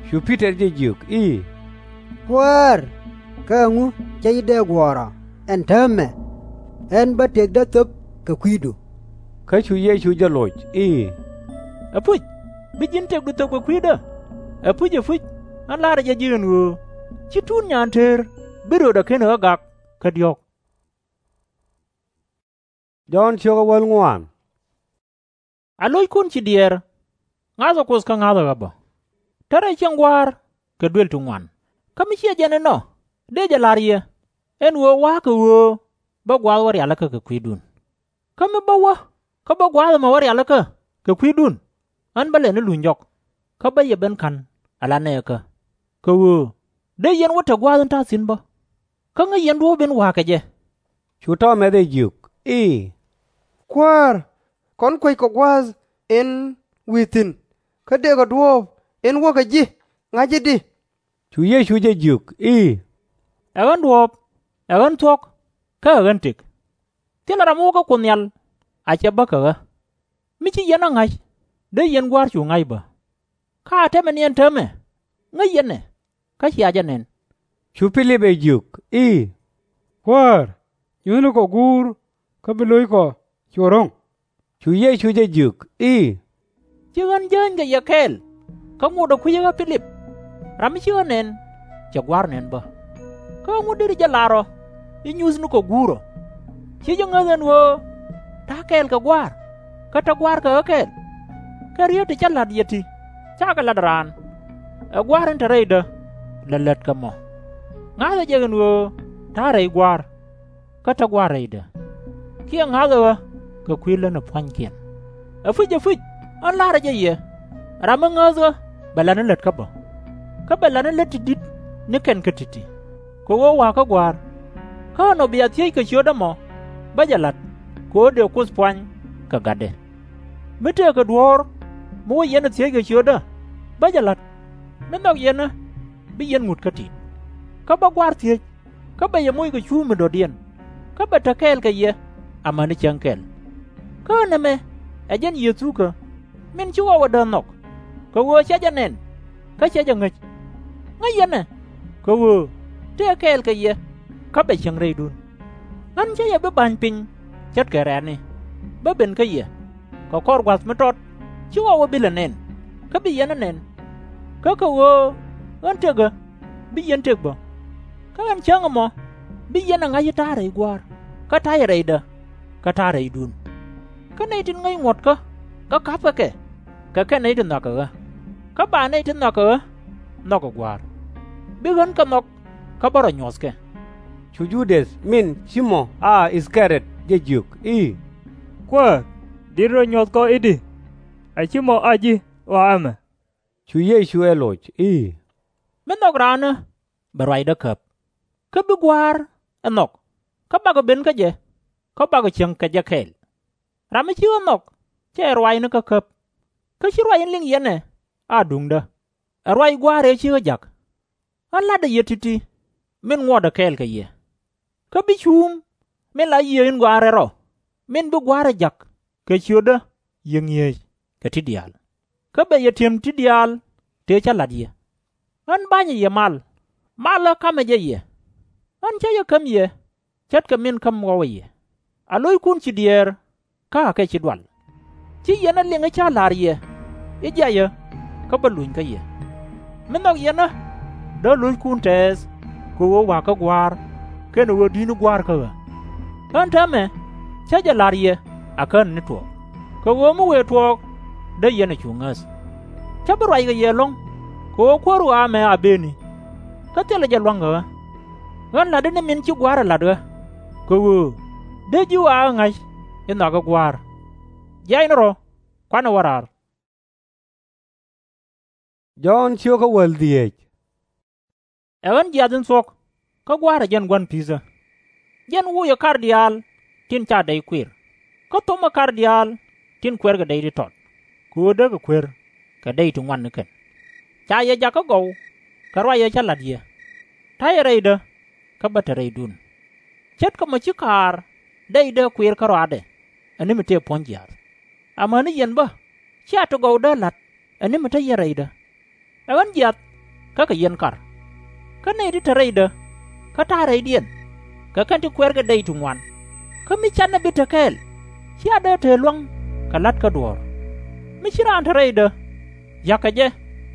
Cu Pi-tɔr jɛ jiök i̱, Kuäär, kä ɛŋu /cä ji̱ dee guɔ̱ɔ̱r ɔ ɛn täämɛ? Ɣän bä tëkdä thöp kɛ kui̱du. Kä cu Yecu jɛ loc i̱, Ɛpuc, bi ji̱n tëkdu thöp kɛ kui̱dä. Ɛpuc, ɛpuc, ɣän la̱rä jɛ ji̱ ɛn ɣöö /ci tuut nyaan teer bi röödɛ ken ɣä gak kä diɔ̱ɔ̱k. Jɔ̱ɔ̱n A lo̱ckun ci diɛɛr, ŋa̱thɛ Kuoth kä ŋa̱thɛ ɣä bä. Tärɛ cieŋ Gua̱a̱r kɛ duël ti ŋuan, kä mi /ciɛ jɛn inɔ, dee jɛ la̱r yɛ, ɛn ɣöö wa̱a̱ kɛ ɣöö bä gua̱a̱th wä rialikä kɛ kui̱dun. Kä mi bä wä kä bä gua̱a̱th ɛmɔ wä rialikä kɛ kui̱dun, ɣän bä lɛ ni luny jɔk, kä bä yɛ ben ka̱n ala nɛɛkä, kɛ ɣöö dee yɛn wä te gua̱a̱th in ta̱a̱ thi̱n bä. Kä ŋäc yɛn duɔ̱ɔ̱p in wa̱a̱ kɛ jɛ. Cu Tɔmɛth ɛ jiök i̱, Kuäär, kɔn kueckɔ gua̱a̱th in wi̱i̱ thi̱n, kä dëëkɔ duɔ̱ɔ̱p in wäkɛ ji̱ ŋa̱c i̱di? Cu Yecu jɛ jiök i̱, Ɛ ɣän duɔ̱ɔ̱p, ɛ ɣän thuɔ̱k, kä ɛ ɣän tëk. Thilɛ ram mi wä kä Kuoth Nhial a cɛ bä kɛ ɣä. Mi ci yɛn ɣä ŋa̱c, dee yɛn Gua̱a̱r cu ŋa̱c bä. Kä a tɛmɛ ni ɛn täämɛ, ŋäc yɛn ɛ, kä cia jɛ nɛn. Cu Pi-lip ɛ jiök i̱, Kuäär, nyuthnikɔ guur, kä bi lo̱ckɔ cu ro̱ŋ. Cu Yecu jɛ jiök i̱, Ci ɣän jääny kɛ yɛ kɛɛl kä ŋotdä kui̱cä ɣä Pi-lip? Ram mi ci ɣä nɛn, cɛ Gua̱a̱r nɛn bä. Kä ɛŋu deri jɛ lar ɔ i̱ nyuthnikɔ guur ɔ? /Ci jɛ ŋäth ɛn ɣöö ta̱a̱ kɛɛl kɛ Gua̱a̱r, kä te Gua̱a̱r kɛ ɣä kɛɛl? Kɛ riet ti cä la̱t yɛ ti, /cakɛ la̱t raan. Ɛ Gua̱a̱r in te rɛydä lɛ lät kɛ mɔ. Ŋa̱thɛ jɛ ɛn ɣöö ta̱a̱ rɛy Gua̱a̱r, kä te Gua̱a̱r rɛydä. Kiɛ ŋa̱thɛ ɣä kɛ kui̱ lätni pua̱nykiɛn. Ɛpuc, ɛpuc, ɣän la̱rä jɛ yɛ, ram mi ŋääth ɣä bɛ la̱t ni lät kä bä, kä bɛ la̱t ni lät ti di̱t ni kɛn kä ti̱ti̱. Kɛ ɣöö wa̱a̱ kä Gua̱a̱r. Kä ɛnɔ bia thiec kɛ ciötdä mɔ, bä jɛ la̱t, kɛ ɣöö dëë Kuoth puany kɛ gatdɛ. Mi tëëkɛ duɔ̱ɔ̱r mi wä yɛn ɛ thiec kɛ ciötdä, bä jɛ la̱t. Mi nhɔk yɛn ɣä, bi yɛn ŋut kä ti̱i̱t. Kä bä Gua̱a̱r thiec, kä bɛ yɛ moc kɛ cuup mi dɔ̱diɛn, kä bɛ te kɛɛl kɛ yɛ amäni cäŋ kɛl. Kä ɣän ɛmɛ ɛ jɛn Yecukä, min ci ɣɔw ɛ dääth nhɔk, kɛ ɣöö /cɛ jɛ nɛn, kä /cɛ jɛ ŋäc. Ŋäc yɛn ɛ, kɛ ɣöö tëë kɛɛl kɛ yɛ, kä bɛ cieŋ rɛydun. Ɣän cä yɛ bi ba̱ny piny ce̱tkɛ rɛ̈ɛ̈ni, bä ben kä yɛ, kɛ kɔr gua̱th mi tɔt /ci ɣɔw ɛ bi lɛ nɛn, kä bi yɛn ɛ nɛn. Kä kɛ ɣöö ɣän tëkɛ, bi yɛn tëk bä. Kä ɣän cäŋ ɛmɔ bi yɛn ɛ ŋa̱c i̱ ta̱a̱ rɛy Gua̱a̱r, kä ta̱yɛ rɛydä, kä ta̱a̱ rɛydun. Kä nɛy tin ŋäc ŋuɔ̱tkä kä ka̱pkɛ kɛ, kɛ kɛn nɛy ti nhɔakɛ ɣä, kä ba nɛy ti nhɔakɛ ɣä nhɔkɛ Gua̱a̱r, bi ɣän kɛ nhɔk kä bä rɔ nyuɔ̱thkɛ. Cu Ju-däth min ci mɔ a I-thɛ-ri-ɔt jɛ jiök i̱, Kuäär, di̱t rɔ nyuɔ̱th kɔ i̱di? A /ci mɔ a ji̱ ɣɔaa ɛmɛ? Cu Yecu ɛ loc i̱, Mi nhɔk raanë, bɛ ruacdä käp, kä bi Gua̱a̱r ɛ nhɔk, kä bakɔ ben kä jɛ, kä bakɔ cieŋ kɛ jɛ kɛɛl. Ram mi ci ɣä nhɔk /cɛ ruacni kä käp, kä /ci ruac in liŋ yɛn ɛ a duŋdä, ɛ ruac Gua̱a̱r ëë ci ɣä ja̱k. Ɣän la̱tdä yɛ ti̱ti̱ min ŋuɔtdä kɛɛl kɛ yɛ. Kä bi cuuŋ min la Yiëë in Gɔaa in Rɛl Rɔ, min bi Gua̱a̱r ɛ ja̱k kɛ ciötdä, yiëë ŋi̱eec kɛ ti diaal, kä bɛ yɛ ti̱em ti diaal tëë cä la̱t yɛ. Ɣän ba̱nyɛ yɛ mal, malä ka̱mɛ jɛ yɛ. Ɣän cä jɛ käm yɛ ce̱tkɛ min käm ɣɔwä yɛ, a lo̱ckun ci diëër, kä akɛ ci dual. /Ci yɛn ɛ liŋ i̱ cä la̱r yɛ i̱ jiayä, kä bä luny kä yɛ. Mi nhɔk yɛn ɣä, dee lo̱ckun tɛɛth, kɛ ɣöö wa̱a̱ kä Gua̱a̱r, kɛnɛ ɣöö di̱t ni Gua̱a̱r kä ɣä. Ɣän täämɛ cä jɛ la̱r yɛ a Kään ni tuɔɔk, kɛ ɣöö mi wëë tuɔɔk dee yɛn ɛ cu ŋäth. Cä bi ruac kɛ yɛ ɛlɔ̱ŋ, kɛ ɣöö Kuäär ɣɔaa ɛmɛ a bëëni, kä thilɛ jɛ lua̱ŋ kɛ ɣä. Ɣän la̱tdä ni min ci Gua̱a̱r ɛ la̱t ɣä, kɛ ɣöö dee ji̱ ɣɔaa ɣä ŋa̱c i̱ nhɔakɛ Gua̱a̱r. Jiɛc ni rɔ, kuanɛ wä raar. Ɛ ɣän jiath in thuɔ̱k, kä Gua̱a̱r ɛ jɛn gua̱n pi̱thä. Jɛn wocɛ kar diaal tin /ca dɛy kuir, kä thomɛ kar diaal tin kuɛrkɛ dɛy ti tɔt, kɛ ɣöö dee kɛ kuer kɛ dɛy ti ŋuan ni kɛn. Ca yɛ jakä gɔw kɛ ruac ëë cä la̱t yɛ, ta̱yɛ rɛydä, kä bä te rɛydun. Ce̱tkɛ mɔ ci kaar dɛydä kuir kä rɔaadɛ, ɛ ni mi tëë puɔ̱ny jiaath. Amäni yɛn bä /cia ti gɔw dee la̱t ɛ ni mi te yɛn rɛydä. Ɛ ɣän jiath kä kɛ yɛn kar. Kä nɛy ti te rɛydä, kä ta̱a̱ rɛydiɛn, kɛ kɛn ti kuɛrkɛ dɛy ti ŋuan, kä mi canɛ bi te kɛɛl, /cia dee te luäŋ kɛ la̱t kä duɔ̱ɔ̱r. Mi ci raan te rɛydä, ya̱kɛ jɛ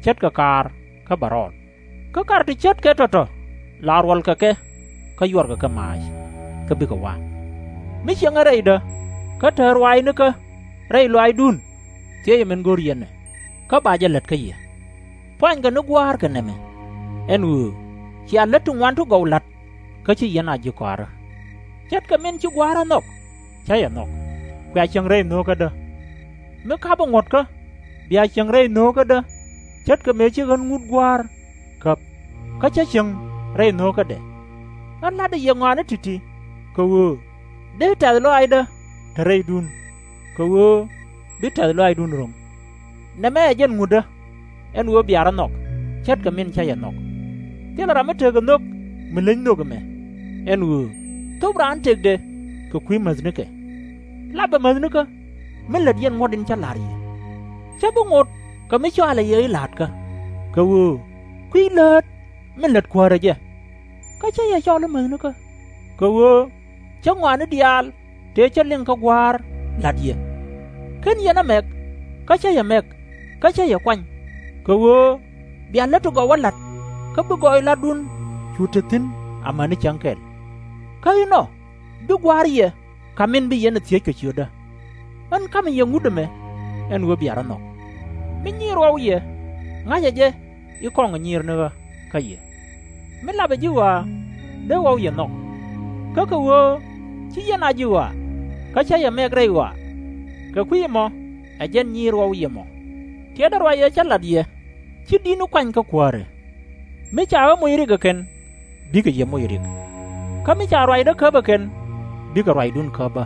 ce̱tkɛ kaar kä bɛ rɔɔl. Kä kar ti ce̱tkɛ tɔ̱tɔ̱, la ruɔlkɛ kɛ, kä yuɔrkɛ kɛ maac, kä bikɛ wa̱a̱. Mi cieŋɛ rɛydä, kä te ruaacnikä rɛy lɔaacdun, thiecɛ min go̱r yɛn ɛ, kä ba jɛ lät kä yɛ. Puanykɛ ni Gua̱a̱r kɛ nɛmɛ, ɛn ɣöö cia lät ti ŋuan ti gɔw la̱t, kä /ci yɛn a ji̱ kɔaarä. Ce̱tkɛ min ci Gua̱a̱r ɛ nhɔk, cä yɛ nhɔk, kuɛ a cieŋ rɛy nhöökädä. Mi ka̱pä ŋuɔ̱tkä, bia cieŋ rɛy nhöökädä, ce̱tkɛ mëë ci ɣän ŋut Gua̱a̱r käp, kä cä cieŋ rɛy nhöökädɛ. Ɣän la̱tdä yɛ ŋɔaani ti̱ti̱, kɛ ɣöö dee tɛ̈th lɔaacdä te rɛydun, kɛ ɣöö bi tɛ̈th lɔaacdun ro̱ŋ. Nɛmɛ ɛ jɛn ŋutdä, ɛn ɣöö bia rɔ nhɔk ce̱tkɛ min cä yɛ nhɔk. Thilɛ ram mi tekɛ nhök mi leny nhök ɛmɛ, ɛn ɣöö thop raan tëkdɛ kɛ kui̱ mäthnikä. Lapɛ mäthnikä mi lät yɛn ŋuɔ̱t in cä la̱r yɛ. Cä bi ŋot kɛ mi cɔalɛ yɛ i̱ la̱a̱tkä, kɛ ɣöö kui̱ läät min lät Kuäärä jɛ. Kä cä yɛ cɔl i̱ mäthnikä, kɛ ɣöö cä ŋɔaani diaal tëë cä liŋ kä Gua̱a̱r la̱t yɛ. /Ken yɛn ɛ mɛk, kä cä yɛ mɛk, kä cä yɛ kuany, kɛ ɣöö bia lät ti gɔw ɛ la̱t, kä bi gɔɔy la̱tdun cu te thi̱n amäni cäŋ kɛl. Kä inɔ bi Gua̱a̱r yɛ ka̱m min bi yɛn ɛ thiec kɛ ciötdä. Ɣän ka̱mɛ yɛ ŋut ɛmɛ, ɛn ɣöö bia rɔ nhɔk. Mi nyiir ɣɔw yɛ, ŋa̱cɛ jɛ i̱ kɔŋɛ nyiir ni ɣä kä yɛ. Mi lapɛ ji̱ ɣɔaa, dee ɣɔw yɛ nhɔk. Kä kɛ ɣöö /ci yɛn a ji̱ ɣɔaa, kä cä yɛ mɛk rɛy ɣɔaa, kɛ kui̱ ɛmɔ ɛ jɛn nyiir ɣɔw yɛ mɔ. Tiɛtdä ruac ëë cä la̱t yɛ, /ci di̱tni kuany kä kuäärä. Mi ca ɣä moc rik ɛ kɛn, bikɛ yɛ moc rik. Kä mi ca ruacdä käp ɛ kɛn, bikɛ ruacdun käp bä.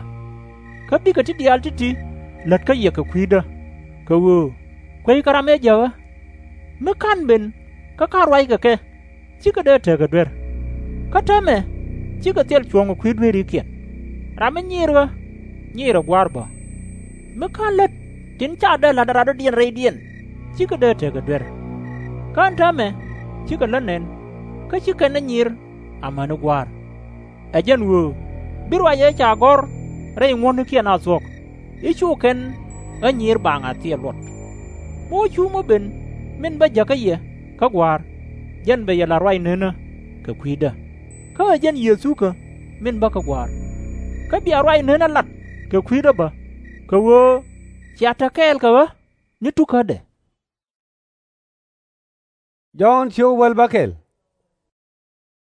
Kä bikɛ ti diaal ti̱ti̱ lät kä yɛ kɛ kui̱dä, kɛ ɣöö kueckɛ ram ëë jäk ɣä. Mi /ka̱n ben kä /ka̱n ruackɛ kɛ, /cikɛ dee tekɛ duer. Kä täämɛ /cikɛ thil cuɔ̱ŋ ɛ kui̱ dueerikiɛn. Ram mi nyiir ɣä, nyiirɛ Gua̱a̱r bä. Mi /ka̱n lät tin ca dee la̱t ɛ radɔ̱diɛn rɛydiɛn, /cikɛ dee tekɛ duer. Kä ɛn täämɛ cikɛ lät nɛn, kä /ci kɛn ɛ nyiir amäni Gua̱a̱r. Ɛ jɛn ɣöö Bi ruac ëë ca gɔ̱r rɛy ŋuɔ̱tnikiɛn a thuɔ̱k, i̱ cu kɛn ɣä nyiir baaŋ a thil luɔt. Mi wä cuum wä ben min bä jäkä yɛ kä Gua̱a̱r, jɛn bɛ yɛ la̱t ruac nenä kɛ kui̱dä, kä ɛ jɛn Yecukä min bä kä Gua̱a̱r. Kä bia ruac nenä lat kɛ kui̱dä bä, kɛ ɣöö cia te kɛɛl kɛ ɣä ni tukädɛ.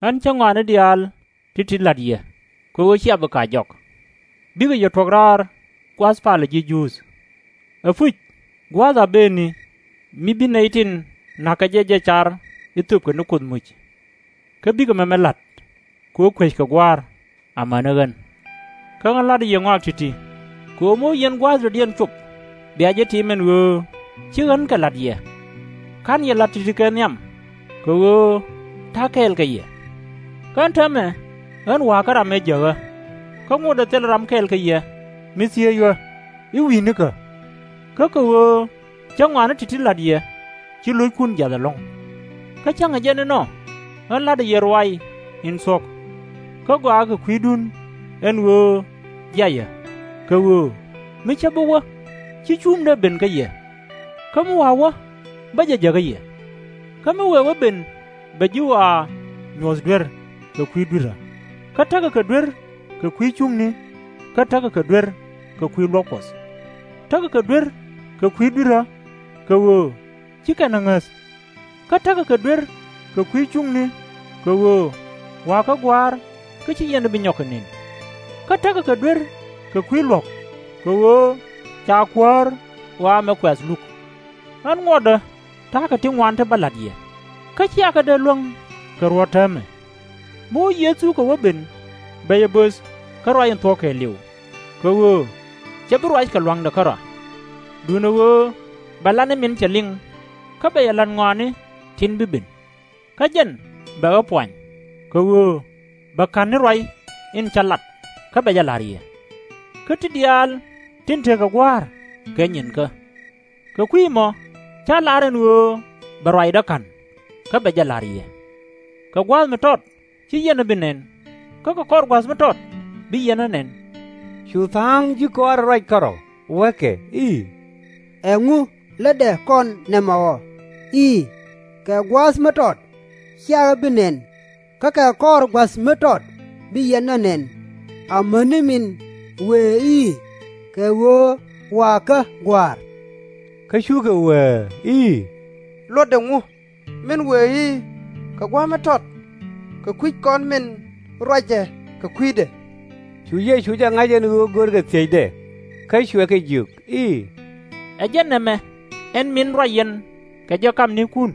Ɣän cä ŋɔaani diaal ti̱ti̱ la̱t yɛ, kɛ ɣöö cia bi kɛ jɔk, bikɛ yɛ tuɔ̱k raar gua̱th palä ji̱ Juudh. Ɛpuc gua̱a̱th a bëëni mi bi nɛy tin na̱k kɛ jɛ jɛ car i̱ thöpkɛ ni Kuoth muc. Kä bikɛ mɛmɛ la̱t, kɛ ɣöö kueckɛ Gua̱a̱r amäni ɣän. Kä ɣän la̱tdä yɛ ŋɔak ti̱ti̱, kɛ ɣöö mi wä yɛn gua̱a̱th dɔ̱diɛn cop, bia jɛ tim ɛn ɣöö ci ɣän kɛ la̱t yɛ. /Ka̱n yɛ la̱t ti̱ti̱ kɛ nhiam, kɛ ɣöö ta̱a̱ kɛɛl kɛ yɛ. Kä ɛn täämɛ ɣän wa̱a̱ kä ram ëë jäk ɣä, kä ŋotdɛ thilɛ ram kɛɛl kɛ yɛ mi thiec ɣä i̱ wi̱i̱nikä. Kä kɛ ɣöö cä ŋɔaani ti̱ti̱ la̱t yɛ, ci lo̱ckun jiath ɛlɔ̱ŋ. Kä cäŋɛ jɛn inɔ, ɣän la̱tdä yɛ ruac in thuɔ̱k, kä gɔaaɛ kɛ kui̱dun ɛn ɣöö jiayä, kɛ ɣöö mi cä bi wä, /ci cuumdä ben kä yɛ. Kä mi wa̱a̱ wä, bä jɛ jäkä yɛ. Kä mi wëë wä ben, bɛ ji̱ ɣɔaa nyuɔ̱th duer kɛ kui̱ dui̱rä, kä tekɛ kɛ duer kɛ kui̱ cuŋni, kä tekɛ kɛ duer kɛ kui̱ luɔ̱k Kuɔth. Tekɛ kɛ duer kɛ kui̱ dui̱rä, kɛ ɣöö ci kɛn ɛ ŋäth. Kä tekɛ kɛ duer kɛ kui̱ cuŋni, kɛ ɣöö wa̱a̱ kä Gua̱a̱r, kä ci yɛn ɛ bi nyɔk kɛ nën. Kä tekɛ kɛ duer kɛ kui̱ luɔ̱k, kɛ ɣöö ca Kuäär ɣɔaa mɛ kuɛ̈th luk. Ɣän ŋuɔtdä ta̱a̱ kɛ ti ŋuan ti bä la̱t yɛ, kä /cia kɛ dee luäŋ kɛ ruɔ̱t täämɛ. Mi wä Yecu kɛ wä ben, bɛ yɛ böth kä ruac in thuɔ̱k kɛɛliw, kɛ ɣöö /cɛ bi ruac kɛ lua̱ŋdɛ kärɔa. Duundɛ ɣöö bɛ lat ni min cɛ liŋ, kä bɛ yɛ la̱t ŋɔaani tin bi ben. Kä jɛn bɛ ɣä puany, kɛ ɣöö bɛ ka̱n ni ruac in cä lat kä bɛ jɛ la̱r yɛ. Kä ti diaal tin tekɛ Gua̱a̱r kɛ nyinkä. Kɛ kui̱ ɛmɔ cä lar ɛn ɣöö bɛ ruacdä ka̱n, kä bɛ jɛ la̱r yɛ. Kɛ gua̱a̱th mi tɔt ci yɛn ɛ bi nɛn, kä kɛ kɔr gua̱th mi tɔt bi yɛn ɛ nɛn. Cu tha̱a̱ŋ ji̱ kɔaarɛ ruac kärɔ̱, wäkɛ i̱, Ɛŋu lätdɛ kɔn nɛmɛ ɔ i̱, Kɛ gua̱a̱th mi tɔt cia ɣä bi nɛn, kä kɛ kɔr gua̱th mi tɔt bi yɛn ɛ nɛn? Amäni min wëë i̱, Kɛ ɣöö wa̱a̱ kä Gua̱a̱r. Kä cukɛ wëë i̱, Luɔtdɛ ŋu min wëë i̱, Kɛ gua̱a̱th mi tɔt, kɛ kui̱c kɔn min ruacɛ kɛ kui̱dɛ? Cu Yecu jɛ ŋa̱c ɛn ɣöö görkɛ thiecdɛ, kä cuɛ kɛ jiök i̱, Ɛ jɛn nɛmɛ ɛn min ruac yɛn kɛ jɛ kamnikun,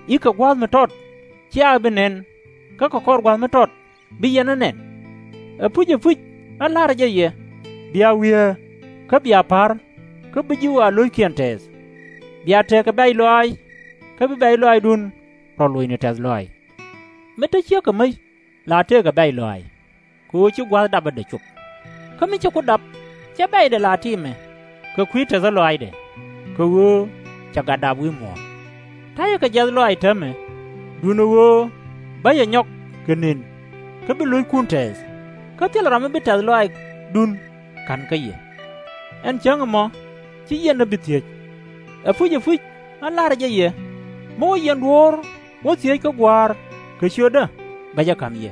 i̱, Kɛ gua̱a̱th mi tɔt cia ɣä bi nɛn, kä kɛ kɔr gua̱th mi tɔt bi yɛn ɛ nɛn? Ɛpuc, ɛpuc, ɣän la̱rä jɛ yɛ, bia wiee, kä bia pa̱r, kä bi ji̱ ɣɔaa lo̱ckiɛn tɛɛth. Bia tekɛ bɛ̈c lɔaac, kä bi bɛ̈c lɔaacdun rɔ locni tɛ̈th lɔaac. Mi te ciekɛ mäc, la tekɛ bɛ̈c lɔaac, kɛ ɣöö ci gua̱th dapdɛ cop. Kä mi cɛ ku dap, /cɛ bɛ̈cdɛ la timɛ kɛ kui̱ tɛthä lɔaacdɛ, kɛ ɣöö cɛ gat dap wi̱i̱ muɔ̱ɔ̱n. Ta̱yɛ kɛ jiath lɔaac täämɛ, duundɛ ɣöö bä yɛ nyɔk kɛ nën, kä bi lo̱ckun tɛɛth, kä thilɛ ram mi bi tɛ̈th lɔaacdun ka̱n kä yɛ. Ɛn cäŋ ɛmɔ ci yɛn ɛ bi thiec. Ɛpuc, ɛpuc, ɣän la̱rä jɛ yɛ, mi wä yɛn duɔ̱ɔ̱r wä thiec kä Gua̱a̱r kɛ ciötdä, bɛ jɛ ka̱m yɛ.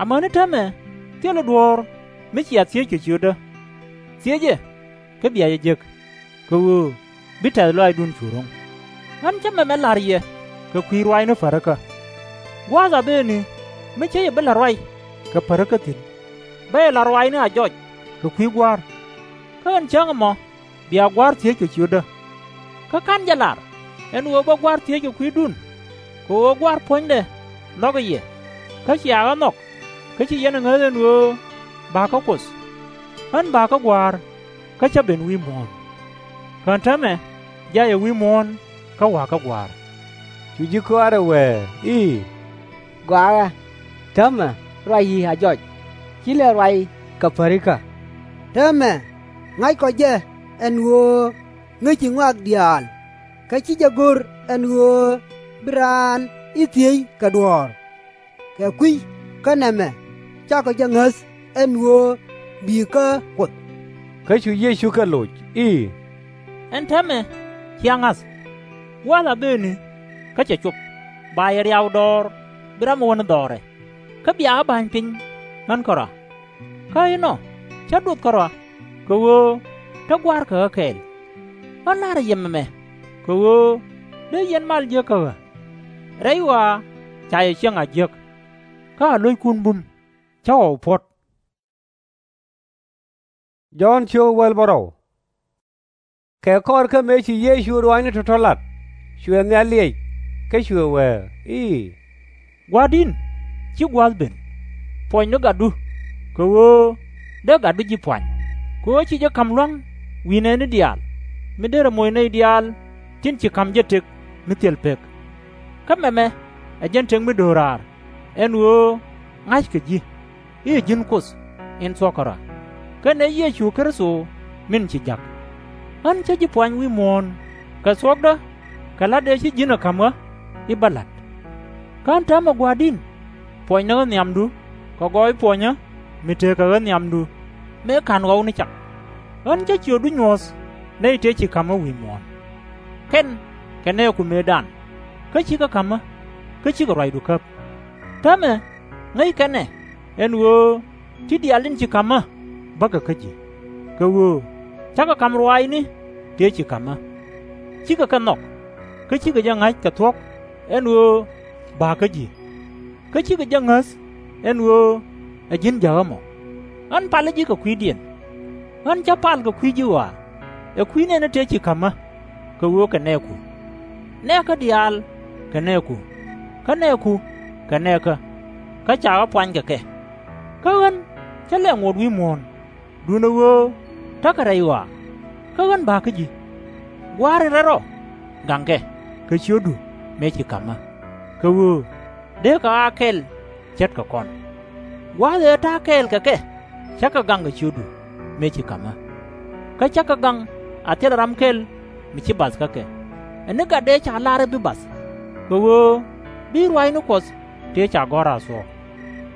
Amäni täämɛ thilɛ duɔ̱ɔ̱r mi cia thiec kɛ ciötdä. Thiecɛ, kä bia jɛ jek, kɛ ɣöö bi tɛ̈th lɔaacdun cu ro̱ŋ. Ɣän cä mɛmɛ la̱r yɛ kɛ kui̱ ruaacni pärikä. Gua̱a̱th a bëëni mi cä yɛ bi la̱t ruac kɛ pärikä thi̱n, bä yɛ la̱t ruaacni a jɔc kɛ kui̱ Gua̱a̱r. Kä ɛn cäŋ ɛmɔ bia Gua̱a̱r thiec kɛ ciötdä. Kä /ka̱n jɛ lar ɛn ɣöö bä Gua̱a̱r thiec kɛ kui̱dun, kɛ ɣöö Gua̱a̱r puɔ̱nydɛ nhɔkɛ yɛ, kä cia ɣä nhɔk, kä ci yɛn ɛ ŋäth ɛn ɣöö ba̱a̱kä Kuoth. Ɣän ba̱a̱kä Gua̱a̱r, kä cä ben wi̱i̱ muɔ̱ɔ̱n. Kä ɛn täämɛ jayɛ wi̱i̱ muɔ̱ɔ̱n kä wa̱a̱kä Gua̱a̱r. Cu ji̱ kɔaarɛ wëë i̱, Gɔaaɛ, täämɛ ruac i̱ a jɔc, /ci lɛ ruac kɛ pärikä. Täämɛ ŋa̱ckɔ jɛ ɛn ɣöö ŋäci ŋɔak diaal, kä /ci jɛ go̱r ɛn ɣöö bi raan i̱ thiec kɛ duɔ̱ɔ̱r. Kɛ kui̱ kä nɛmɛ cakɔ jɛ ŋäth ɛn ɣöö bi̱i̱ kä Kuoth. Kä cu Yecu kɛ loc i̱, Ɛn täämɛ cia ŋa̱th, gua̱a̱th a bëëni kä cɛ cop, ba yɛ riaw dɔɔr bi ram ɛ wä ni dhɔrɛ, kä bia ɣä ba̱ny piny ɣän kärɔa. Kä inɔ cä duɔth kärɔa, kɛ ɣöö te Gua̱a̱r kɛ ɣä kɛɛl. Ɣän la̱rä yɛ mɛmɛ kɛ ɣöö dee yɛn mal jiäk kä ɣä. Rɛy ɣɔaa ca yɛ ciɛŋ a jiäk, kä a lo̱ckun bum cä ɣɔw puɔ̱t. Jɔ̱ɔ̱n ciök wäl bärɔw. Kɛ kɔr kä mëë ci Yecu ruaacni tɔ̱tɔ̱ lat, cuɛ nhial liɛc, kä cuɛ wee i̱, Gua̱a̱r di̱n, ci gua̱a̱th ben. Puɔ̱ny ni gatdu, kɛ ɣöö dee gatdu ji̱ puany. Kɛ ɣöö ci jɛ ka̱m lua̱ŋ wi̱i̱ nɛɛni diaal, mi derɛ moc nɛy diaal tin ci ka̱m jɛ tëk mi thil pek. Kä mɛmɛ ɛ jɛn tëk mi do̱raar, ɛn ɣöö ŋa̱ckɛ ji̱ i̱ ɛ ji̱n Kuoth in thuɔ̱k kärɔa, kɛnɛ Yecu Kritho min ci ja̱k. Ɣän cä ji̱ puany wi̱i̱ muɔ̱ɔ̱n kɛ thuɔ̱kdä kɛ la̱t ëë ci ji̱n ɛ ka̱m ɣä i̱ bä la̱t. Kä ɣän täämɛ Gua̱a̱r di̱n, puɔ̱ny ni ɣä nhiamdu, kɛ gɔɔy puɔ̱nyä mi tekɛ ɣä nhiamdu, mëë /ka̱n ɣɔw ni cak. Ɣän cä ciötdu nyuɔ̱th nɛy tëë ci ka̱m ɣä wi̱i̱ muɔ̱ɔ̱n. Kɛn kɛ nɛɛku mëëdan, kä /cikɛ ka̱m ɣä, kä /cikɛ ruacdu käp. Täämɛ ŋäc kɛn ɛ, ɛn ɣöö ti diaal tin ci ka̱m ɣä bäkɛ kä ji̱. Kɛ ɣöö cakɛ ka̱m ruaacni tëë ci ka̱m ɣä. /Cikɛ kɛ nhɔk, kä /cikɛ jɛ ŋa̱c kɛ thuɔ̱k ɛn ɣöö ba̱a̱ kä ji̱, kä /cikɛ jɛ ŋäth ɛn ɣöö ɛ ji̱n jäk ɣä mɔ. Ɣän palä ji̱ kɛ kui̱diɛn. Ɣän cä pal kɛ kui̱ ji̱ ɣɔaa, ɛ kui̱ nɛɛni tëë ci ka̱m ɣä, kɛ ɣöö kɛ nɛɛku. Nɛɛkä diaal kɛ nɛɛku, kä nɛɛku kɛ nɛɛkä, kä ca ɣä puany kɛ kɛ. Kä ɣän cä lɛ ŋot wi̱i̱ muɔ̱ɔ̱n, duundɛ ɣöö tekɛ rɛy ɣɔaa, kä ɣän ba̱a̱ kä ji̱. Gua̱a̱r in rɛl rɔ, gaŋkɛ kɛ ciötdu mëë ci ka̱m ɣä, kɛ ɣöö dee kɛ ɣä a kɛl ce̱tkɛ kɔn. Gua̱a̱th ëë ta̱a̱ kɛɛl kɛ kɛ, cä kɛ gaŋ kɛ ciötdu mëë ci ka̱m ɣä. Kä cä kɛ gaŋ a thilɛ ram kɛl mi ci bath kä kɛ, ɛ ni gat dee ca lar i̱ bi bath, kɛ ɣöö bi ruaacni Kuɔth tëë ca gɔ̱r a thuɔ̱k.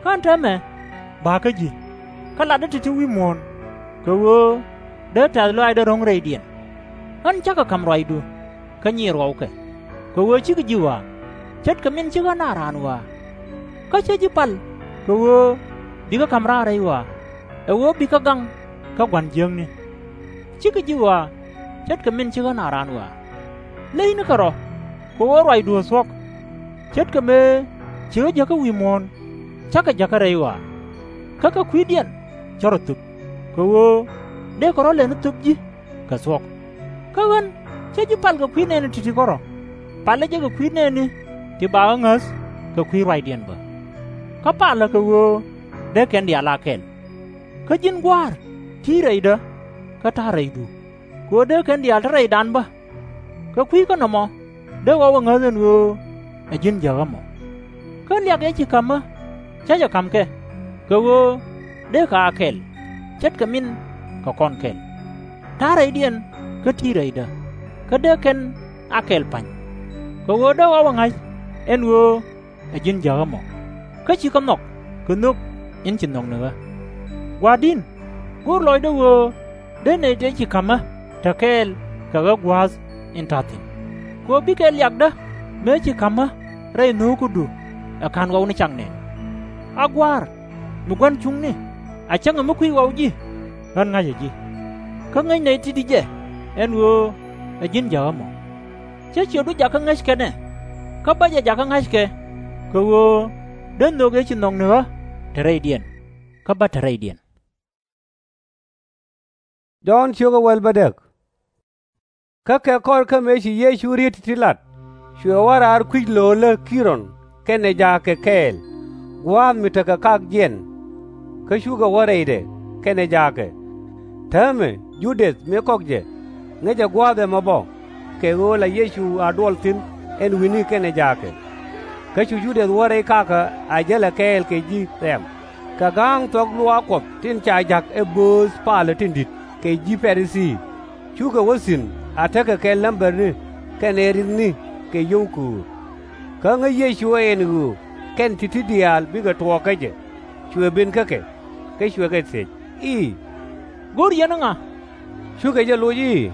Kä ɣän täämɛ ba̱a̱ kä ji̱, kä latdä ti̱ti̱ wi̱i̱ muɔ̱ɔ̱n, kɛ ɣöö dee tɛ̈th lɔaacdä ro̱ŋ rɛydiɛn. Ɣän cä kɛ ka̱m ruacdu, kä nyiir ɣɔwkɛ, kɛ ɣöö /cikɛ ji̱ ɣɔaa, ce̱tkɛ min /ci ɣän a raan ɣɔaa. Kä cä ji̱ pal kɛ ɣöö bikɛ ka̱m raar rɛy ɣɔaa, ɛ ɣöö bikɛ gaŋ kä gua̱n jiäkni. /Cikɛ ji̱ ɣɔaa, ce̱tkɛ min /ci ɣän a raan ɣɔaa. Le̱cnikɛ rɔ̱, kɛ ɣöö ruacdu ɛ thuɔ̱k. Ce̱tkɛ mëë ci ɣä jäkä wi̱i̱ muɔ̱ɔ̱n, cä kɛ jäkä rɛy ɣɔaa. Kä kɛ kui̱diɛn cä rɔ thöp, kɛ ɣöö dëëkɛ rɔ̱ lɛni thöp ji̱ kɛ thuɔ̱k. Kä ɣän cä ji̱ pal kɛ kui̱ nɛɛni ti̱ti̱ kärɔ̱, palä jɛ kɛ kui̱ nɛɛni ti ba ɣä ŋäth kɛ kui̱ ruacdiɛn bä. Kä palä kɛ ɣöö dee kɛn diaal a kɛl. Kä ji̱n Gua̱a̱r, ti̱i̱ rɛydä, kä ta̱a̱ rɛydu, kɛ ɣöö dee kɛn diaal te rɛydan bä. Kɛ kui̱ kä nɔmɔ dee ɣɔw ɛ ŋäth ɛn ɣöö ɛ ji̱n jäk ɣä mɔ. Kä liak ëë ci ka̱m ɣä, cä jɛ ka̱m kɛ, kɛ ɣöö dee kɛ ɣä a kɛl, ce̱tkɛ min kɛ kɔn kɛl. Ta̱a̱ rɛydiɛn kä ti̱i̱ rɛydä, kä dee kɛn a kɛl pa̱ny. Kɛ ɣöö dee ɣɔw ɛ ŋa̱c ɛn ɣöö ɛ ji̱n jäk ɣä mɔ, kä /ci kɛ nhɔk kɛ nhök in ci nhɔk ni ɣä. Gua̱a̱r di̱n, go̱o̱r lɔcdä ɣöö dee nɛy tëë ci ka̱m ɣä te kɛɛl kɛ ɣä gua̱a̱th in ta̱th thi̱n, kɛ ɣöö bikɛ liakdä mëë ci ka̱m ɣä rɛy nhöökädu ɛ /ka̱n ɣɔw ni cak nɛn. A Gua̱a̱r, mi gua̱n cuŋni, a cäŋ mi kui̱c ɣɔw ji̱, ɣän ŋa̱cä ji̱. Kä ŋäc nɛy ti̱ti̱ jɛ ɛn ɣöö ɛ ji̱n jäk ɣä mɔ. Cä ciötdu jakä ŋäc kɛn ɛ, kä bä jɛ jakä ŋa̱c kɛ, kɛ ɣöö dee nhök ëë ci nhɔk ni ɣä te rɛydiɛn, kä bä te rɛydiɛn. Jɔ̱ɔ̱n ciök ɛ wäl bädäk. Kä kɛ kɔr kä mëë ci Yecu riet ti̱ti̱ lat, cuɛ wä raar kui̱c lööl ɛ Ki-rɔn kɛnɛ jaakɛ kɛɛl, gua̱a̱th mi tekɛ kak jiɛn. Kä cukɛ wä rɛydɛ kɛnɛ jaakɛ. Täämɛ Ju-dɛth mi kɔk jɛ, ŋäcɛ gua̱a̱th ɛmɔ bä, kɛ ɣöö la Yecu a duɔl thi̱n ɛn wi̱ni kɛnɛ jaakɛ. Kä cu Ju-dɛth wä rɛy kakä a jälɛ kɛɛl kɛ ji̱ rɛ̈m, kɛ ga̱a̱ŋ thuɔ̱k luaak Kuɔth tin ca ja̱k ɛ bööth palä tin di̱t kɛ ji̱ Pa-ri-thii. Cukɛ wä thi̱n a tekɛ kɛ lämbäni kɛnɛ ri̱thni kɛ yio̱w köör. Kä ŋäc Yecu ɛ ɛn ɣöö kɛn ti̱ti̱ diaal bikɛ tuɔɔk kä jɛ, cuɛ ben kä kɛ. Kä cuɛ kɛ thiec i̱, Go̱o̱r yɛn ɛ ŋa? Cukɛ jɛ loc i̱,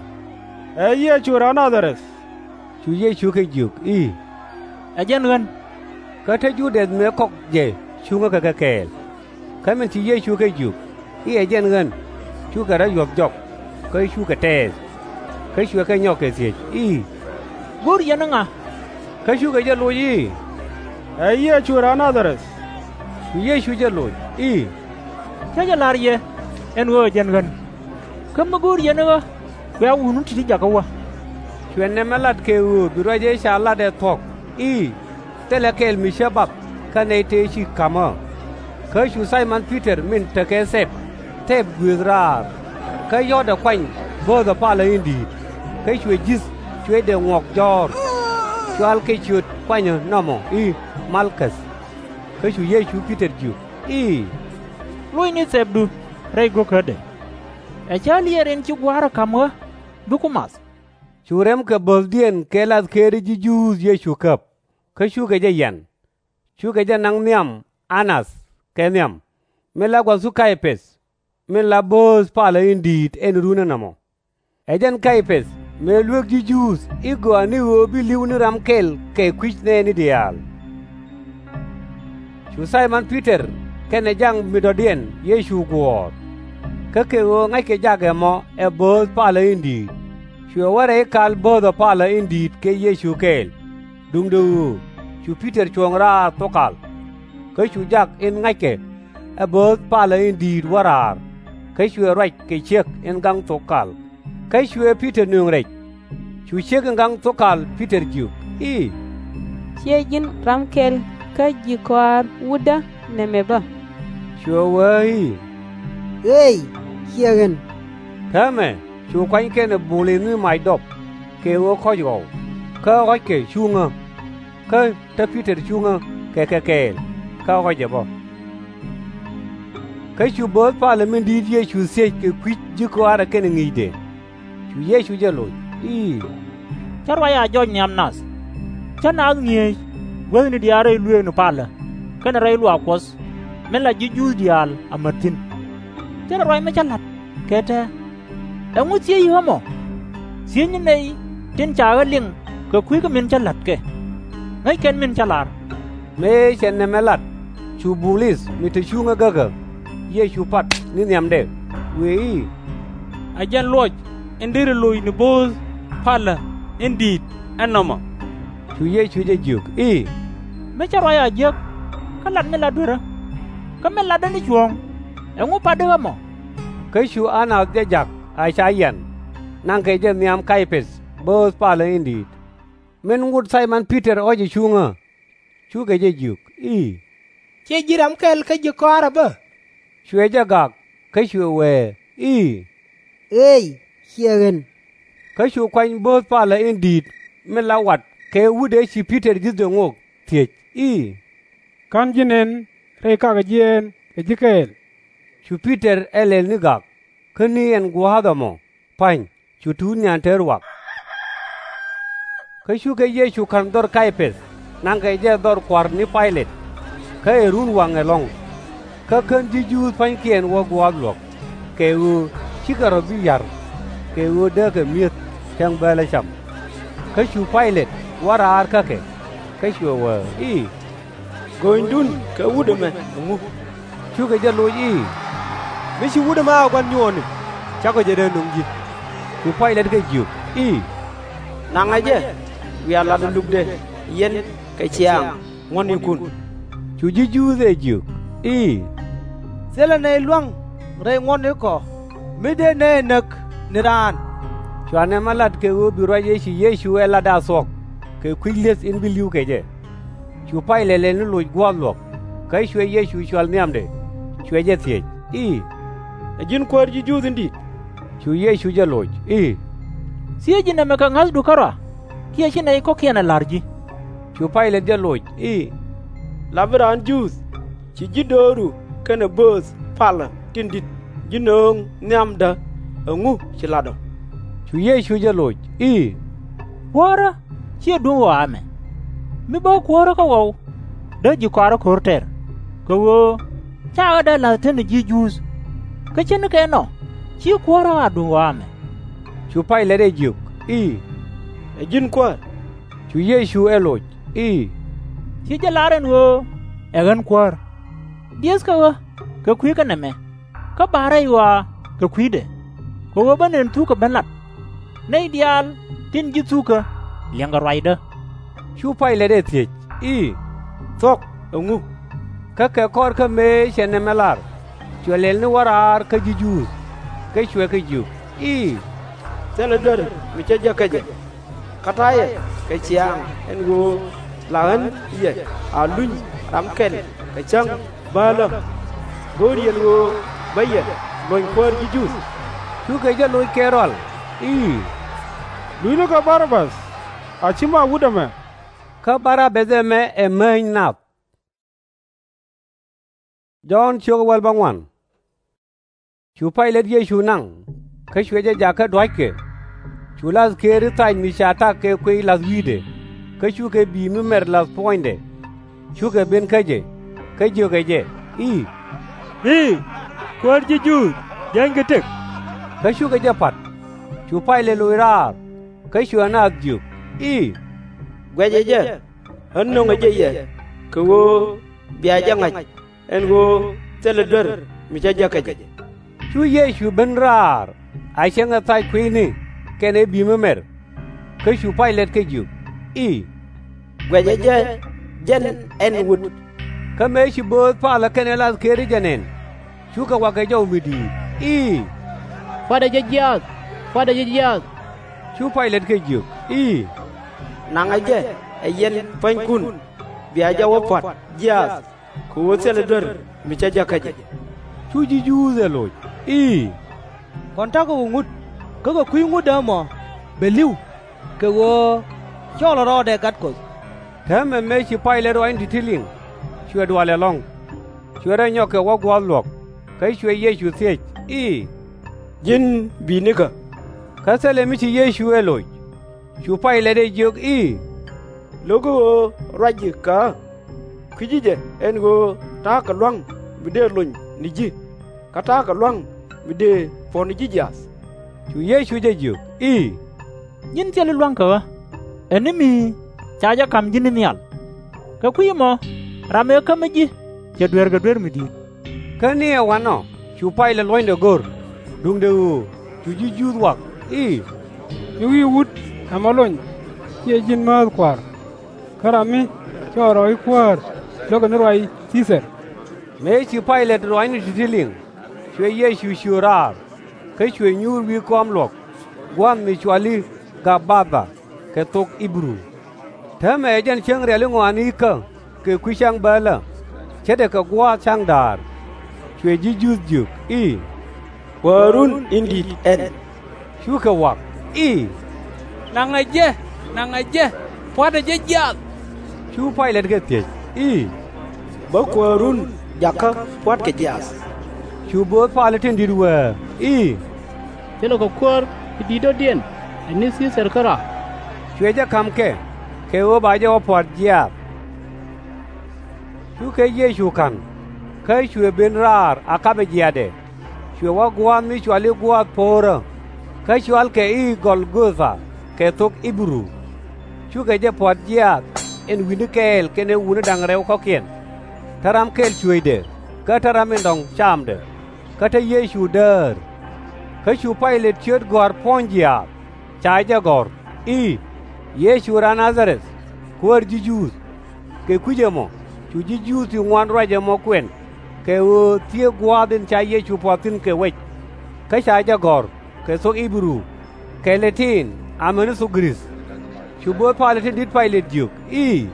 Ɛ Yecu raan Na-dha-rɛth. Cu Yecu kɛ jiök i̱, Ɛ jɛn ɣän. Kä te Ju-dɛth mëë kɔk jɛ cuŋä kɛ kɛ kɛɛl. Kä min ci Yecu kɛ jiök i̱ ɛ jɛn ɣän, cukɛ rɔ̱ yuɔ̱th jɔk, kä cukɛ tɛɛth. Kä cuɛ kɛ nyɔk kɛ thiec i̱, Go̱o̱r yɛn ɛ ŋa? Kä cukɛ jɛ loc i̱, Ɛ Yecu raan Na-dha-rɛth. Cu Yecu jɛ loc i̱, Cä jɛ la̱r yɛ ɛn ɣöö ɛ jɛn ɣän. Kä mi go̱o̱r yɛn ɛ ɣä, bia wutni ti̱ti̱ jakä wä. Cuɛ nɛmɛ lat kɛ ɣöö bi ruac ëë ca lat ɛ thuɔ̱k i̱, Thilɛ kɛl mi cä bath kä nɛy tëë ci ka̱m ɣä. Kä cu Thay-mɔn Pi-tɛr min tekɛ thɛp, thɛp guëëth raar, kä yɔ̱ɔ̱tdɛ kuany bööthɛ palä in di̱i̱t, kä cuɛ ji̱th cuecdɛ ŋuɔ̱k jɔ̱ɔ̱r, cual kɛ ciöt kuanyä nɔmɔ i̱ Mal-käth. Kä cu Yecu Pi-tɛr jiök i̱, Locni thɛpdu rɛy go̱kädɛ. Ɛ cä liɛɛr in ci Gua̱a̱ra ka̱m ɣä, bikɛ ku math. Cu rɛm kɛ bo̱o̱thdiɛn kɛ lathkëëri ji̱ Juudh Yecu käp, kä cukɛ jɛ yian. Cukɛ jɛ naŋ nhiam Anath kɛ nhiam, min la gua̱thu Kay-päth, min la bööth palä in di̱i̱t ɛn runä nɔmɔ. Ɛ jɛn Kay-päth mëë luek ji̱ Juudh i̱ gɔaa ni ɣöö bi li̱w ni ram kɛl kɛ kui̱c nɛɛni diaal. Cu Thay-mɔn Pi-tɛr kɛnɛ ja̱ŋ mi dɔ̱diɛn Yecu guɔ̱ɔ̱r. Kä kɛ ɣöö ŋa̱ckɛ jak ɛmɔ ɛ bööth palä in di̱i̱t, cuɛ wä rɛy kal bööthɛ palä in di̱i̱t kɛ Yecu kɛɛl, duundɛ ɣöö cu Pi-tɛr cuɔ̱ŋ raar thok kal. Kä cu jak in ŋa̱ckɛ ɛ bööth palä in di̱i̱t wä raar, kä cuɛ ruac kɛ ciek in gaŋ thok kal. Kä cuɛ Pi-tɛr nöŋ rɛc. Cu ciek in gaŋ thok kal Pi-tɛr jiök i̱, Ciɛ ji̱n ram kɛl kä ji̱ kɔaar wutdä nɛmɛ bä? Cuɛ wee i̱, Eey, ciɛ ɣän. Täämɛ cu kuany kɛnɛ bul in ni mac dɔp, kɛ ɣöö kɔ̱c ɣɔw, kä ɣɔ̱ckɛ cuŋä. Kä te Pi-tɛr cuŋä kɛ kɛ kɛɛl, kä ɣɔ̱cɛ bä. Kä cu bööth palä min di̱i̱t Yecu thiec kɛ kui̱c ji̱ kɔaarɛ kɛnɛ ŋi̱i̱cdɛ. Cu Yecu jɛ loc i̱, Cä ruac a jɔc nhiam nath. Cä naath ŋi̱eec guäthni diaal rɛy luëëkni palä kɛnɛ rɛy luaak Kuɔth, min la ji̱ Juudh diaal amät thi̱n. Thilɛ ruac mi cä la̱t kɛ tɛ̱̈ɛ̱̈. Ɛŋu thiec ɣä mɔ? Thiecni nɛy tin ca ɣä liŋ kɛ kui̱ kä min cä la̱tkɛ. Ŋäc kɛn min cä lar. Mëë cɛ nɛmɛ lat, cu bul i̱th mi te cuŋä gäkä, Yecu pat ni nhiamdɛ, wëë i̱, Ɛ jɛn luɔc in deri loc ni bööth palä in di̱i̱t ɛn nɔmɔ. Cu Yecu jɛ jiök i̱, Mi cä ruac a jiäk, kä lat mi lat duerä. Kä min latdä ni cuɔ̱ɔ̱ŋ, ɛŋu patdi ɣä mɔ? Kä cu Anath jɛ jak a ca yian, naŋkɛ jɛ nhiam Kay-päth bööth palä in di̱i̱t. Min ŋot Thay-mɔn Pi-tɛr ɣɔ̱cɛ cuŋä, cukɛ jɛ jiök i̱, Ciɛ ji̱n ram kɛl kä ji̱ kɔaarä bä? Cuɛ jɛ gak, kä cuɛ wee i̱, Eey, ciɛ ɣän. Kä cu kuany bööth palä in di̱i̱t min la wat kɛ wut ëë ci Pi-tɛr ji̱thdɛ ŋok thiec i̱, Ka̱n ji̱ nɛn rɛy kakä jiɛɛn kɛ ji̱ kɛɛl? Cu Pi-tɛr ɛ lɛl ni gak, kä ni ɛn gua̱a̱th ɛmɔ pa̱ny, cu tuut nyan te ruak. Kä cukɛ Yecu ka̱n dhɔr Kay-päth, naŋkɛ jɛ dhɔr kua̱r ni Pay-lɛt, kä ɛ run waŋ ɛlɔ̱ŋ. Kä kän ji̱ Juudh pa̱nykiɛn wä gua̱a̱th luɔ̱k, kɛ ɣöö /cikɛ rɔ̱ bi ya̱r, kɛ ɣöö dee kɛ mi̱eth cäŋ bäälä cam. Kä cu Pay-lɛt wä raar kä kɛ, kä cuɛ wee i̱, Göönydun kɛ wut ɛmɛ ɛŋu? Cukɛ jɛ loc i̱, Mi ci wut ɛmɛ a gua̱n nyuɔɔni, cakɔ jɛ dee nöŋ ji̱. Cu Pay-lɛt kɛ jiök i̱, Naŋɛ jɛ, bia lat ɛ lukdɛ yɛn kɛ ciaŋ ŋuɔ̱tnikun. Cu ji̱ Juudh ɛ jiök i̱, Thilɛ nɛy lua̱ŋ rɛy ŋuɔ̱tnikɔ, mi dee nɛy ɛ näk ni raan. Cua nɛmɛ lat kɛ ɣöö bi ruac ëë ci Yecu ɛ latdɛ a thuɔ̱k kɛ kui̱c li̱eth in bi li̱w kɛ jɛ. Cu Pay-lɛt lɛl ni loc gua̱a̱th luɔ̱k, kä cuɛ Yecu cɔl nhiamdɛ, cuɛ jɛ thiec i̱, Ɛ ji̱n Kuäär ji̱ Juudh in di̱i̱t? Cu Yecu jɛ loc i̱, Thieec ji̱ nɛmɛ kɛ ŋa̱thdu kärɔa, kiɛ ci nɛy kɔ̱kiɛn ɛ la̱r ji̱? Cu Pay-lɛt jɛ loc i̱, La bi raan Juudh ci ji̱ dööru kɛnɛ bööth palä tin di̱t ji̱ nööŋ nhiamdä, ɛŋu ci lat ɔ? Cu Yecu jɛ loc i̱, Kuäärä /ciɛ duŋ ɣɔaa ɛmɛ. Mi bä kuäärä kä ɣɔw, dee ji̱ kɔaarä ko̱r tɛr, kɛ ɣöö Ca ɣä dee la̱th tetni ji̱ Juudh. Kä ce̱tnikɛ ɛnɔ, /ci Kuäär rɔ a duŋ ɣɔaa ɛmɛ. Cu Pay-lɛt ɛ jiök i̱, Ɛ ji̱n Kuäär? Cu Yecu ɛ loc i̱, Ci jɛ lar ɛn ɣöö ɛ ɣän Kuäär. Diëthkɛ ɣä kɛ kui̱ kä nɛmɛ, kä ba̱a̱ rɛy ɣɔaa kɛ kui̱dɛ, kɛ ɣöö bä nɛn thukä ben lat. Nɛy diaal tin ji̱ thukä liɛŋkɛ ruacdä. Cu Pay-lɛt ɛ thiec i̱, Thuɔ̱k ɛŋu? Kä kɛ kɔr kä mëë cɛ nɛmɛ lar, cuɛ lɛl ni wä raar kä ji̱ Juudh, kä cuɛ kɛ jiök i̱, Thilɛ duer mi cä jek kä jɛ. Kä ta̱yɛ kɛ ciaaŋ ɛn ɣöö la ɣän yɛ a luny ram kɛl kɛ cäŋ bäälä. Go̱o̱r yɛn ɣöö bä yɛ luɔ̱ny Kuäär ji̱ Juudh? Cukɛ jɛ loc kɛ rɔal i̱, Luthnikɛ Bar-a-bäth, a /ci ma wut ɛmɛ. Kä Bar-a-bäth ɛmɛ ɛ Määny Nath. Jɔ̱ɔ̱n ciök wäl bäŋuan. Cu Pay-lɛt Yecu naŋ, kä cuɛ jɛ jakä dua̱ckɛ. Cu la̱th kɛɛri thac mi ca tak kɛ kuiy la̱th wi̱i̱dɛ, kä cukɛ bi̱i̱ mi mɛr la̱th puɔ̱nydɛ. Cukɛ ben kä jɛ, kä jiökɛ jɛ i̱, I̱, Kuäär ji̱ Juudh, jänykɛ tëk! Kä cukɛ jɛ pa̱t. Cu Pay-lɛt loc raar, kä cuɛ naath jiök i̱, Guɛcɛ jɛ, ɣän nöŋɛ jɛ yɛ kɛ ɣöö bia jɛ ŋa̱c ɛn ɣöö thilɛ duer mi cä jek kä jɛ. Cu Yecu ben raar a cäŋɛ thac kui̱ni kɛnɛ bi̱i̱ mi mɛr. Kä cu Pay-lɛt kɛ jiök i̱, Guɛcɛ jɛ jɛn ɛn wut! Kä mëë ci bööth palä kɛnɛ la̱th kɛɛri jɛ nɛn, cukɛ wakɛ jɔw mi di̱i̱t i̱, Pua̱tdɛ jɛ jiaath! Pua̱tdɛ jɛ jiaath! Cu Pay-lɛt kɛ jiök i̱, Naŋɛ jɛ ɛ yɛn pua̱nykun, bia jɛ wä pua̱t jiaath kɛ ɣöö thilɛ duer mi cä jek kä jɛ. Cu ji̱ Juudh ɛ loc i̱, Kɔn ta̱kɛ ɣöö ŋut, kä kɛ kui̱ ŋutdä ɛmɔ bɛ li̱w, kɛ ɣöö cɔlɛ rɔɔdɛ Gat Kuɔth. Täämɛ mëë ci Pay-lɛt ruacni ti̱ti̱ liŋ, cuɛ dual ɛlɔ̱ŋ. Cuɛ rɔ nyɔk kɛ wä gua̱a̱th luɔ̱k, kä cuɛ Yecu thiec i̱, Ji̱n bi̱i̱nikä? Kä thilɛ mi ci Yecu ɛ loc. Cu Pay-lɛt ɛ jiök i̱, Lo̱kɛ ɣöö ruac ji̱ kä ɣä? Kui̱ci jɛ ɛn ɣöö ta̱a̱ kɛ lua̱ŋ mi dëë lony ni ji̱, kä ta̱a̱ kɛ lua̱ŋ mi dëë puɔ̱n ni ji̱ jiaath. Cu Yecu jɛ jiök i̱, Nyin thil i̱ lua̱ŋ kɛ ɣä, ɛ ni mi ca jɛ ka̱m ji̱ ni nhial. Kɛ kui̱ ɛmɔ ram ëë kämä ji̱ cɛ dueerkɛ duer mi di̱i̱t. Kä ni ɛ wanɔ cu Pay-lɛt luɔ̱nydɛ go̱r, duundɛ ɣöö cu ji̱ Juudh wak i̱, Mi wi̱i̱ wut ɛmɔ lony, /ciɛ ji̱n määth kua̱r. Kä ram mi cɔɔl rɔ i̱ Kuäär, lo̱kɛ ni ruac Thi-thɛr. Mëë ci Pay-lɛt ruacni ti̱ti̱ liŋ, cuɛ Yecu ciöt raar, kä cuɛ nyuur wi̱i̱ kɔam luɔ̱k, gua̱a̱th mi cɔal i̱ Gab-ba-tha kɛ thok Ɣi-bɛ-ru. Täämɛ ɛ jɛn cäŋ riali̱ŋ ɣɔaa ni ikä kɛ kui̱ cäŋ bäälä, ce̱tdɛ kɛ gua̱a̱th ca̱ŋ da̱a̱r. Cuɛ ji̱ Juudh jiök i̱, Kuäärun in di̱i̱t ɛn. Cukɛ wak i̱, Naŋɛ jɛ, naŋɛ jɛ, pua̱tdɛ jɛ jiaath! Cu Pay-lɛt kɛ thiec i̱, Bä kuäärun jakä pua̱tkɛ jiaath? Cu bööth palä tin di̱t wee i̱, Thilɛ kɛ kuäär ti di̱t dɔ̱diɛn ɛ ni Thi-thɛr kärɔa. Cuɛ jɛ ka̱m kɛ, kɛ ɣöö ba jɛ wä pua̱t jiaath. Cukɛ Yecu ka̱n, kä cuɛ ben raar a kapɛ jiaathdɛ. Cuɛ wä gua̱a̱th mi cɔal i̱ Gua̱a̱th Po̱o̱rä, kä cɔalkɛ i̱ Gɔl-gɔ-tha kɛ thok Ɣi-bɛ-ru. Cukɛ jɛ pua̱t jiaath ɛn wi̱ni kɛɛl kɛnɛ wutni da̱ŋ rɛw kɔ̱kiɛn. Te ram kɛl cuëëcdɛ, kä te ram in dɔ̱ŋ camdɛ, kä te Yecu däär. Kä cu Pay-lɛt ciöt gɔ̱a̱r puɔ̱ny jiaath, ca jɛ gɔ̱r i̱, Yecu raan Na-dha-rɛth, Kuäär ji̱ Juudh. Kɛ kui̱c ɛmɔ cu ji̱ Juudh ti ŋuan ruac ɛmɔ kuɛn, kɛ ɣöö thieek gua̱a̱th in ca Yecu puɔth thi̱n kɛ wec. Kä ca jɛ gɔ̱r kɛ thok Ɣi-bɛ-ru, kɛ Lɛ-tin amäni thok Gɛ-rith. Cu bööth palä tin di̱t Pay-lɛt jiök i̱,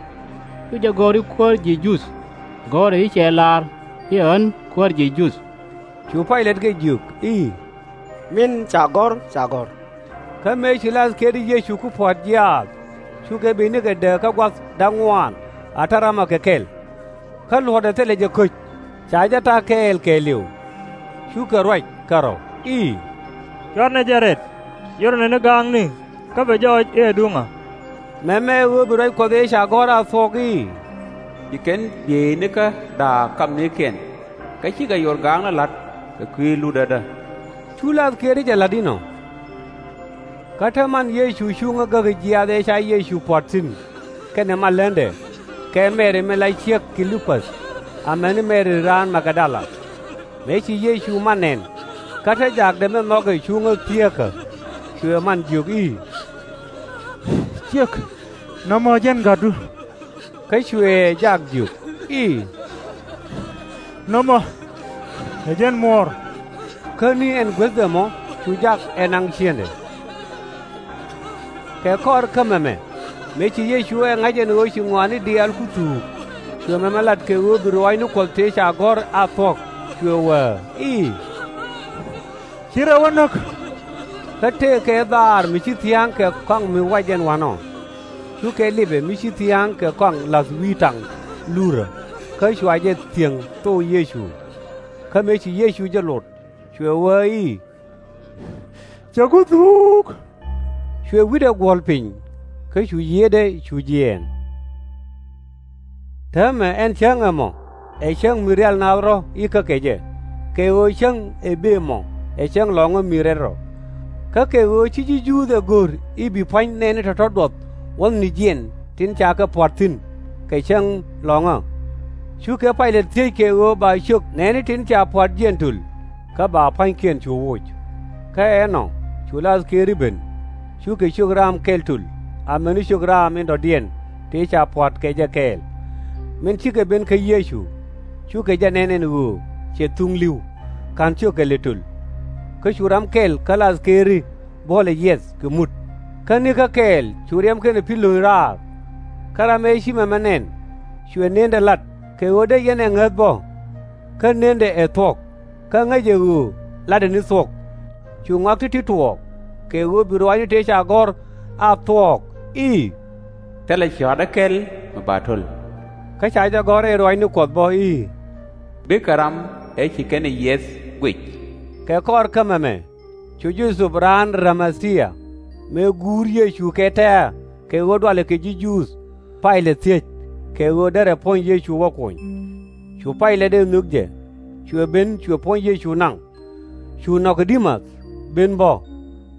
Cu jɛ gɔ̱r i̱ Kuäär ji̱ Juudh, gɔ̱rɛ i̱ cɛ lar i̱ ɛ ɣän Kuäär ji̱ Juudh. Cu Pay-lɛt kɛ jiök i̱, Min ca gɔ̱r, ca gɔ̱r. Kä mëë ci la̱th kɛɛri Yecu ku pua̱t jiaath, cukɛ bi̱i̱nikɛ dääk kä gua̱th da̱ŋ ŋuan a te ramɔ kɛ kɛl. Kä luɔ̱tdɛ thilɛ jɛ köc, ca jɛ ta̱a̱ kɛɛl kɛɛliw. Cukɛ ruac kɛ rɔw i̱, Cuarnɛ jɛ rɛt, yio̱rnɛ ni ga̱a̱ŋni, kä bɛ jɔɔc i̱ ɛ duŋä. Mɛmɛ ɛ ɣöö bi ruac Kuɔth ëë ca gɔ̱r a thuɔ̱k i̱, Bi kɛn bieynikä da̱a̱k kamnikiɛn. kä cikɛ yor gaakni la̱t kɛ kui̱ lutädä. Cu lathkiɛri jɛ la̱t inɔ. Kä te man Yecu cuŋä gäk jiaath ëë ca Yecu puɔ̱t thi̱n kɛnɛ maländɛ, kɛ Mɛri min la ciek Kilipäth, amäni Mɛri raan Magdala. Mëë ci Yecu man nɛn, kä te jakdɛ min nhɔkɛ cuŋä thieekä, cuɛ man jiök i̱, Ciek, nɔmɔ ɛ jɛn gatdu. Kä cuɛ jak jiök i̱, Nɔmɔ, ɛ jɛn muɔɔr. Kä ni ɛn guäthdɛ mɔ cu jak ɛ naŋ ciëŋdɛ. Kɛ kɔr kä mɛmɛ, mëë ci Yecu ɛ ŋa̱c ɛn ɣöö ci ŋɔaani diaal ku thuuk, cuɛ mɛmɛ lat kɛ ɣöö bi ruaacni Kuɔth tëë ca gɔ̱r a thuɔ̱k, cuɛ wäär i̱, Ci rɛw ɛ näk. Kä tëëkɛ dhaar mi ci thia̱a̱ŋ kɛ kɔaŋ mi wac ɛn wa̱nɔ. Cukɛ lipɛ mi ci thia̱a̱ŋ kɛ kɔaŋ la̱th wi̱i̱ taŋ lurä, kä cua jɛ thiäŋ thok Yecu. Kä mëë ci Yecu jɛ lot, cuɛ wee i̱, Cɛ ku thuuk. Cuɛ wi̱cdɛ guɔ̱l piny, kä cu yiëëdɛ cu jiɛɛn. Täämɛ ɛn cäŋ ɛmɔ ɛ cäŋ mi rial naath rɔ̱ i̱ kä kɛ jɛ, kɛ ɣöö cäŋ ëë bëë mɔ ɛ cäŋ lɔ̱ŋä mi rɛl rɔ. Kä kɛ ɣöö ci ji̱ Juudh ɛ go̱r i̱ bi pua̱ny nɛɛni tɔ̱tɔ̱ duɔth wuɔ̱thni jiɛn tin ca kɛ pua̱t thi̱n kɛ cäŋ lɔ̱ŋä, cukɛ Paylet thiec kɛ ɣöö ba ciök nɛɛni tin ca pua̱t jiɛn töl, kä ba pua̱nykiɛn cu woc. Kä ɛnɔ cu lathkiɛri ben, cukɛ ciök raam kɛl töl, amäni ciök raam in dɔ̱diɛn tëë ca pua̱t kɛ jɛ kɛɛl. Min cikɛ ben kä Yecu, cukɛ jɛ nɛn ɛn ɣöö cɛ thuŋ li̱w, /ka̱n ciökɛ lɛ töl. Kä cu ram kɛl kä lathkiɛri buɔ̱lɛ yiɛth kɛ mut. Kä nikä kɛɛl cu riɛm kɛnɛ pi̱l lo̱ny raar. Kä ram ëë ci mɛmɛ nɛn, cuɛ nëndɛ lat kɛ ɣöö dee yɛn ɛ ŋäth bä. Kä nëndɛ ɛ thuɔ̱k, kä ŋäcɛ ɣöö latdɛ ni thuɔ̱k. Cu ŋɔak ti̱ti̱ tuɔɔk, kɛ ɣöö bi ruaacni tëë ca gɔ̱r a thuɔ̱k i̱, Thilɛ cɔ̱ɔ̱tdä kɛl mi ba to̱l. Kä ca jɛ gɔ̱r rɛy ruaacni Kuɔth bä i̱, Bikɛ ram ëë ci kɛn ɛ yiɛth guic. Kɛ kɔr kä mɛmɛ cu Jo-thɛp raan Ä-ri-ma-thia, mëë guur Yecu kɛ tɛ̱̈ɛ̱̈ kɛ ɣöö dualɛ kɛ ji̱ Juudh, Paylet thiec kɛ ɣöö derɛ puɔ̱ny Yecu wä kuny. Cu Paylet ɛ nhök jɛ, cuɛ ben cuɛ puɔ̱ny Yecu naŋ. Cu Ni-ko-dɛ-muth ben bä,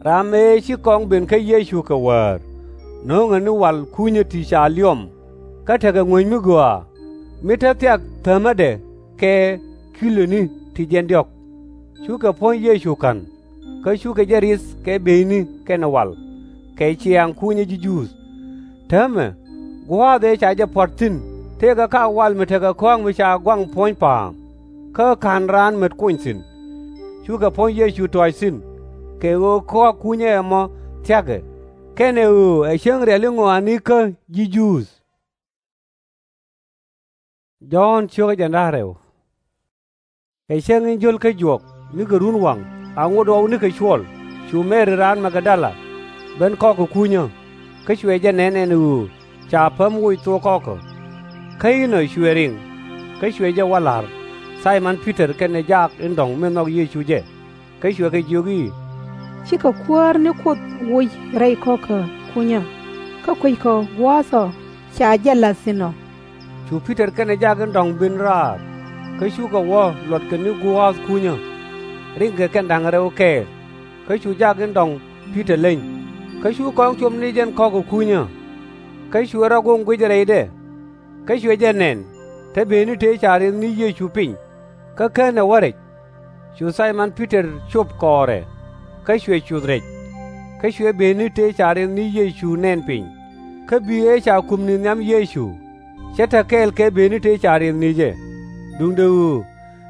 ram ëë ci kɔŋ ben kä Yecu kɛ wäär, no̱o̱ŋɛ ni wal kunyä ti ca liɔm, kä tekɛ ŋuäny mi gɔaa, mi te thiak thäämädɛ kɛ kiloni ti jiɛn diɔ̱k. Cukɛ puɔ̱ny Yecu ka̱n, kä cukɛ jɛ ri̱th kɛ bieyni kɛnɛ wal, kɛ ciaaŋ kunyä ji̱ Juudh. Täämɛ gua̱a̱th ëë ca jɛ puɔ̱t thi̱n tëëkɛ ka̱a̱k wal mi tekɛ kɔ̱a̱ŋ mi ca gɔaŋ puɔ̱ny pa̱a̱m, kä /ka̱n raan met kony thi̱n. Cukɛ puɔ̱ny Yecu tɔ̱ɔ̱c thi̱n, kɛ ɣöö kɔ̱a̱k kunyä ɛmɔ thia̱kɛ, kɛnɛ ɣöö ɛ cäŋ riali ŋɔaanikä ji̱ Juudh. Jɔ̱ɔ̱n ciökä jɛn da̱ŋ rɛw. Kɛ cäŋ in jio̱l kä juɔk nikɛ run waŋ, a ŋot ɣɔw nikɛ cuɔl, cu Mɛri raan Magdala ben kɔ̱kɛ kunyä, kä cuɛ jɛ nɛn ɛn ɣöö ca päm woc thok kɔ̱kä. Kä inɔ cuɛ riŋ, kä cuɛ jɛ wä la̱r Thay-mɔn Pi-tɔr kɛnɛ jak in dɔ̱ŋ min nhɔk Yecu jɛ, kä cuɛ kɛ jiök i̱, Cikɛ Kuäär ni Kuoth woc rɛy kɔ̱kä kunyä, kä kueckɔ gua̱a̱th ɔ ca jɛ la̱th thi̱n ɔ. Cu Pi-tɔr kɛnɛ jak in dɔ̱ŋ ben raar, kä cukɛ wä luɔtkɛ ni gua̱a̱th kunyä. Riŋkɛ kɛn da̱ŋ rɛw kɛɛl, kä cu jak in dɔ̱ŋ Pi-tɔr leny, kä cu kɔŋ cop ni jɛn kɔ̱kä kunyä. Kä cuɛ rɔ goŋ guic rɛydɛ, kä cuɛ jɛ nɛn te bëëni tëë ca riɛth ni Yecu piny, kä /kenɛ wä rɛc. Cu Thay-mɔn Pi-tɔr cop kɔɔrɛ, kä cuɛ cuth rɛc. Kä cuɛ bëëni tëë ca riɛth ni Yecu nɛn piny, kä bi̱i̱ ëë ca kumni nhiam Yecu, cɛ te kɛɛl kɛ bëëni tëë ca riɛth ni jɛ, duundɛ ɣöö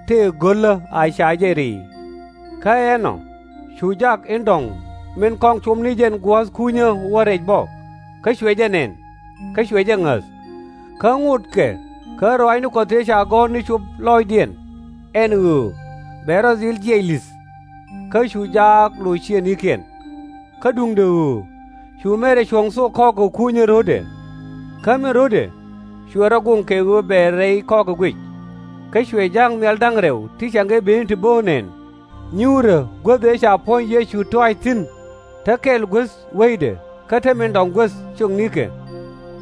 tëë go̱lä a ca jɛ ri̱i̱. Kä ɛnɔ cu jak in dɔ̱ŋ min kɔŋ cop ni jɛn gua̱a̱th kunyä wä rɛc bä, kä cuɛ jɛ nɛn, kä cuɛ jɛ ŋäth. Kä ŋotkɛ kä ruaacni Kuɔth tëë ca gɔ̱r ni cop lɔɔcdiɛn, ɛn ɣöö bɛ rɔ dhil jiɛc li̱th. Kä cu jaak lo̱c ciëŋnikiɛn. Kä duundɛ ɣöö cu Mɛri cuɔ̱ŋ thok kɔ̱kä kunyä ro̱dɛ. Kä min ro̱dɛ cuɛ rɔ goŋ kɛ ɣöö bɛ rɛy kɔ̱kä guic. Kä cuɛ ja̱a̱ŋ nhial da̱ŋ rɛw ti cieŋkɛ bëëni ti bo̱o̱k nɛn, nyuurä guäth ëë ca puɔ̱ny Yecu tɔ̱ɔ̱c thi̱n, te kɛl guäth weydɛ kä te min dɔ̱ŋ guäth ciöknikɛ.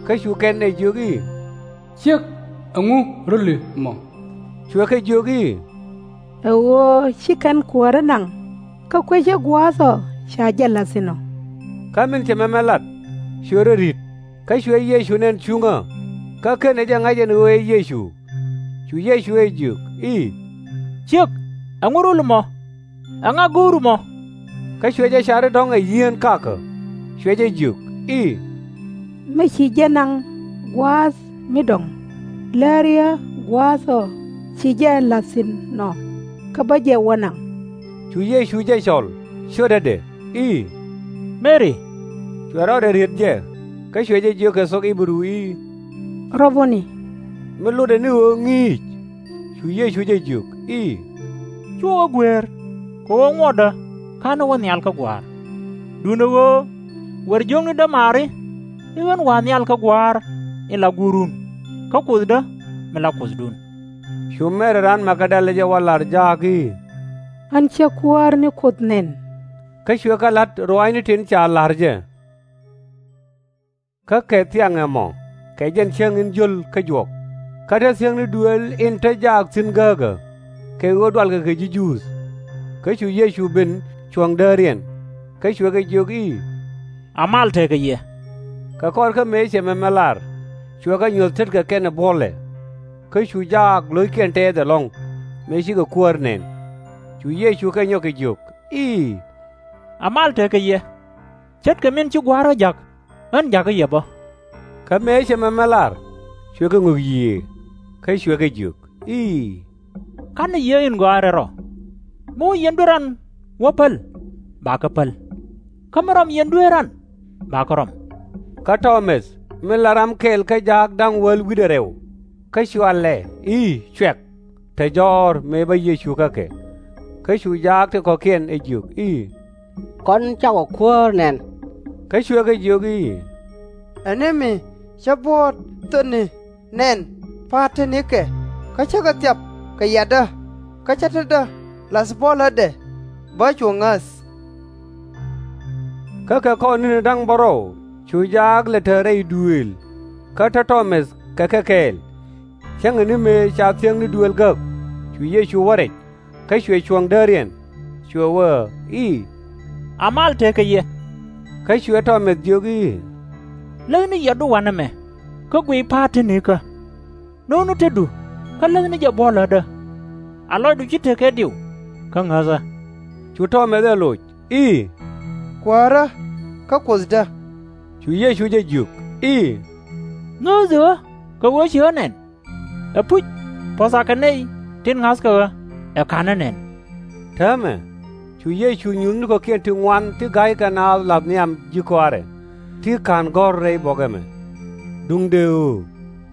Kä cu kɛn ɛ jiök i̱, Ciek, ɛŋu röli mɔ? Cuɛ kɛ jiök i̱, ɛ ɣöö ci kɛn kuääri naŋ, kä kuecä gua̱a̱th ɔ ca jɛ la̱th thi̱n ɔ. Kä min cɛ mɛmɛ lat, cuɛ rɔ ri̱t, kä cuɛ Yecu nɛn cuŋä, kä /kenɛ jɛ ŋa̱c ɛn ɣöö ɛ Yecu. Cu Yecu ɛ jiök i̱, Ciek, ɛŋu rol ɛmɔ? Ɛŋa go̱o̱ru mɔ? Kä cuɛ jɛ car i̱ dɔ̱ŋ ɛ yieeni kakä, cuɛ jɛ jiök i̱, Mi ci jɛ naŋ gua̱a̱th mi dɔ̱ŋ, läriä gua̱a̱th ɔ ci jɛ la̱th thi̱n nɔ, kä bä jɛ wä naŋ. Cu Yecu jɛ cɔl, cio̱tädɛ i̱, Meri! Cuɛ rɔɔdɛ riet jɛ, kä cuɛ jɛ jiök kɛ thok Ɣi-bɛ-ru i̱, Rab-ɔ-ni! Mi lotdɛ ni ɣöö Ŋi̱i̱c. Cu Yecu jɛ jiök i̱, Cuɛ wä gueer, kɛ ɣöö ŋuɔtdä /ka̱nɛ wä nhial kä Gua̱a̱r. Duundɛ ɣöö wer jiökni dämaari i̱ ɣän wa̱a̱ nhial kä Gua̱a̱r in la Guurun, kä Kuothdä min la Kuothdun. Cu Mɛri raan Mag-da-lɛ jɛ wä la̱r jaak i̱, Ɣän cä Kuäär ni Kuoth nɛn. Kä cuɛ kɛ la̱t ruaacni tin ca la̱r jɛ. Kä kɛ thiaŋ ɛmɔ, kɛ jɛn cäŋ in jio̱l kä juɔk, kä te thiäŋni duëël in te jaak thi̱n gääkä, kɛ ɣöö dualkɛ kɛ ji̱ Juudh. Kä cu Yecu ben cuɔ̱ŋ dääriɛn, kä cuɛ kɛ jiök i̱, A mal tekɛ yɛ. Kɛ kɔr kä mëë cɛ mɛmɛ lar, cuɛ kɛ nyuɔ̱th tetkɛ kɛnɛ buɔ̱lɛ. Kä cu jaak lo̱ckiɛn tɛɛth ɛlɔ̱ŋ, mëë cikɛ Kuäär nɛn. Cu Yecu kɛ nyɔk kɛ jiök i̱, A mal tekɛ yɛ. Ce̱tkɛ min ci Gua̱a̱r ɔ ja̱k, ɣän ja̱kä yɛ bä. Kä mëë cɛ mɛmɛ lar, cuɛ kɛ ŋök yiëë, kä cuɛ kɛ jiök i̱, Ka̱nɛ Yiëë in Gɔaa in Rɛl Rɔ! Mi wä yɛn duer ran wä päl, bakɛ päl, kä mi rɔm yɛn duer ran, bakɛ rɔm. Kä Tɔ-mäth, min la ram kɛl kä jaak da̱ŋ wäl wi̱cdɛ rɛw, kä cɔalɛ i̱ Cuɛk, te jɔ̱ɔ̱r mëë bä Yecu kä kɛ. Kä cu jaak ti kɔ̱kiɛn ɛ jiök i̱, Kɔn cakɔ Kuäär nɛn. Kä cuɛ kɛ jiök i̱, Ɛ ni mi cä buɔ̱ɔ̱t thötni nɛn pa̱a̱t te nikɛ, kä cä kɛ thiap kɛ yiatdä, kä cä tetdä la̱th buɔ̱lädɛ, bä cu ŋäth. Kä kɛ kɔr ni̱ni da̱ŋ bärɔw cu jaak lɛ te rɛy duëël, kä te Tɔ-mäth kɛ kɛ kɛɛl. Cäŋɛ ni mëë ca thiäŋni duëël gäk, cu Yecu wä rɛc, kä cuɛ cuɔ̱ŋ dääriɛn, cuɛ wee i̱, A mal tekɛ yɛ. Kä cuɛ Tɔ-mäth jiök i̱, Läthni yiatdu wanɛ mɛ, kä guic pa̱a̱t te nikä. No̱o̱ŋni tetdu, kä läthni jɛ buɔ̱lädä. A lɔcdu ci tekɛ diw, kä ŋäthä. Cu Tɔ-mäth ɛ loc i̱, Kuäärä, kä Kuothdä! Cu Yecu jɛ jiök i̱, Ŋääthi ɣä kɛ ɣöö ci ɣä nɛn? Ɛpuc, puɔ̱tha kɛ nɛy tin ŋa̱thkɛ ɣä ɛ /ka̱nä nɛn. Täämɛ, cu Yecu nyuth ni kɔ̱kiɛn ti ŋuan ti ga̱ykɛ naath la̱th nhiam ji̱ kɔaarɛ, ti /ka̱n gɔ̱r rɛy buɔ̱k ɛmɛ. Duundɛ ɣöö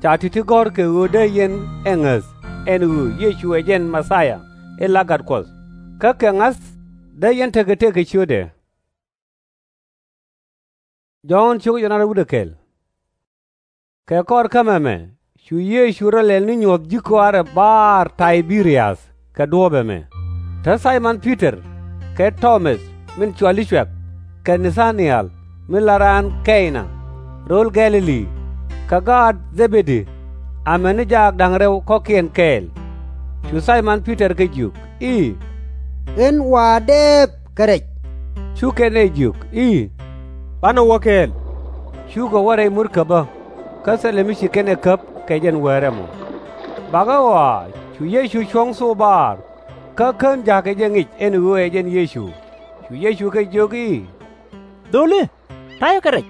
ca ti̱ti̱ gɔ̱r kɛ ɣöö dee yɛn ɛ ŋäth ɛn ɣöö Yecu ɛ jɛn Mɛ-thia in la Gat Kuɔth, kä kɛ ŋa̱th dee yɛn tekɛ tëk kɛ ciötdɛ. Kɛ kɔr kä mɛmɛ cu Yecu rɔ lɛl ni nyuɔ̱th ji̱ kɔaarɛ baar Tay-bi-riath kɛ duɔ̱ɔ̱p ɛmɛ. Te Thay-mɔn Pi-tɔr kɛ Tɔ-mäth min cɔali Cuɛk, kɛ Na-tha-ni-ɛl min la raan Kɛy-na, rööl Gɛ̈-lɛ-li, kɛ gaat Dhɛ-bed-di, amäni jaak da̱ŋ rɛw kɔ̱kiɛn kɛɛl. Cu Thay-mɔn Pi-tɔr kɛ jiök i̱, Ɣän wa̱a̱ dɛɛp kɛ rɛc. Cu kɛn ɛ jiök i̱, Banɛ wä kɛɛl. Cukɛ wä rɛy murkäbä, kä thilɛ mi ci kɛn ɛ käp kɛ jɛn wäärɛ mɔ. Bakɛ ɣɔaa cu Yecu cuɔ̱ŋ thok baar, kä kän ja̱a̱kɛ jɛ ŋic ɛn ɣöö ɛ jɛn Yecu. Cu Yecu kɛ jiök i̱, Dholi, ta̱yɛ kɛ rɛc?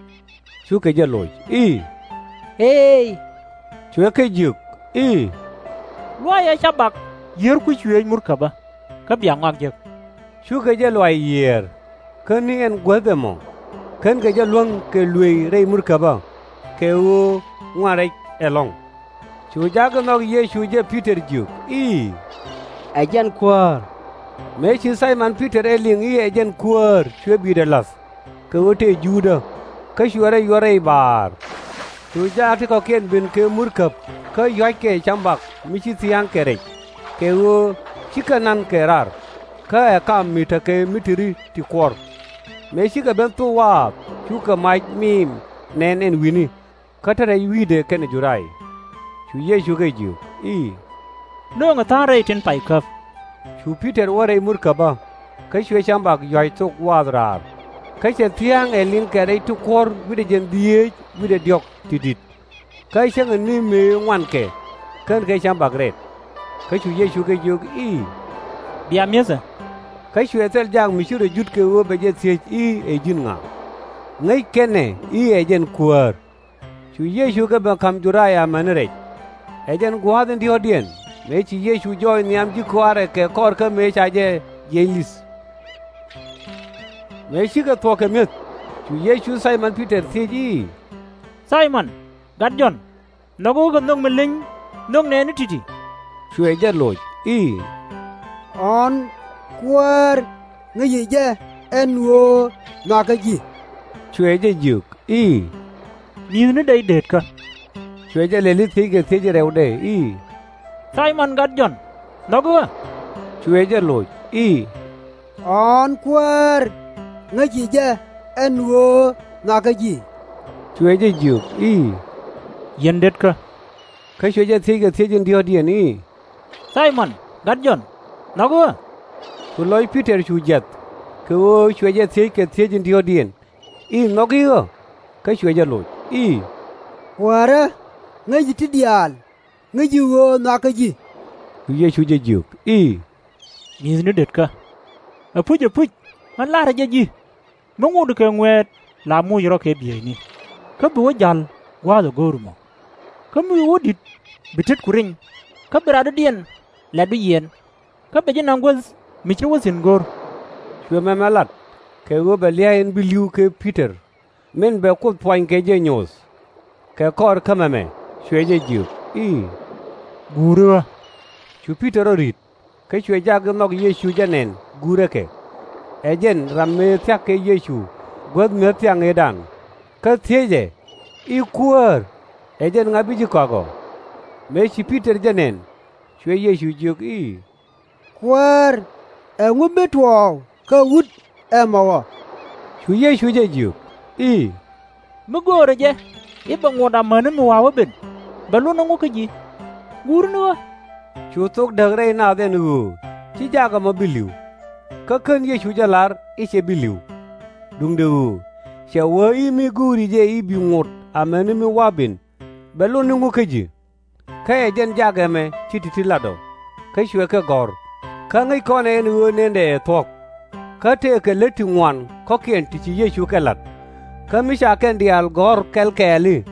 Cukɛ jɛ loc i̱, Eey. Cuɛ kɛ jiök i̱, Luɔcɛ cabak yiër kui̱c cuëëc murkäbä, kä bia ŋɔak jek. Cukɛ jɛ luac yiëër, kä ni ɛn guäth ɛmɔ, känkɛ jɛ luäŋ kɛ luëëy rɛy murkäbä, kɛ ɣöö ŋuan rɛc ɛlɔ̱ŋ. Cu ja̱a̱k in nhɔk Yecu jɛ Pi-tɔr jiök i̱, Ɛ jɛn Kuäär. Mëë ci Thay-mɔn Pi-tɔr ɛ liŋ i̱ ɛ jɛn Kuäär cuɛ bi̱i̱dɛ la̱th, kɛ ɣöö tëë Juudä, kä cuɛ rɔ yuɔr rɛy baar. Cu jaak ti kɔ̱kiɛn ben kɛ murkäb kä yua̱ckɛ cambak mi ci thia̱ŋ kɛ rɛc, kɛ ɣöö /cikɛ na̱n kɛ raar, kä ɛ kam mi tekɛ mi te ri ti kuɔr. Mëë cikɛ ben thok waath cukɛ mac miim nɛn ɛn wi̱ni, kä te rɛc wi̱i̱dɛ kɛnɛ Judaya. Cu Yecu kɛ jiök i̱, Nööŋɛ tha̱a̱ŋ rɛy tin pay käp, Cu Pi-tɔr wä rɛy murkäbä, kä cuɛ cäŋ bak yua̱c thok gua̱a̱th raar. Kä cɛ thia̱a̱ŋ ɛ liŋ kɛ rɛy ti kuɔ̱r wi̱cdɛ jiɛn dhieec wi̱cdɛ diɔ̱k ti di̱t. Kä cäŋɛ ni mëë ŋuankɛ, /kenkɛ cäŋ bak rɛt. Kä cu Yecu kɛ jiök i̱, Bia mi̱ethɛ. Kä cuɛ thil jak mi ci rɔ jut kɛ ɣöö bɛ jɛ thiec i̱ ɛ ji̱n ŋa. Ŋäc kɛn ɛ i̱ ɛ jɛn Kuäär. Cu Yecu kɛ ben ka̱m Ju-daya amäni rɛc. Ɛ jɛn gua̱a̱th in diɔ̱ɔ̱kdiɛn mëë ci Yecu jɔɔc nhiam ji̱ kɔaarɛ kɛ kɔr kä mëë ca jɛ jiɛc li̱th. Mëë cikɛ thuɔ̱k kɛ mi̱eth, cu Yecu Thay-mɔn Pi-tɔr thiec i̱, Thay-mɔn, gat Jɔ̱ɔ̱n, nhɔki ɣä kɛ nhök mi leny nhök nɛɛni ti̱ti̱? Cuɛ jɛ loc i̱, Ɣɔ̱ɔ̱n, Kuäär, ŋäci jɛ ɛn ɣöö nhɔakä ji̱. Cuɛ jɛ jiök i̱, Mi̱i̱thni dee i̱ deetkä. Cuɛ jɛ lɛli thiec kɛ thiec in rɛwdɛ i̱, Thay-mɔn gat Jɔ̱ɔ̱n, nhɔki ɣä? Cuɛ jɛ loc i̱, Ɣɔ̱ɔ̱n, Kuäär, ŋäci jɛ ɛn ɣöö nhɔakä ji̱. Cuɛ jɛ jiök i̱, Yɛn detkä. Kä cuɛ jɛ thiec kɛ thiec in diɔ̱ɔ̱kdiɛn i̱, Thay-mɔn gat Jɔ̱ɔ̱n, nhɔki ɣä? Cu lɔc Pi-tɔr cu jiath, kɛ ɣöö cuɛ jɛ thiec kɛ thiec in diɔ̱ɔ̱kdiɛn i̱, Nhɔki ɣä? Kä cuɛ jɛ loc i̱, Kuäärä, ŋäci ti diaal, ŋäci ɣöö nhɔakä ji̱. Cu Yecu jɛ jiök i̱, Mi̱i̱thni detkä. Ɛpuc, ɛpuc, ɣän la̱rä jɛ ji̱, mi ŋotdi kɛ ŋuɛɛt la moc rɔ kɛ bieyni, kä bi wä ja̱l gua̱a̱th ɛ go̱o̱ri mɔ. Kä mi wi̱i̱ wä di̱t bi tetku riny, kä bi radɔ̱diɛn la̱t bi yiɛn, kä bɛ ji̱ naŋ guäth mi ce̱t wä thi̱n go̱r. Cuɛ mɛmɛ lat, kɛ ɣöö bɛ lia̱a̱ in bi li̱w kɛ Pi-tɔr, min bɛ Kuoth puany kɛ jɛ nyoth. Kɛ kɔr kä mɛmɛ cuɛ jɛ jiök i̱, Guuri ɣä. Cu Pi-tɔr rɔ ri̱t, kä cuɛ jaak in nhɔk Yecu jɛ nɛn guurɛ kɛ. Ɛ jɛn ram mëë thia̱k kɛ Yecu guäth mi̱eth thiaŋ ëëdan, kä thiecɛ i̱, Kuäär, ɛ jɛn ŋa bi ji̱ kɔak ɔ? Mëë ci Pi-tɔr jɛ nɛn, cuɛ Yecu jiök i̱, Kuäär, ɛŋu mi tuɔɔk kä wut ɛmɔ ɔ? Cu Yecu jɛ jiök i̱, Mi göörä jɛ i̱ bɛ ŋot amäni mi wa̱a̱ wä ben, bɛ lot ni ŋu kä ji̱? Guuri ni ɣä. Cu thok däk rɛy naath ɛn ɣöö ci jaak ɛmɔ bi li̱w. Kä kän Yecu jɛ lar i̱ cɛ bi li̱w. Duundɛ ɣöö cɛ wee i̱ mi go̱o̱ri jɛ i̱ bi ŋot amäni mi wa̱a̱ ben, bɛ lot ni ŋu kä ji̱? Kä ɛ jɛn jaak ɛmɛ ti ti̱ti̱ lat ɔ, kä cuɛ kɛ gɔ̱r. Kä ŋäc kɔn ɛ ɛn ɣöö nëndɛ ɛ thuɔ̱k. Kä tëëkɛ lät ti ŋuan kɔ̱kiɛn ti ci Yecu kɛ la̱t. Kä mi ca kɛn diaal gɔ̱r kɛl kɛɛli,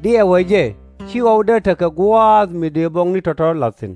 diɛɛwä jɛ ci ɣɔwdɛ tekɛ gua̱a̱th mi dëë buɔkni tɔ̱tɔ̱ la̱th thi̱n.